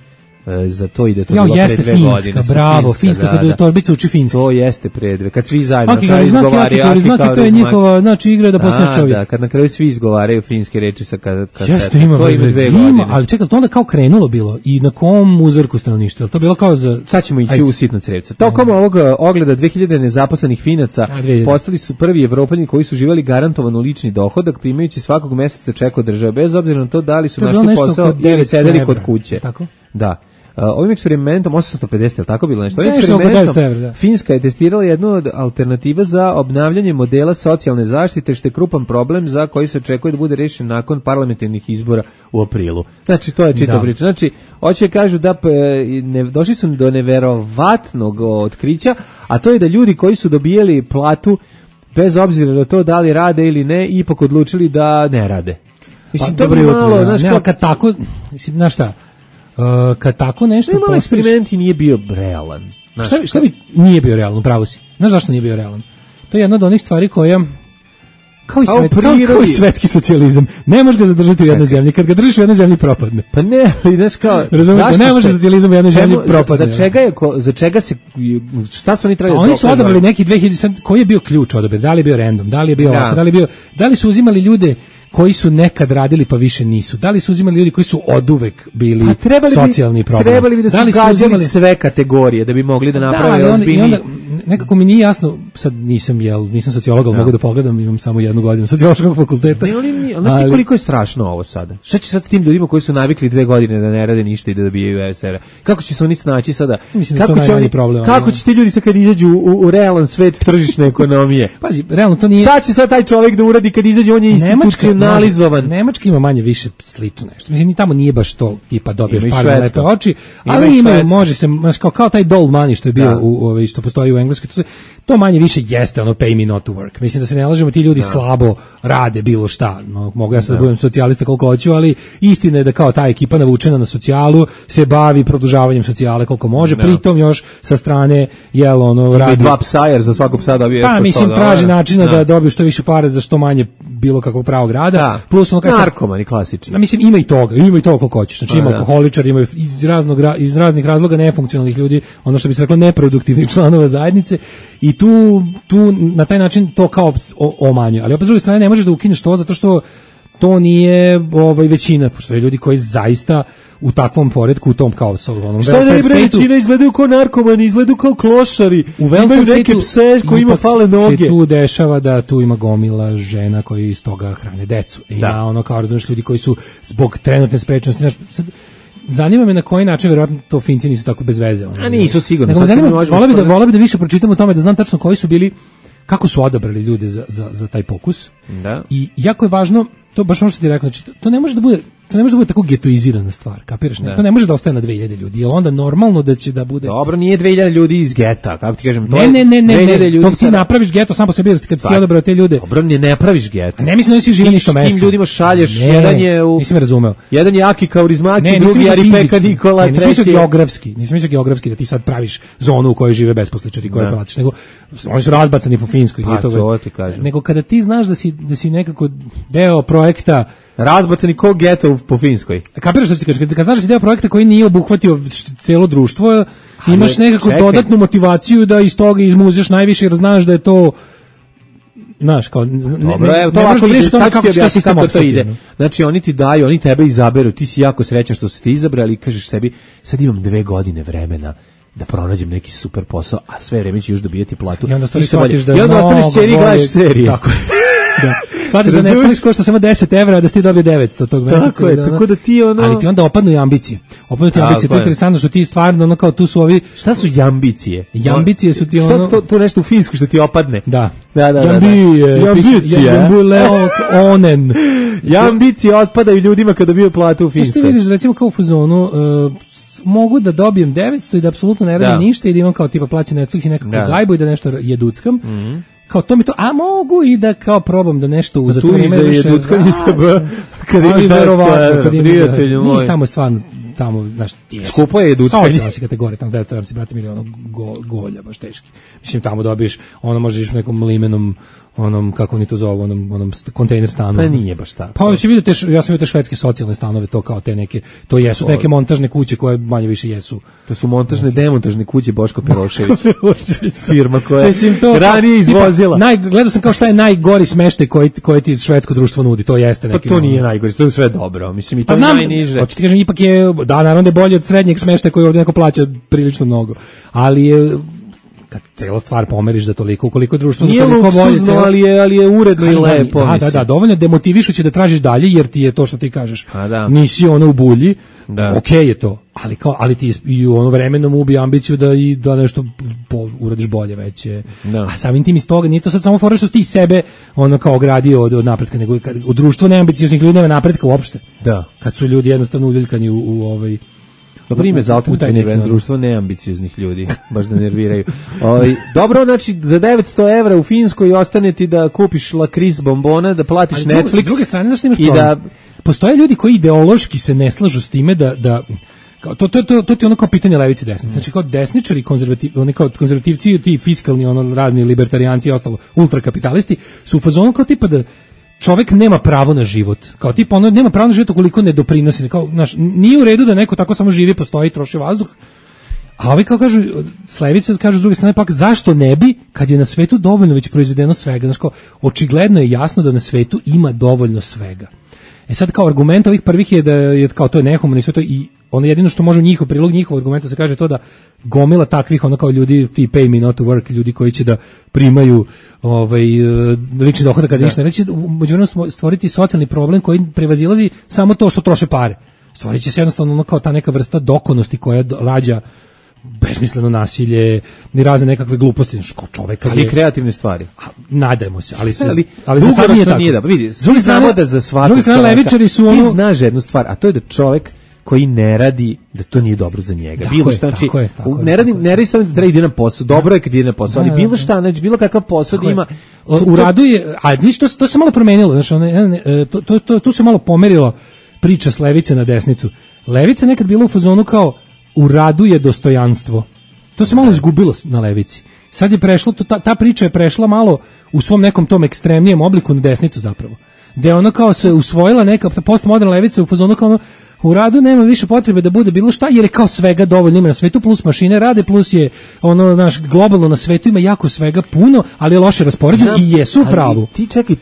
za to ide to bilo pre 2 godine. Bravo, Finska, kad torbica uči finski. To jeste pre 2, kad svi zajedno na kraju izgovaraju. To je njihova, znači igra da postaneš čovjek. Da, kad na kraju svi izgovaraju finske reči sa kasete. Jeste, ima 2 godine. Ali čekaj, to onda kao krenulo bilo i na kom uzorku stanovništva? To bilo kao za... Sad ćemo ići u sitno crevce. Tokom ovog ogleda 2000 nezaposlenih Finaca postali su prvi Evropljani koji su živjeli garantovano lični dohodak, primajući svakog meseca ček od države, bez obzira na to da li su našli posao ili sedeli kod kuće. Tako? Da. Ovim eksperimentom 850, je tako bilo nešto? Ovim eksperimentom Finska je testirala jednu od alternativa za obnavljanje modela socijalne zaštite, što je krupan problem za koji se očekuje da bude rešen nakon parlamentarnih izbora u aprilu. Znači, to je čita priča. Znači, hoće kažu da došli su do neverovatnog otkrića, a to je da ljudi koji su dobijali platu, bez obzira na to da li rade ili ne, ipak odlučili da ne rade. Mislim, to je malo, znaš, kad tako, mislim, znaš šta, kad tako nešto pospiš... eksperiment i nije bio realan. Šta bi nije bio realan, upravo si. Znaš zašto nije bio realan? To je jedna od onih stvari koja kao i svetski socijalizam. Ne možeš ga zadržati u jednoj zemlji. Kad ga držiš u jednoj zemlji propadne. Pa ne, ali znaš kao... Razumiješ, ne može socijalizam u jednoj zemlji propadne. Za čega se... Šta su oni trebali da oni su odabrali neki 2000... Koji je bio ključ odabir? Da li je bio random? Da li je bio ovako? Da li su uzimali ljude koji su nekad radili pa više nisu? Da li su uzimali ljudi koji su oduvek bili socijalni problem? Trebali bi da su gađali sve kategorije da bi mogli da naprave ozbiljni... Nekako mi nije jasno, sad nisam sociolog, ali mogu da pogledam, imam samo 1 godinu sociološkog fakulteta. Ali koliko je strašno ovo sada? Šta će sad s tim ljudima koji su navikli 2 godine da ne rade ništa i da dobijaju ESR-a? Kako će se oni snaći sada? Mislim kako će oni problem? Kako će ti ljudi sad kad izađu u realan svet tržišne ekonomije? Pazi, realno to nije. Šta će sad taj čovjek da uradi kad izađe, on je institucionalizovan. Nemačka ima manje više slično nešto. Mislim, ni tamo nije baš to tipa dobiješ pare lepe oči, ali imaju, može se kao taj doll money što je bio što postoji u Engleskoj, to manje više jeste ono pay me not to work. Mislim da se ne lažemo, ti ljudi slabo rade bilo šta. Mogu ja sad da budem socijalista koliko hoću, ali istina je da kao ta ekipa navučena na socijalu se bavi produžavanjem socijale koliko može, pritom još sa strane radi 2 psa, jer za svakog psa dobije pa mislim traži načina da dobiju što više pare za što manje bilo kakvog pravog rada. Plus narkomani klasični. Mislim ima i toga koliko hoćeš. Znači ima alkoholičari, ima iz raznih razloga nefunkcionalnih ljudi, ono što bi se reklo neproduktivnih članova zajednice, i tu na taj način to kao omanjuje. Ali opet s druge strane ne možeš da ukineš to zato što to nije većina, pošto je ljudi koji zaista u takvom poretku, u tom kao onom što je većina izgledaju kao narkomani, izgledaju kao klošari, imaju neke pse koji ima fale noge. Se tu dešava da tu ima gomila žena koji iz toga hrane decu. Ima kao razumiješ ljudi koji su zbog trenutne sprečnosti. Zanima me na koji način, verovatno to Finci nisu tako bez veze. A nisu sigurno. Voleo bi da više pročitam o tome, da znam tačno koji su bili, kako su odabrali ljude za taj pokus. Da. I jako je važno, to baš ono što ti rekao, znači to ne može da bude tako getoizirana stvar, kapiraš? Ne? To ne može da ostane na 2000 ljudi, jer onda normalno da će da bude... Dobro, nije 2000 ljudi iz geta, kako ti kažem, to ne, to ti napraviš geto sam po sebi, jer kad ti odabrao te ljude... Dobro, ne praviš geto. Ne mislim da svi žive ništo mesto. Tim ljudima šalješ, jedan je u... Nisam me razumeo. Jedan je Aki Kaurismaki, drugi je Aripeka Nikola, treći... Nisam mislio geografski da ti sad praviš zonu u kojoj žive besposličari, koje platiš, nego oni su razbacani po Finskoj. Pa, to ti kažem. Nego kada ti znaš da si nekako deo projekta razbacani ko geto po Finskoj. Kapiraš što ti kažeš, kad znaš da si deo projekta koji nije obuhvatio celo društvo, imaš nekako dodatnu motivaciju da iz toga izmuzeš najviše, jer znaš da je to, znaš, kao dobro, evo to ovako ide, kako to ide. Znači oni ti daju, oni tebe izaberu, ti si jako srećan što si ti izabrali i kažeš sebi, sad imam 2 godine vremena da pronađem neki super posao, a sve vreme ću još dobijati platu. I onda shvatiš da je ostaneš ćeri i gledaš serije. Tako je. Da. Shvatiš da Netflix košta samo 10 evra, a da ti dobije 900 tog meseca. Tako je, tako da ti ali ti onda opadnu i ambicije. To je interesantno što ti stvarno, kao tu su ovi... Šta su jambicije? Jambicije su ti Šta to nešto u finsku što ti opadne? Da. Jambicije. Onen. Jambicije otpadaju ljudima kada dobiju platu u Finskoj. Što vidiš, recimo kao u fazonu... mogu da dobijem 900 i da apsolutno ne radim ništa i da imam kao tipa plaćen Netflix i nekako gajbu i da nešto jeduckam. Kao to mi to, a mogu i da kao probam da nešto za to vreme više. Kad imaš verovatno, prijatelju moj. Tamo stvarno, znaš, skupo je jeduckanje. Socijalna si kategorija, tamo 900 evra si brate miliona golja, baš teški. Mislim, tamo dobiješ, možeš u nekom limenom, kako oni to zovu, onom kontejner stanu. Pa nije baš tako. Pa si vidio ja sam vidio te švedske socijalne stanove, to kao te neke, to jesu neke montažne kuće koje manje više jesu. To su montažne, demontažne kuće Boško Perošević. Firma koja je ranije izvozila. Gledao sam kao šta je najgori smeštaj koji ti švedsko društvo nudi, to jeste neki. Pa to nije najgori, to je sve dobro. Mislim, i to je najniže. Hoću ti kažem, ipak je, naravno da je bolje od srednjeg smeštaja koji ovdje neko plaća prilično mnogo. Ali je, kad cela stvar pomeriš da toliko, ukoliko je društvo za toliko bolje, ali je uredno i lepo. Da, dovoljno demotivišuće da tražiš dalje, jer ti je to što ti kažeš. Nisi u bulji, okej je to, ali ti i u vremenom ubi ambiciju da nešto uradiš bolje veće. A samim tim iz toga nije to sad samo fora što si ti sebe kao ogradio od napretka, nego u društvu neambicioznih ljudi nema napretka uopšte. Kad su ljudi jednostavno uljuljkani u Dobro ime za alternativno društvo neambicioznih ljudi, baš da nerviraju. Dobro, znači za 900 evra u Finskoj ostane ti da kupiš lakriz bombona, da platiš Netflix. S druge strane, znaš što imaš problem? Postoje ljudi koji ideološki se ne slažu s time da Kao, to ti ono kao pitanje levice desnice. Znači kao desničari, oni kao konzervativci, ti fiskalni, ono razni libertarijanci i ostalo, ultrakapitalisti, su u fazonu kao tipa da čovjek nema pravo na život. Kao tipa ono nema pravo na život ukoliko ne doprinosi. Kao, znaš, nije u redu da neko tako samo živi, postoji i troši vazduh. A ovi kao kažu, s levice kažu s druge strane pak, zašto ne bi, kad je na svetu dovoljno već proizvedeno svega. Znaš kao, očigledno je jasno da na svetu ima dovoljno svega. E sad kao argument ovih prvih je da je kao to je nehumano i sve to, i ono jedino što može njihov prilog njihov argumenta se kaže to da gomila takvih ono kao ljudi ti pay me not to work, ljudi koji će da primaju lični dohodak kada ništa ne reći, međuvremenu stvoriti socijalni problem koji prevazilazi samo to što troše pare. Stvorit će se jednostavno ono kao ta neka vrsta dokonosti koja rađa besmisleno nasilje, ni razne nekakve gluposti, znači kao čovek ali kreativne stvari. Nadajmo se, ali se sad nije tako. Vidi, s druge strane da za svakog levičari su ono, ti znaš jednu stvar, a to je da čovek koji ne radi, da to nije dobro za njega. Bilo šta, znači, ne radi samo da treba ide na posao, dobro je kad ide na posao, ali bilo šta, znači bilo kakav posao da ima. U radu je, a to se malo promenilo, znači tu se malo pomerilo priča s levice na desnicu. Levica nekad bila u fazonu kao u radu je dostojanstvo. To se malo izgubilo na levici. Sad je prešlo, ta priča je prešla malo u svom nekom tom ekstremnijem obliku na desnicu zapravo. Gde ona kao se usvojila neka postmoderna levica u fazonu kao ono, u radu nema više potrebe da bude bilo šta, jer je kao svega dovoljno ima na svetu, plus mašine rade, plus je ono naš globalno na svetu ima jako svega puno, ali je loše raspoređeno i jesu u pravu. Ti čekaj,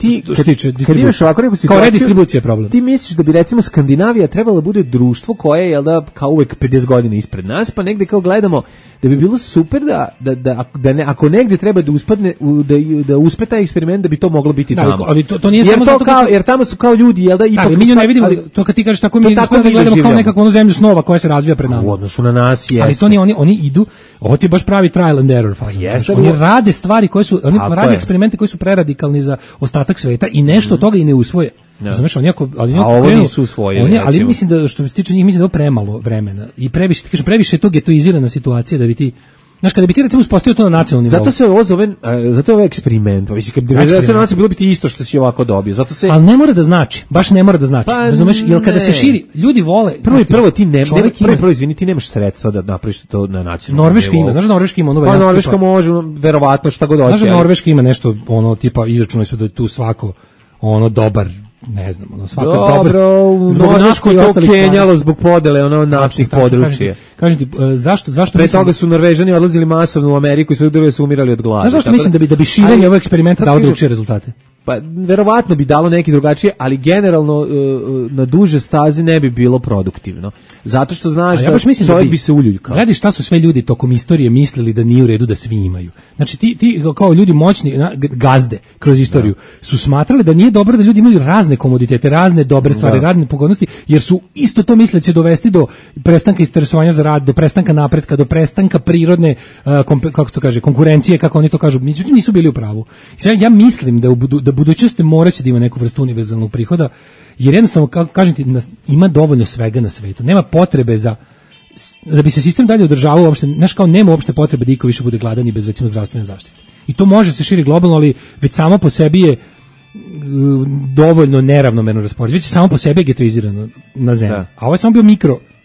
kad imaš ovako neku situaciju, kao redistribucija problem. Ti misliš da bi recimo Skandinavija trebala da bude društvo koje je, jel da, kao uvek 50 godina ispred nas, pa negde kao gledamo da bi bilo super da ne, ako negde treba da uspadne da uspe taj eksperiment, da bi to moglo biti tamo. Ali to nije samo zato jer tamo su kao ljudi, jel da, ipak mi ne vidimo to kad ti kažeš tako mi gledamo kao nekakvu onu zemlju snova koja se razvija pred nama. U odnosu na nas jeste. Ali to nije, oni idu, ovo ti je baš pravi trial and error faza. Oni rade stvari koje su, oni rade eksperimente koji su preradikalni za ostatak sveta i nešto od toga i ne usvoje. Razumeš, ovo nisu usvojili. Ali mislim da što se tiče njih, mislim da je premalo vremena i previše je to getoizirana situacija da bi ti. Znaš, kada bi ti recimo uspostavio to na nacionalnom nivou. Zato se ovo zove, zato je ovo eksperiment. Mislim, kad bi nacionalno bilo bi ti isto što si ovako dobio. Zato se... Ali ne mora da znači, baš ne mora da znači. Pa, razumeš, jer kada se širi, ljudi vole... Prvo ti nemaš sredstva da napraviš to na nacionalnom Norveška nivou. Ima, znaš da Norveška ima ono... Pa Norveška može, verovatno šta god hoće. Znaš da Norveška ima nešto, ono, tipa, izračunali su da je tu svako, ono, dobar, ne znam, ono, svaka dobro, zbog Norveško je to kenjalo zbog podele ono naftnih područja. Kažem ti, zašto pre toga su Norvežani odlazili masovno u Ameriku i sve druge su umirali od gladi. Znaš zašto mislim da bi širenje ovog eksperimenta dalo drugačije rezultate? Pa verovatno bi dalo neki drugačije, ali generalno na duže staze ne bi bilo produktivno. Zato što znaš da čovjek bi se uljuljkao. Gledaj šta su sve ljudi tokom istorije mislili da nije u redu da svi imaju. Znači ti kao ljudi moćni, gazde kroz istoriju, su smatrali da nije dobro da ljudi imaju razne komoditete, razne dobre stvari, razne pogodnosti, jer su isto to misle će dovesti do prestanka interesovanja za rad, do prestanka napretka, do prestanka prirodne kako se to kaže, konkurencije, kako oni to kažu. Međutim, nisu bili u pravu. Ja mislim da budućnosti moraće da ima neku vrstu univerzalnog prihoda, jer jednostavno, kažem ti, ima dovoljno svega na svetu. Nema potrebe da bi se sistem dalje održavao uopšte, znaš kao nema uopšte potrebe da iko više bude gladan i bez recimo zdravstvene zaštite. I to može se širi globalno, ali već samo po sebi je dovoljno neravnomerno raspoređeno. Već samo po sebi je getoizirano na zemlji. Da. A ovo je samo bio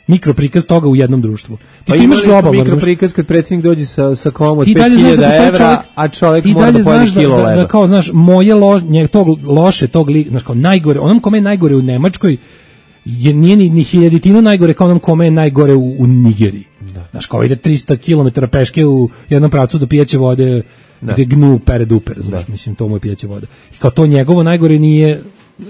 mikro prikaz toga u jednom društvu. Ti imaš globalno mikro prikaz kad predsjednik dođe sa komom od 5.000 evra, a čovjek mora da pojede kilo leba. Da kao, znaš, znaš, kao najgore, onom kome je najgore u Nemačkoj, nije ni hiljaditinu najgore kao onom kome je najgore u Nigeriji. Da. Znaš, kao ide 300 km peške u jednom pravcu do pijaće vode, gde gnu pere duper, znaš, mislim, to mu je pijaće voda. I kao to njegovo najgore nije...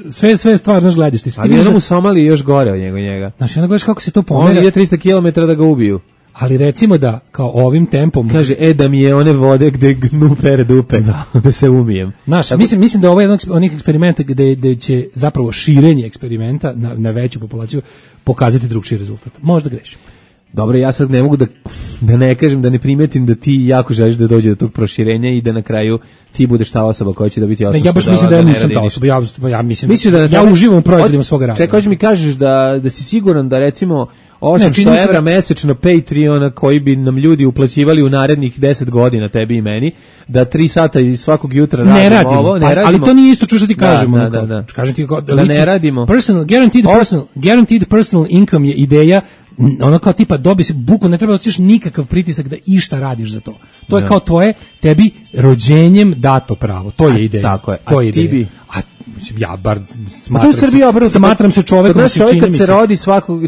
Sve stvar, znaš, gledaš. Ali jednom u Somaliji još gore od njega. Znači, onda gledaš kako se to pomera. On ide 300 km da ga ubiju. Ali recimo da, kao ovim tempom... Kaže, da mi je one vode gde gnu pere dupe, da se umijem. Znaš, mislim da ovo je jedan od onih eksperimenta gde će zapravo širenje eksperimenta na veću populaciju pokazati drugčiji rezultat. Možda grešim. Dobro, ja sad ne mogu da ne kažem, da ne primetim da ti jako želiš da dođe do tog proširenja i da na kraju ti budeš ta osoba koja će da biti osoba. Ja baš mislim da ja nisam ta osoba. Ja mislim ja uživam u proizvodima svoga rada. Čekaj, hoćeš mi kažeš da si siguran da recimo 800 evra mesečno Patreona koji bi nam ljudi uplaćivali u narednih 10 godina, tebi i meni, da 3 sata svakog jutra radimo ovo, ne radimo. Ali to nije isto što ti kažemo. Da ne radimo. Guaranteed personal income je ideja ono kao tipa dobi se buku, ne treba da osjećaš nikakav pritisak da išta radiš za to. To je kao tebi rođenjem dato pravo. To je ideja. Tako je. To je ideja. Ti bi... ja bar smatram se čovekom, kad se rodi svako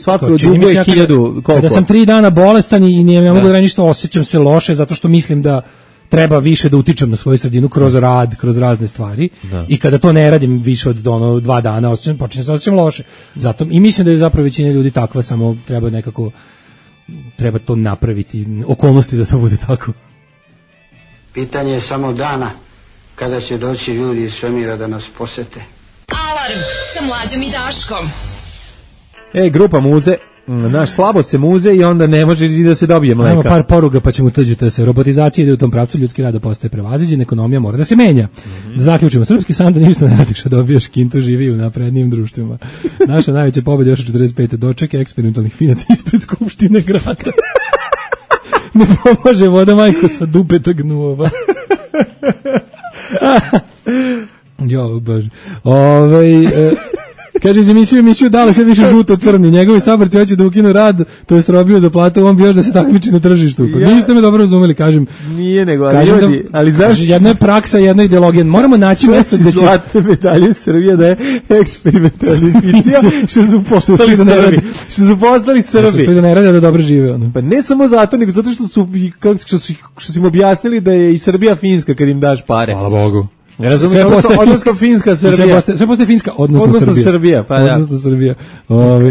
dugo je 1000 koliko. Kada sam 3 dana bolestan i ne mogu da ništa, osjećam se loše zato što mislim da treba više da utičem na svoju sredinu kroz rad, kroz razne stvari. I kada to ne radim više od 2 dana, počinjem se osjećam loše. Zato i mislim da je zapravo većina ljudi takva, samo treba to napraviti, okolnosti da to bude tako. Pitanje je samo dana kada će doći ljudi iz svemira da nas posete. Alarm sa Mlađom i Daškom. Grupa Muze, naš slabo se muze i onda ne može da se dobije mleka. Imamo par poruga pa ćemo tuđiti se. Robotizacija ide u tom pravcu, ljudski rad postaje prevaziđen, ekonomija mora da se menja. Da zaključimo, srpski san da ništa ne radiš, a dobiješ kintu, živi u naprednijim društvima. Naša najveća pobeda još od 45. dočeke eksperimentalnih finaca ispred Skupštine grada. Ne pomaže voda majko sa dupetog gnuova. Jo, bože. Kaže, iz emisiju dale sve više žuto crni. Njegovi saborci hoće da ukinu rad, to je robio za platu, on bi još da se takmiči na tržištu. Pa niste me dobro razumeli, kažem. Nije nego, ali ljudi, ali zašto? Jedna je praksa, jedna je ideologija. Moramo naći mesto gde će... Zlatne medalje Srbije da je eksperimentalna fikcija, što su postali Srbi. Što su da ne rade, da dobro žive. Pa ne samo zato, nego zato što su im objasnili da je i Srbija Finska kad im daš pare. Hvala Bogu. Ne razumiješ, odnosno Finska, Srbija. Sve postaje Finska, odnosno Srbija. Pa da. Odnosno Srbija.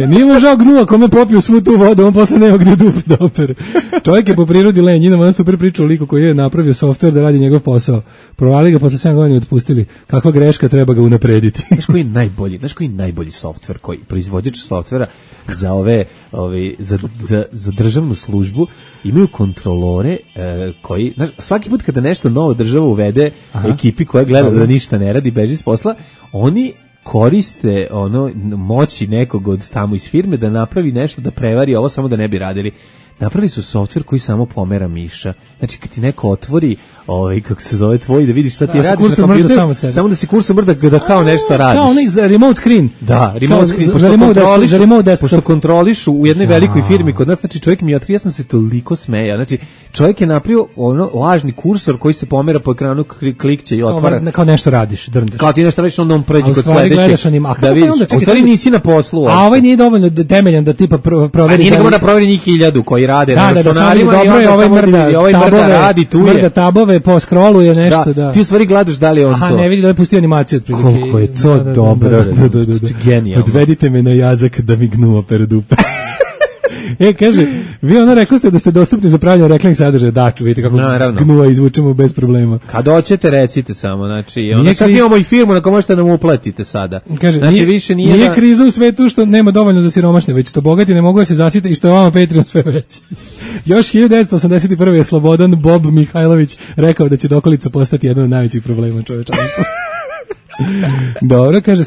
Nije mu žao gnuva kome popio svu tu vodu, on posle nema gdje dupe da opere. Čovjek je po prirodi lenj, ima on super priča o liku koji je napravio softver da radi njegov posao. Provali ga, posle 7 godina otpustili. Kakva greška, treba ga unaprediti. Znaš koji najbolji softver, koji proizvođač softvera za za državnu službu imaju kontrolore koji, znaš, svaki put kada nešto novo država uvede ekipi koja gleda da ništa ne radi, beži s posla, oni koriste moći nekog od tamo iz firme da napravi nešto, da prevari ovo samo da ne bi radili. Napravili su softver koji samo pomera miša. Znači kad ti neko otvori kako se zove tvoj, da vidiš šta ti radiš na kompjuteru, samo da si kursom mrda da kao nešto radiš. Kao onaj za remote screen. Da, remote screen. Pošto kontrolišu u jednoj velikoj firmi kod nas, znači čovjek mi otkrio, ja sam se toliko smejao. Znači čovjek je napravio lažni kursor koji se pomera po ekranu, klikće i otvara. Kao nešto radiš, drndeš. Kao ti nešto radiš, onda on pređe kod sledećeg. Da vidiš, u stvari nisi na poslu. A ovaj nije dovoljno temeljan da tipa proveri. Nije nego da proveri njih 1000 koji rade na računarima i ovaj mrda radi tu je. Mrda tabove po scrollu nešto, da. Ti u stvari gledaš da li je on to. Aha, ne vidi da je pustio animaciju otprilike. Koliko je to dobro. Genijalno. Odvedite me na jazak da mi gnuo per dupe. Kaže, vi rekli ste da ste dostupni za pravljanje reklamnih sadržaja, da ču, vidite kako gnuva izvučemo bez problema. Kad hoćete, recite samo, znači, čak imamo i firmu na kojoj možete nam uplatite sada. Kaže, znači, više nije kriza u svetu što nema dovoljno za siromašne, već što bogati ne mogu da se zasite i što je vama Patreon sve veći. Još 1981. je Slobodan Bob Mihajlović rekao da će dokolica postati jedan od najvećih problema čovečanstva. Dobro, kaže,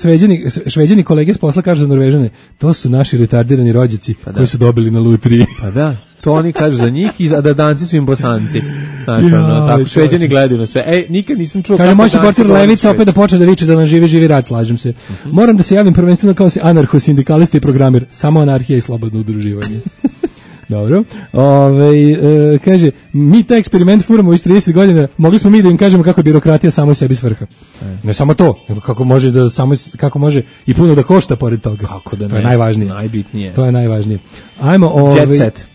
šveđani kolege s posla kažu za Norvežane, to su naši retardirani rođaci koji su dobili na lutriji. Pa da, to oni kažu za njih, a da danci su im Bosanci. Znači, tako, šveđani gledaju na sve. Nikad nisam čuo kako danci... Kaže, moj Levica opet da počne da viče da nam živi rad, slažem se. Moram da se javim prvenstveno kao anarcho-sindikalista i programer, samo anarhija i slobodno udruživanje. Dobro. Kaže, mi taj eksperiment furamo iz 30 godina, mogli smo mi da im kažemo kako je birokratija samo sebi svrha. Ne samo to, nego kako može i puno da košta pored toga. Kako da ne? To je najvažnije. Najbitnije. To je najvažnije. Ajmo, Jet set.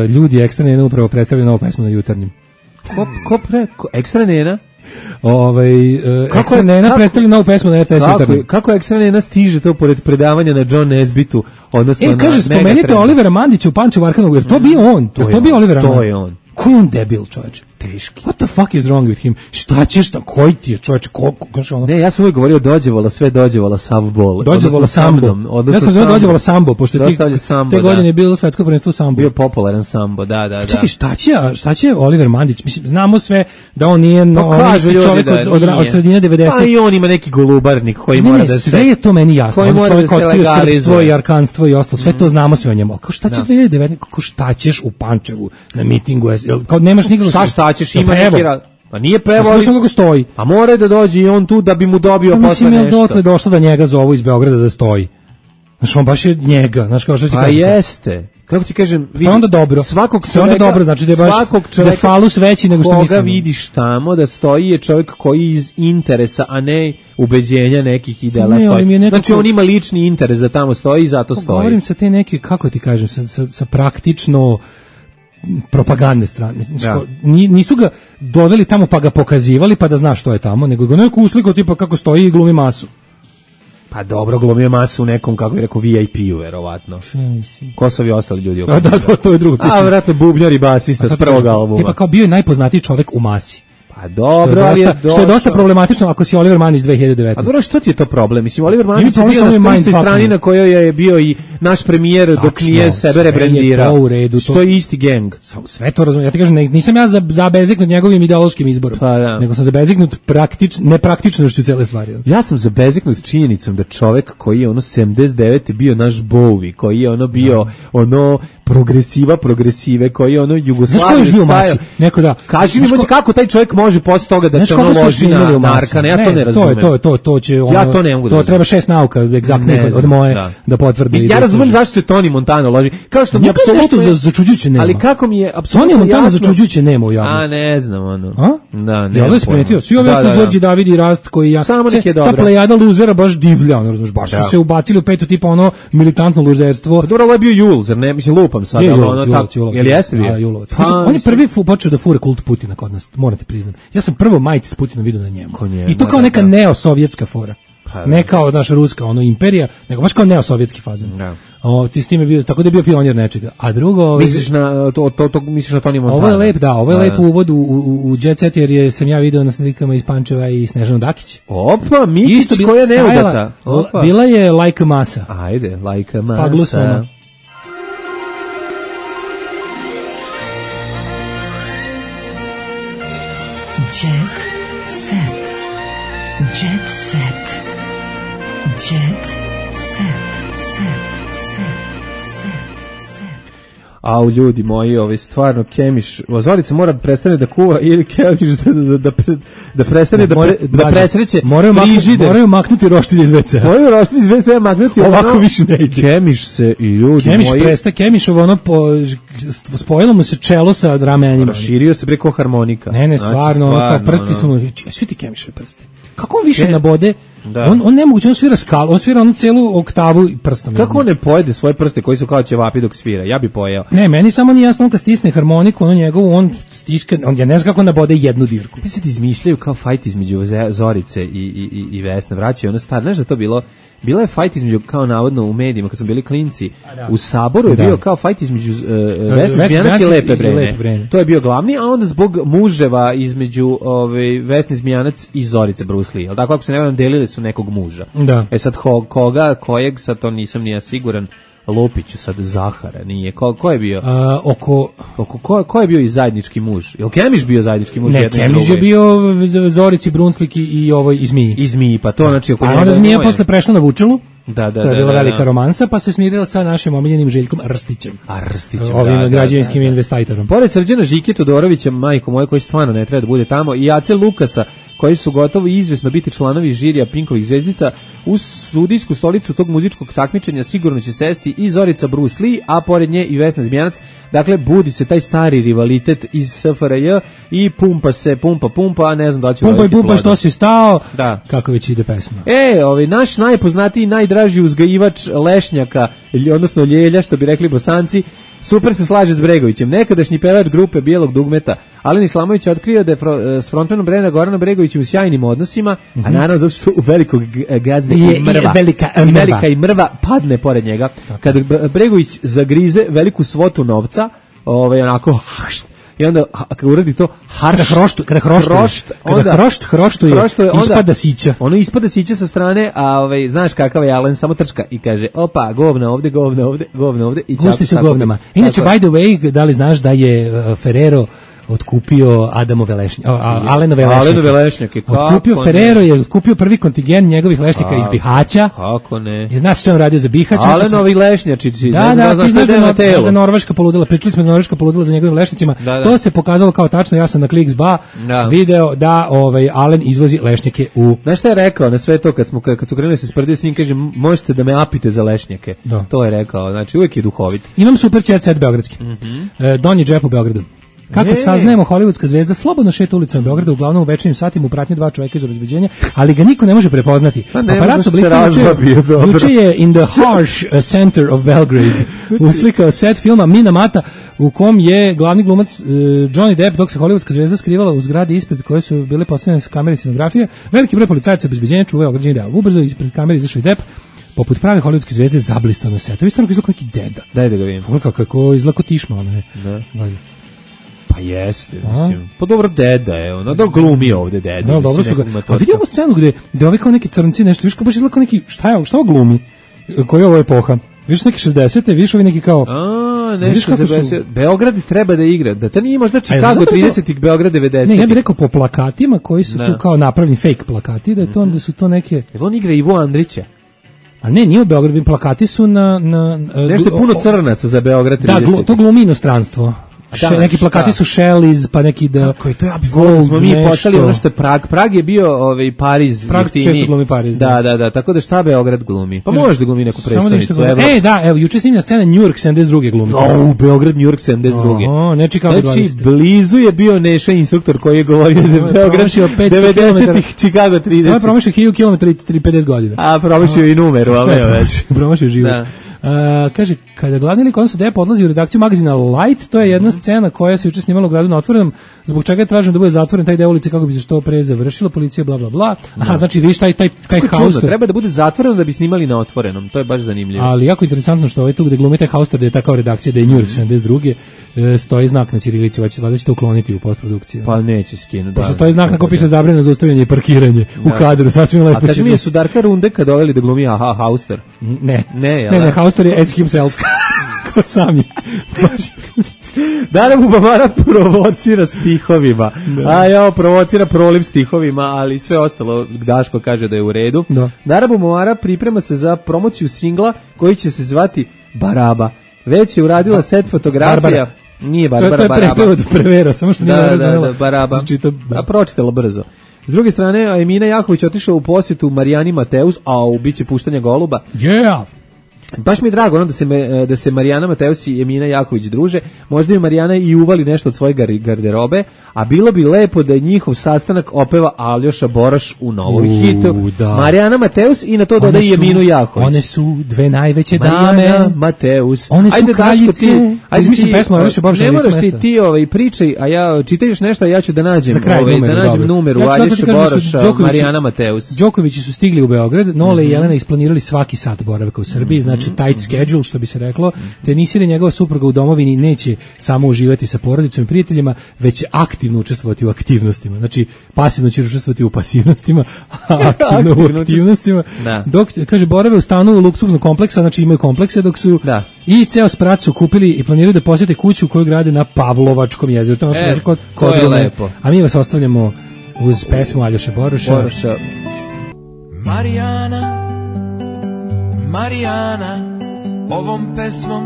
Ljudi Ekstra Nena upravo predstavljaju novu pesmu na Jutarnjem. Ekstra Nena? Ekstra Nena predstavlja novu pesmu na RTS Jutarnjem. Kako Ekstra Nena stiže to pored predavanja na John Nesbitu, odnosno kaže, spomenite Olivera Mandića u Pančevu Arkanovu, jer to bio on. To bio Oliver Mandić. To je on. Ko je on debil, čovječe? Teški. What the fuck is wrong with him? Šta ćeš tam? Koji ti je, čovječe? Ne, ja sam uvijek govorio dođevala savbol. Dođevala sambo. Ja sam zove dođevala sambo, pošto te godine je bilo svetsko prvenstvo sambo. Bio popularan sambo, da. Čekaj, šta će Oliver Mandić? Mislim, znamo sve da on nije čovjek od sredine 90. Pa i on ima neki golubarnik koji mora da se... Sve je to meni jasno. On čovjek otkrio srpstvo i arkanstvo i ostalo. Sve to znamo sve o njemu. Šta će 2019? Šta ćeš u Pančevu na mitingu? Kao nemaš nikako... Šta ćeš, ima neki rad. Pa nije prevoli. Slušam kako stoji. Pa mora da dođe i on tu da bi mu dobio posle nešto. Mislim je dotle došlo da njega zovu iz Beograda da stoji. Znaš, on baš je njega, znaš kao što ti kažem. Pa jeste. Kako ti kažem, vidi, onda dobro. Svakog čoveka, onda dobro, znači da je baš da je falus veći nego što mislimo. Koga vidiš tamo da stoji je čovjek koji iz interesa, a ne ubeđenja nekih ideala stoji. Nekako, znači on ima lični interes da tamo stoji i zato stoji. Govorim sa te neke, kako ti kažem, sa praktično propagandne strane. Nisu ga doveli tamo pa ga pokazivali pa da znaš što je tamo, nego ga neko uslikao tipa kako stoji i glumi masu. Pa dobro, glumio masu u nekom, kako je rekao, VIP-u, verovatno. Ko su ovi ostali ljudi? Da, to je drugo pitanje. A, vjerojatno bubnjar i basista s prvog albuma. Tipa kao bio je najpoznatiji čovjek u masi. Pa dobro, što je dosta problematično ako si Oliver Mann iz 2019. A dobro, što ti je to problem? Mislim, Oliver Mann je bio na istoj strani na kojoj je bio i naš premijer dok nije sebe rebrendirao. To je isti gang. Sve to razumijem. Ja ti kažem, nisam ja zabezeknut njegovim ideološkim izborom, nego sam zabezeknut nepraktičnošću cele stvari. Ja sam zabezeknut činjenicom da čovek koji je 79. bio naš Bowie, koji je bio progresive, koji je Jugoslaviju stavio. Neko da. Kaži mi kako taj čovjek može posle toga da se loži na narkane, ja to ne razumem. To će ja to ne mogu. To treba 6 nauka egzaktnih od moje da potvrdi. Ja razumem zašto se Tony Montana loži. Kao što mi apsolutno nešto začuđujuće nema. Ali kako mi je apsolutno Tony Montana začuđujuće nema u javnosti. A ne znam Da, ne. Ja vas primetio. Svi ovi Đorđe David i Rast koji ja ta plejada luzera baš divlja, razumeš, baš su se ubacili u petu tipa militantno luzerstvo. Dobro, je bio Julzer, ne mislim lupam sad, jel jeste bio? On je prvi počeo da fura kult Putina kod nas, morate priznati. Ja sam prvo majice s Putinom vidio na njemu. I to kao neka neosovjetska fora. Ne kao naša ruska imperija, nego baš kao neosovjetski fazon. Ti s tim je bio, tako da je bio pionir nečega. A drugo, misliš na to misliš na Tony Montana. Ovo je lep, ovo je lep uvod u Jet Set, jer sam ja video na slikama iz Pančeva i Snežanu Dakić. Opa, Mikić koja je neudata. Bila je Like a Masa. Ajde, Like a Masa. Pa glusno. Jet set. Jet set. Jet set. Au, ljudi moji, stvarno Kemiš, Zorica mora prestane da kuva ili Kemiš da prestane da presreće frižider. Moraju maknuti roštilj iz WC. Moraju roštilj iz WC maknuti. Ovako više ne ide. Kemiš se i ljudi moji. Kemišovo spojilo mu se čelo sa ramenjima. Proširio se preko harmonika. Ne, stvarno, kao prsti su mu, svi ti Kemišovi prsti. Kako on više nabode? On nemoguće, on svira skalu, on svira onu celu oktavu prstom. Kako on ne pojede svoje prste koji su kao ćevapi dok svira? Ja bi pojeo. Ne, meni samo nije jasno, on kad stisne harmoniku, njegovu, on stiska, ja ne znam kako nabode jednu dirku. Mi se izmišljaju kao fajt između Zorice i Vesne, vraćaju ono stvar. Znaš da to bila je fajt između, kao navodno u medijima, kad smo bili klinci, u Saboru je bio kao fajt između Vesne Zmijanac i Lepe Brene. To je bio glavni, a onda zbog muževa između Vesne Zmijanac i Zorice Bruce Lee. Ali tako, ako se ne varam, delili su nekog muža. Da. Sad kojeg, sad to nisam nija siguran, Lupiću sad Zahara, nije. Ko je bio? Ko je bio i zajednički muž? Jel Kemiš bio zajednički muž? Ne, Kemiš je bio Zorici Brunslik i ovoj i Zmiji. I Zmiji, pa to znači oko njega. A onda Zmija posle prešla na Vučelu. Da. To je bila velika romansa, pa se smirila sa našim omiljenim Željkom Rstićem. Rstićem, ovim građevinskim investitorom. Pored Srđana Žike Todorovića, majko moje, koji stvarno ne treba da bude tamo, i Ace Lukasa, koji su gotovo izvesno biti članovi žirija Pinkovih zvezdica, u sudijsku stolicu tog muzičkog takmičenja sigurno će sesti i Zorica Bruce Lee, a pored nje i Vesna Zmijanac. Dakle, budi se taj stari rivalitet iz SFRJ i pumpa, a ne znam da li će uraditi pumpa, što si stao, kako već ide pesma. Naš najpoznatiji, najdraži uzgajivač lešnjaka, odnosno ljelja, što bi rekli Bosanci, super se slaže s Bregovićem. Nekadašnji pevač grupe Bijelog dugmeta Alen Islamović otkrio da je s frontmanom Brena Goranom Bregovićem u sjajnim odnosima, a naravno zato što u velikog gazde velika i mrva padne pored njega. Kada Bregović zagrize veliku svotu novca, onako i onda kada uradi to hroštuje, ispada sića. Ono ispada sića sa strane, a znaš kakav je Alen, samo trčka i kaže opa, govna ovde i gusti se govnama. Inače, by the way, da li znaš da je Ferrero otkupio Alenove lešnjake. Otkupio Ferrero je otkupio prvi kontingent njegovih lešnika iz Bihaća. Kako ne? I znaš što on radio za Bihać? Alenovi lešnjačići. Da, Norveška poludela. Pričali smo da Norveška poludela za njegovim lešnicima. To se pokazalo kao tačno. Ja sam na Kliks.ba video da Alen izvozi lešnjake u... Znaš šta je rekao na sve to kad su krenuli se sprdio s njim, kaže, možete da me apite za lešnjake. To je rekao, znači uvijek je duhovit. Imam super jet set beogradski. Donji džep u Beogradu. Kako saznajemo, hollywoodska zvezda slobodno šeta ulicama Beograda, uglavnom u večernjim satima u pratnji 2 čoveka iz obezbeđenja, ali ga niko ne može prepoznati. Paparazzo Blica juče je in the harsh center of Belgrade uslikao set filma Mina Mata, u kom je glavni glumac Johnny Depp, dok se hollywoodska zvezda skrivala u zgradi ispred koje su bile postavljene kamere scenografije. Veliki broj policajaca obezbeđenja čuvaju ograđeni deo. Ubrzo ispred kamere izašao i Depp, poput prave hollywoodske zvezde, zablistao na setu. Isto izgleda neki deda. Daj da ga vidim. Kako izgleda tišno, ono je. Pa jeste, mislim. Pa dobro, deda je, ono, da glumi ovde deda. Da, dobro su ga. A vidimo scenu gde ovi kao neki crnci nešto, viš kao baš izgleda kao neki, šta ovo glumi? Koji je ovo epoha? Viš neki 60-te, viš ovi neki kao... nešto za Beograd treba da igra. Da to nije možda Chicago 30-ih, Beograd 90-ih. Ne, ja bih rekao po plakatima koji su tu kao napravljeni fake plakati, da su to neke... Jel on igra Ivo Andrića? A ne, nije u Beogradu, plakati su na nešto puno crnaca za Beograd 30. Da, to glumi inostranstvo. Neki plakati su Shelley's, pa neki da... Kako je to, ja bih volio, smo mi počeli ono što je Prag. Prag je bio Pariz. Prag često glumi Pariz. Da, tako da šta Beograd glumi? Pa može da glumi neku predstavnicu. Evo, juče snimljena scena New York 72. glumi. Beograd, New York 72. Ne Chicago 20. Znači, blizu je bio Neša instruktor koji je govorio da je Beograd 90-ih, Chicago 30. Samo je promašio 1000 km i 50 godina. A, promašio i numeru, ali već. Promašio život. Kaže, kada glavni lik odnosno Depp odlazi u redakciju magazina Light, to je jedna scena koja se juče snimala u gradu na otvorenom, zbog čega je traženo da bude zatvoren taj deo ulice kako bi se što pre završila, policija bla bla bla. Aha, znači vidiš taj Hauster. Treba da bude zatvoreno da bi snimali na otvorenom, to je baš zanimljivo. Ali jako interesantno što tu gde glumi taj Hauster, da je ta kao redakcija, da je New York 72. Stoji znak na ćirilici, valjda će to ukloniti u postprodukciji. Pa neće skinuti. Pošto stoji znak na kojem piše zabranjeno zaustavljanje i parkiranje u kadru, sasvim lepo. A kaži mi, su Darka Runde kad doveli da glumi Hauster? Ne, Hauster je as himself. Sam je. Dara Bubamara provocira stihovima. Provocira proliv stihovima, ali sve ostalo Daško kaže da je u redu. Dara Bubamara priprema se za promociju singla koji će se zvati Baraba. Već je uradila set fotografija. Nije Barbara, Baraba. To je prevera, samo što nije razumela. Da, Baraba. A pročitala brzo. S druge strane, Emina Jaković otišao u posjetu Marijani Mateus, u biće puštanja goluba. Baš mi je drago da se Marijana Mateus i Emina Jaković druže. Možda bi Marijana i uvali nešto od svoje garderobe, a bilo bi lepo da je njihov sastanak opeva Aljoša Boroš u novoj hitu. Marijana Mateus i na to doda i Eminu Jaković. One su dve najveće dame. Marijana Mateus. One su kraljice. Ajde mislim pesmu Aljoša Boroša. Ne moraš ti pričaj, a ja čitaš nešto, a ja ću da nađem numeru Aljoša Boroša, Marijana Mateus. Đokovići su stigli u Beograd, Nole i Jelena isplanirali svaki sat boravka u Srbiji, znači tight schedule, što bi se reklo. Tenisir i njegova supruga u domovini neće samo uživati sa porodicom i prijateljima, već će aktivno učestvovati u aktivnostima. Znači, pasivno će učestvovati u pasivnostima, a aktivno u aktivnostima. Dok, kaže, borave u stanu luksuznog kompleksa, znači imaju komplekse, dok su i ceo sprat su kupili i planiraju da posjete kuću koju grade na Pavlovačkom jezeru. To je to lepo. A mi vas ostavljamo uz pesmu Aljoše Boroša. Marijana, ovom pesmom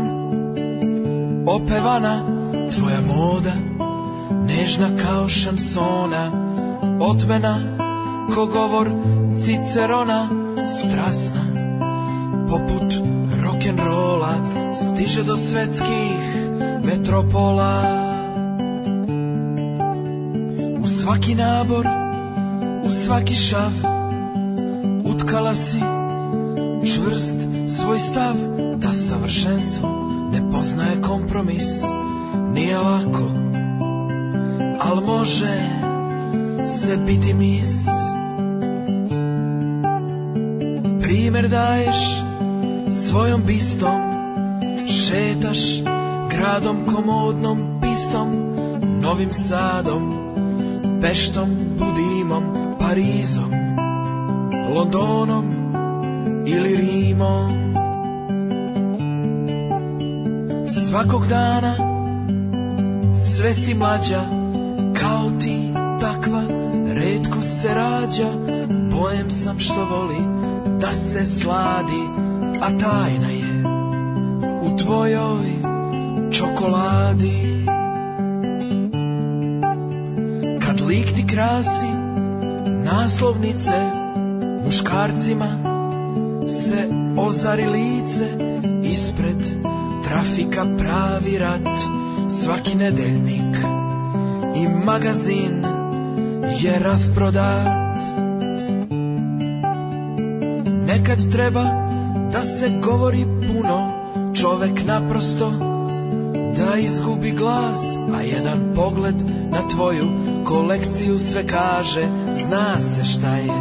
opevana, tvoja moda, nežna kao šansona, otmena ko govor Cicerona, strasna poput rock'n'rolla, stiže do svetskih metropola. U svaki nabor, u svaki šav, utkala si čvrst svoj stav, da savršenstvo ne poznaje kompromis. Nije lako, al može se biti mis. Primer daješ svojom bistom, šetaš gradom komodnom pistom, Novim Sadom, Peštom, Budimom, Parizom, Londonom ili Rimom. Svakog dana sve si mlađa, kao ti takva retko se rađa, bojem sam što voli da se sladi, a tajna je u tvojoj čokoladi. Kad lik ti krasi naslovnice, muškarcima se ozari lice, ispred trafika pravi rat, svaki nedeljnik i magazin je rasprodat. Nekad treba da se govori puno, čovek naprosto da izgubi glas, a jedan pogled na tvoju kolekciju sve kaže, zna se šta je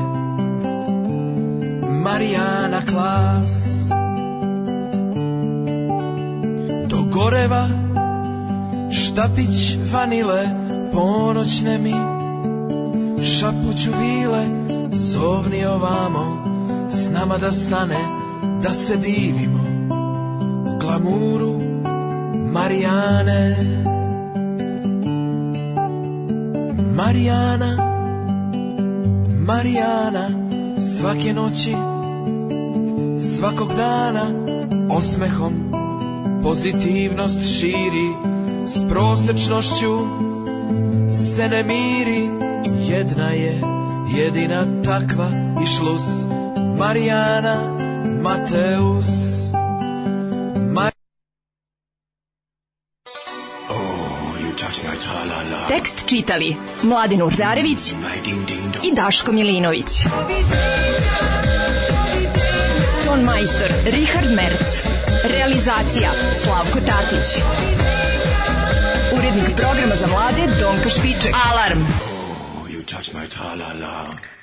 Marijana Klas. Dogoreva štapić vanile, ponoćne mi šapuću vile, zovni ovamo s nama da stane, da se divimo glamuru Marijane. Marijana, Marijana, svake noći, svakog dana, osmehom pozitivnost širi, s prosečnošću se ne miri. Jedna je jedina takva i šlus, Marijana Mateus. Tekst čitali Mladen Urdarević i Daško Milinović. Ton majstor Richard Merc. Realizacija Slavko Tatić. Urednik programa za mlade Donka Špiček. Alarm! You touch my tra-la-la.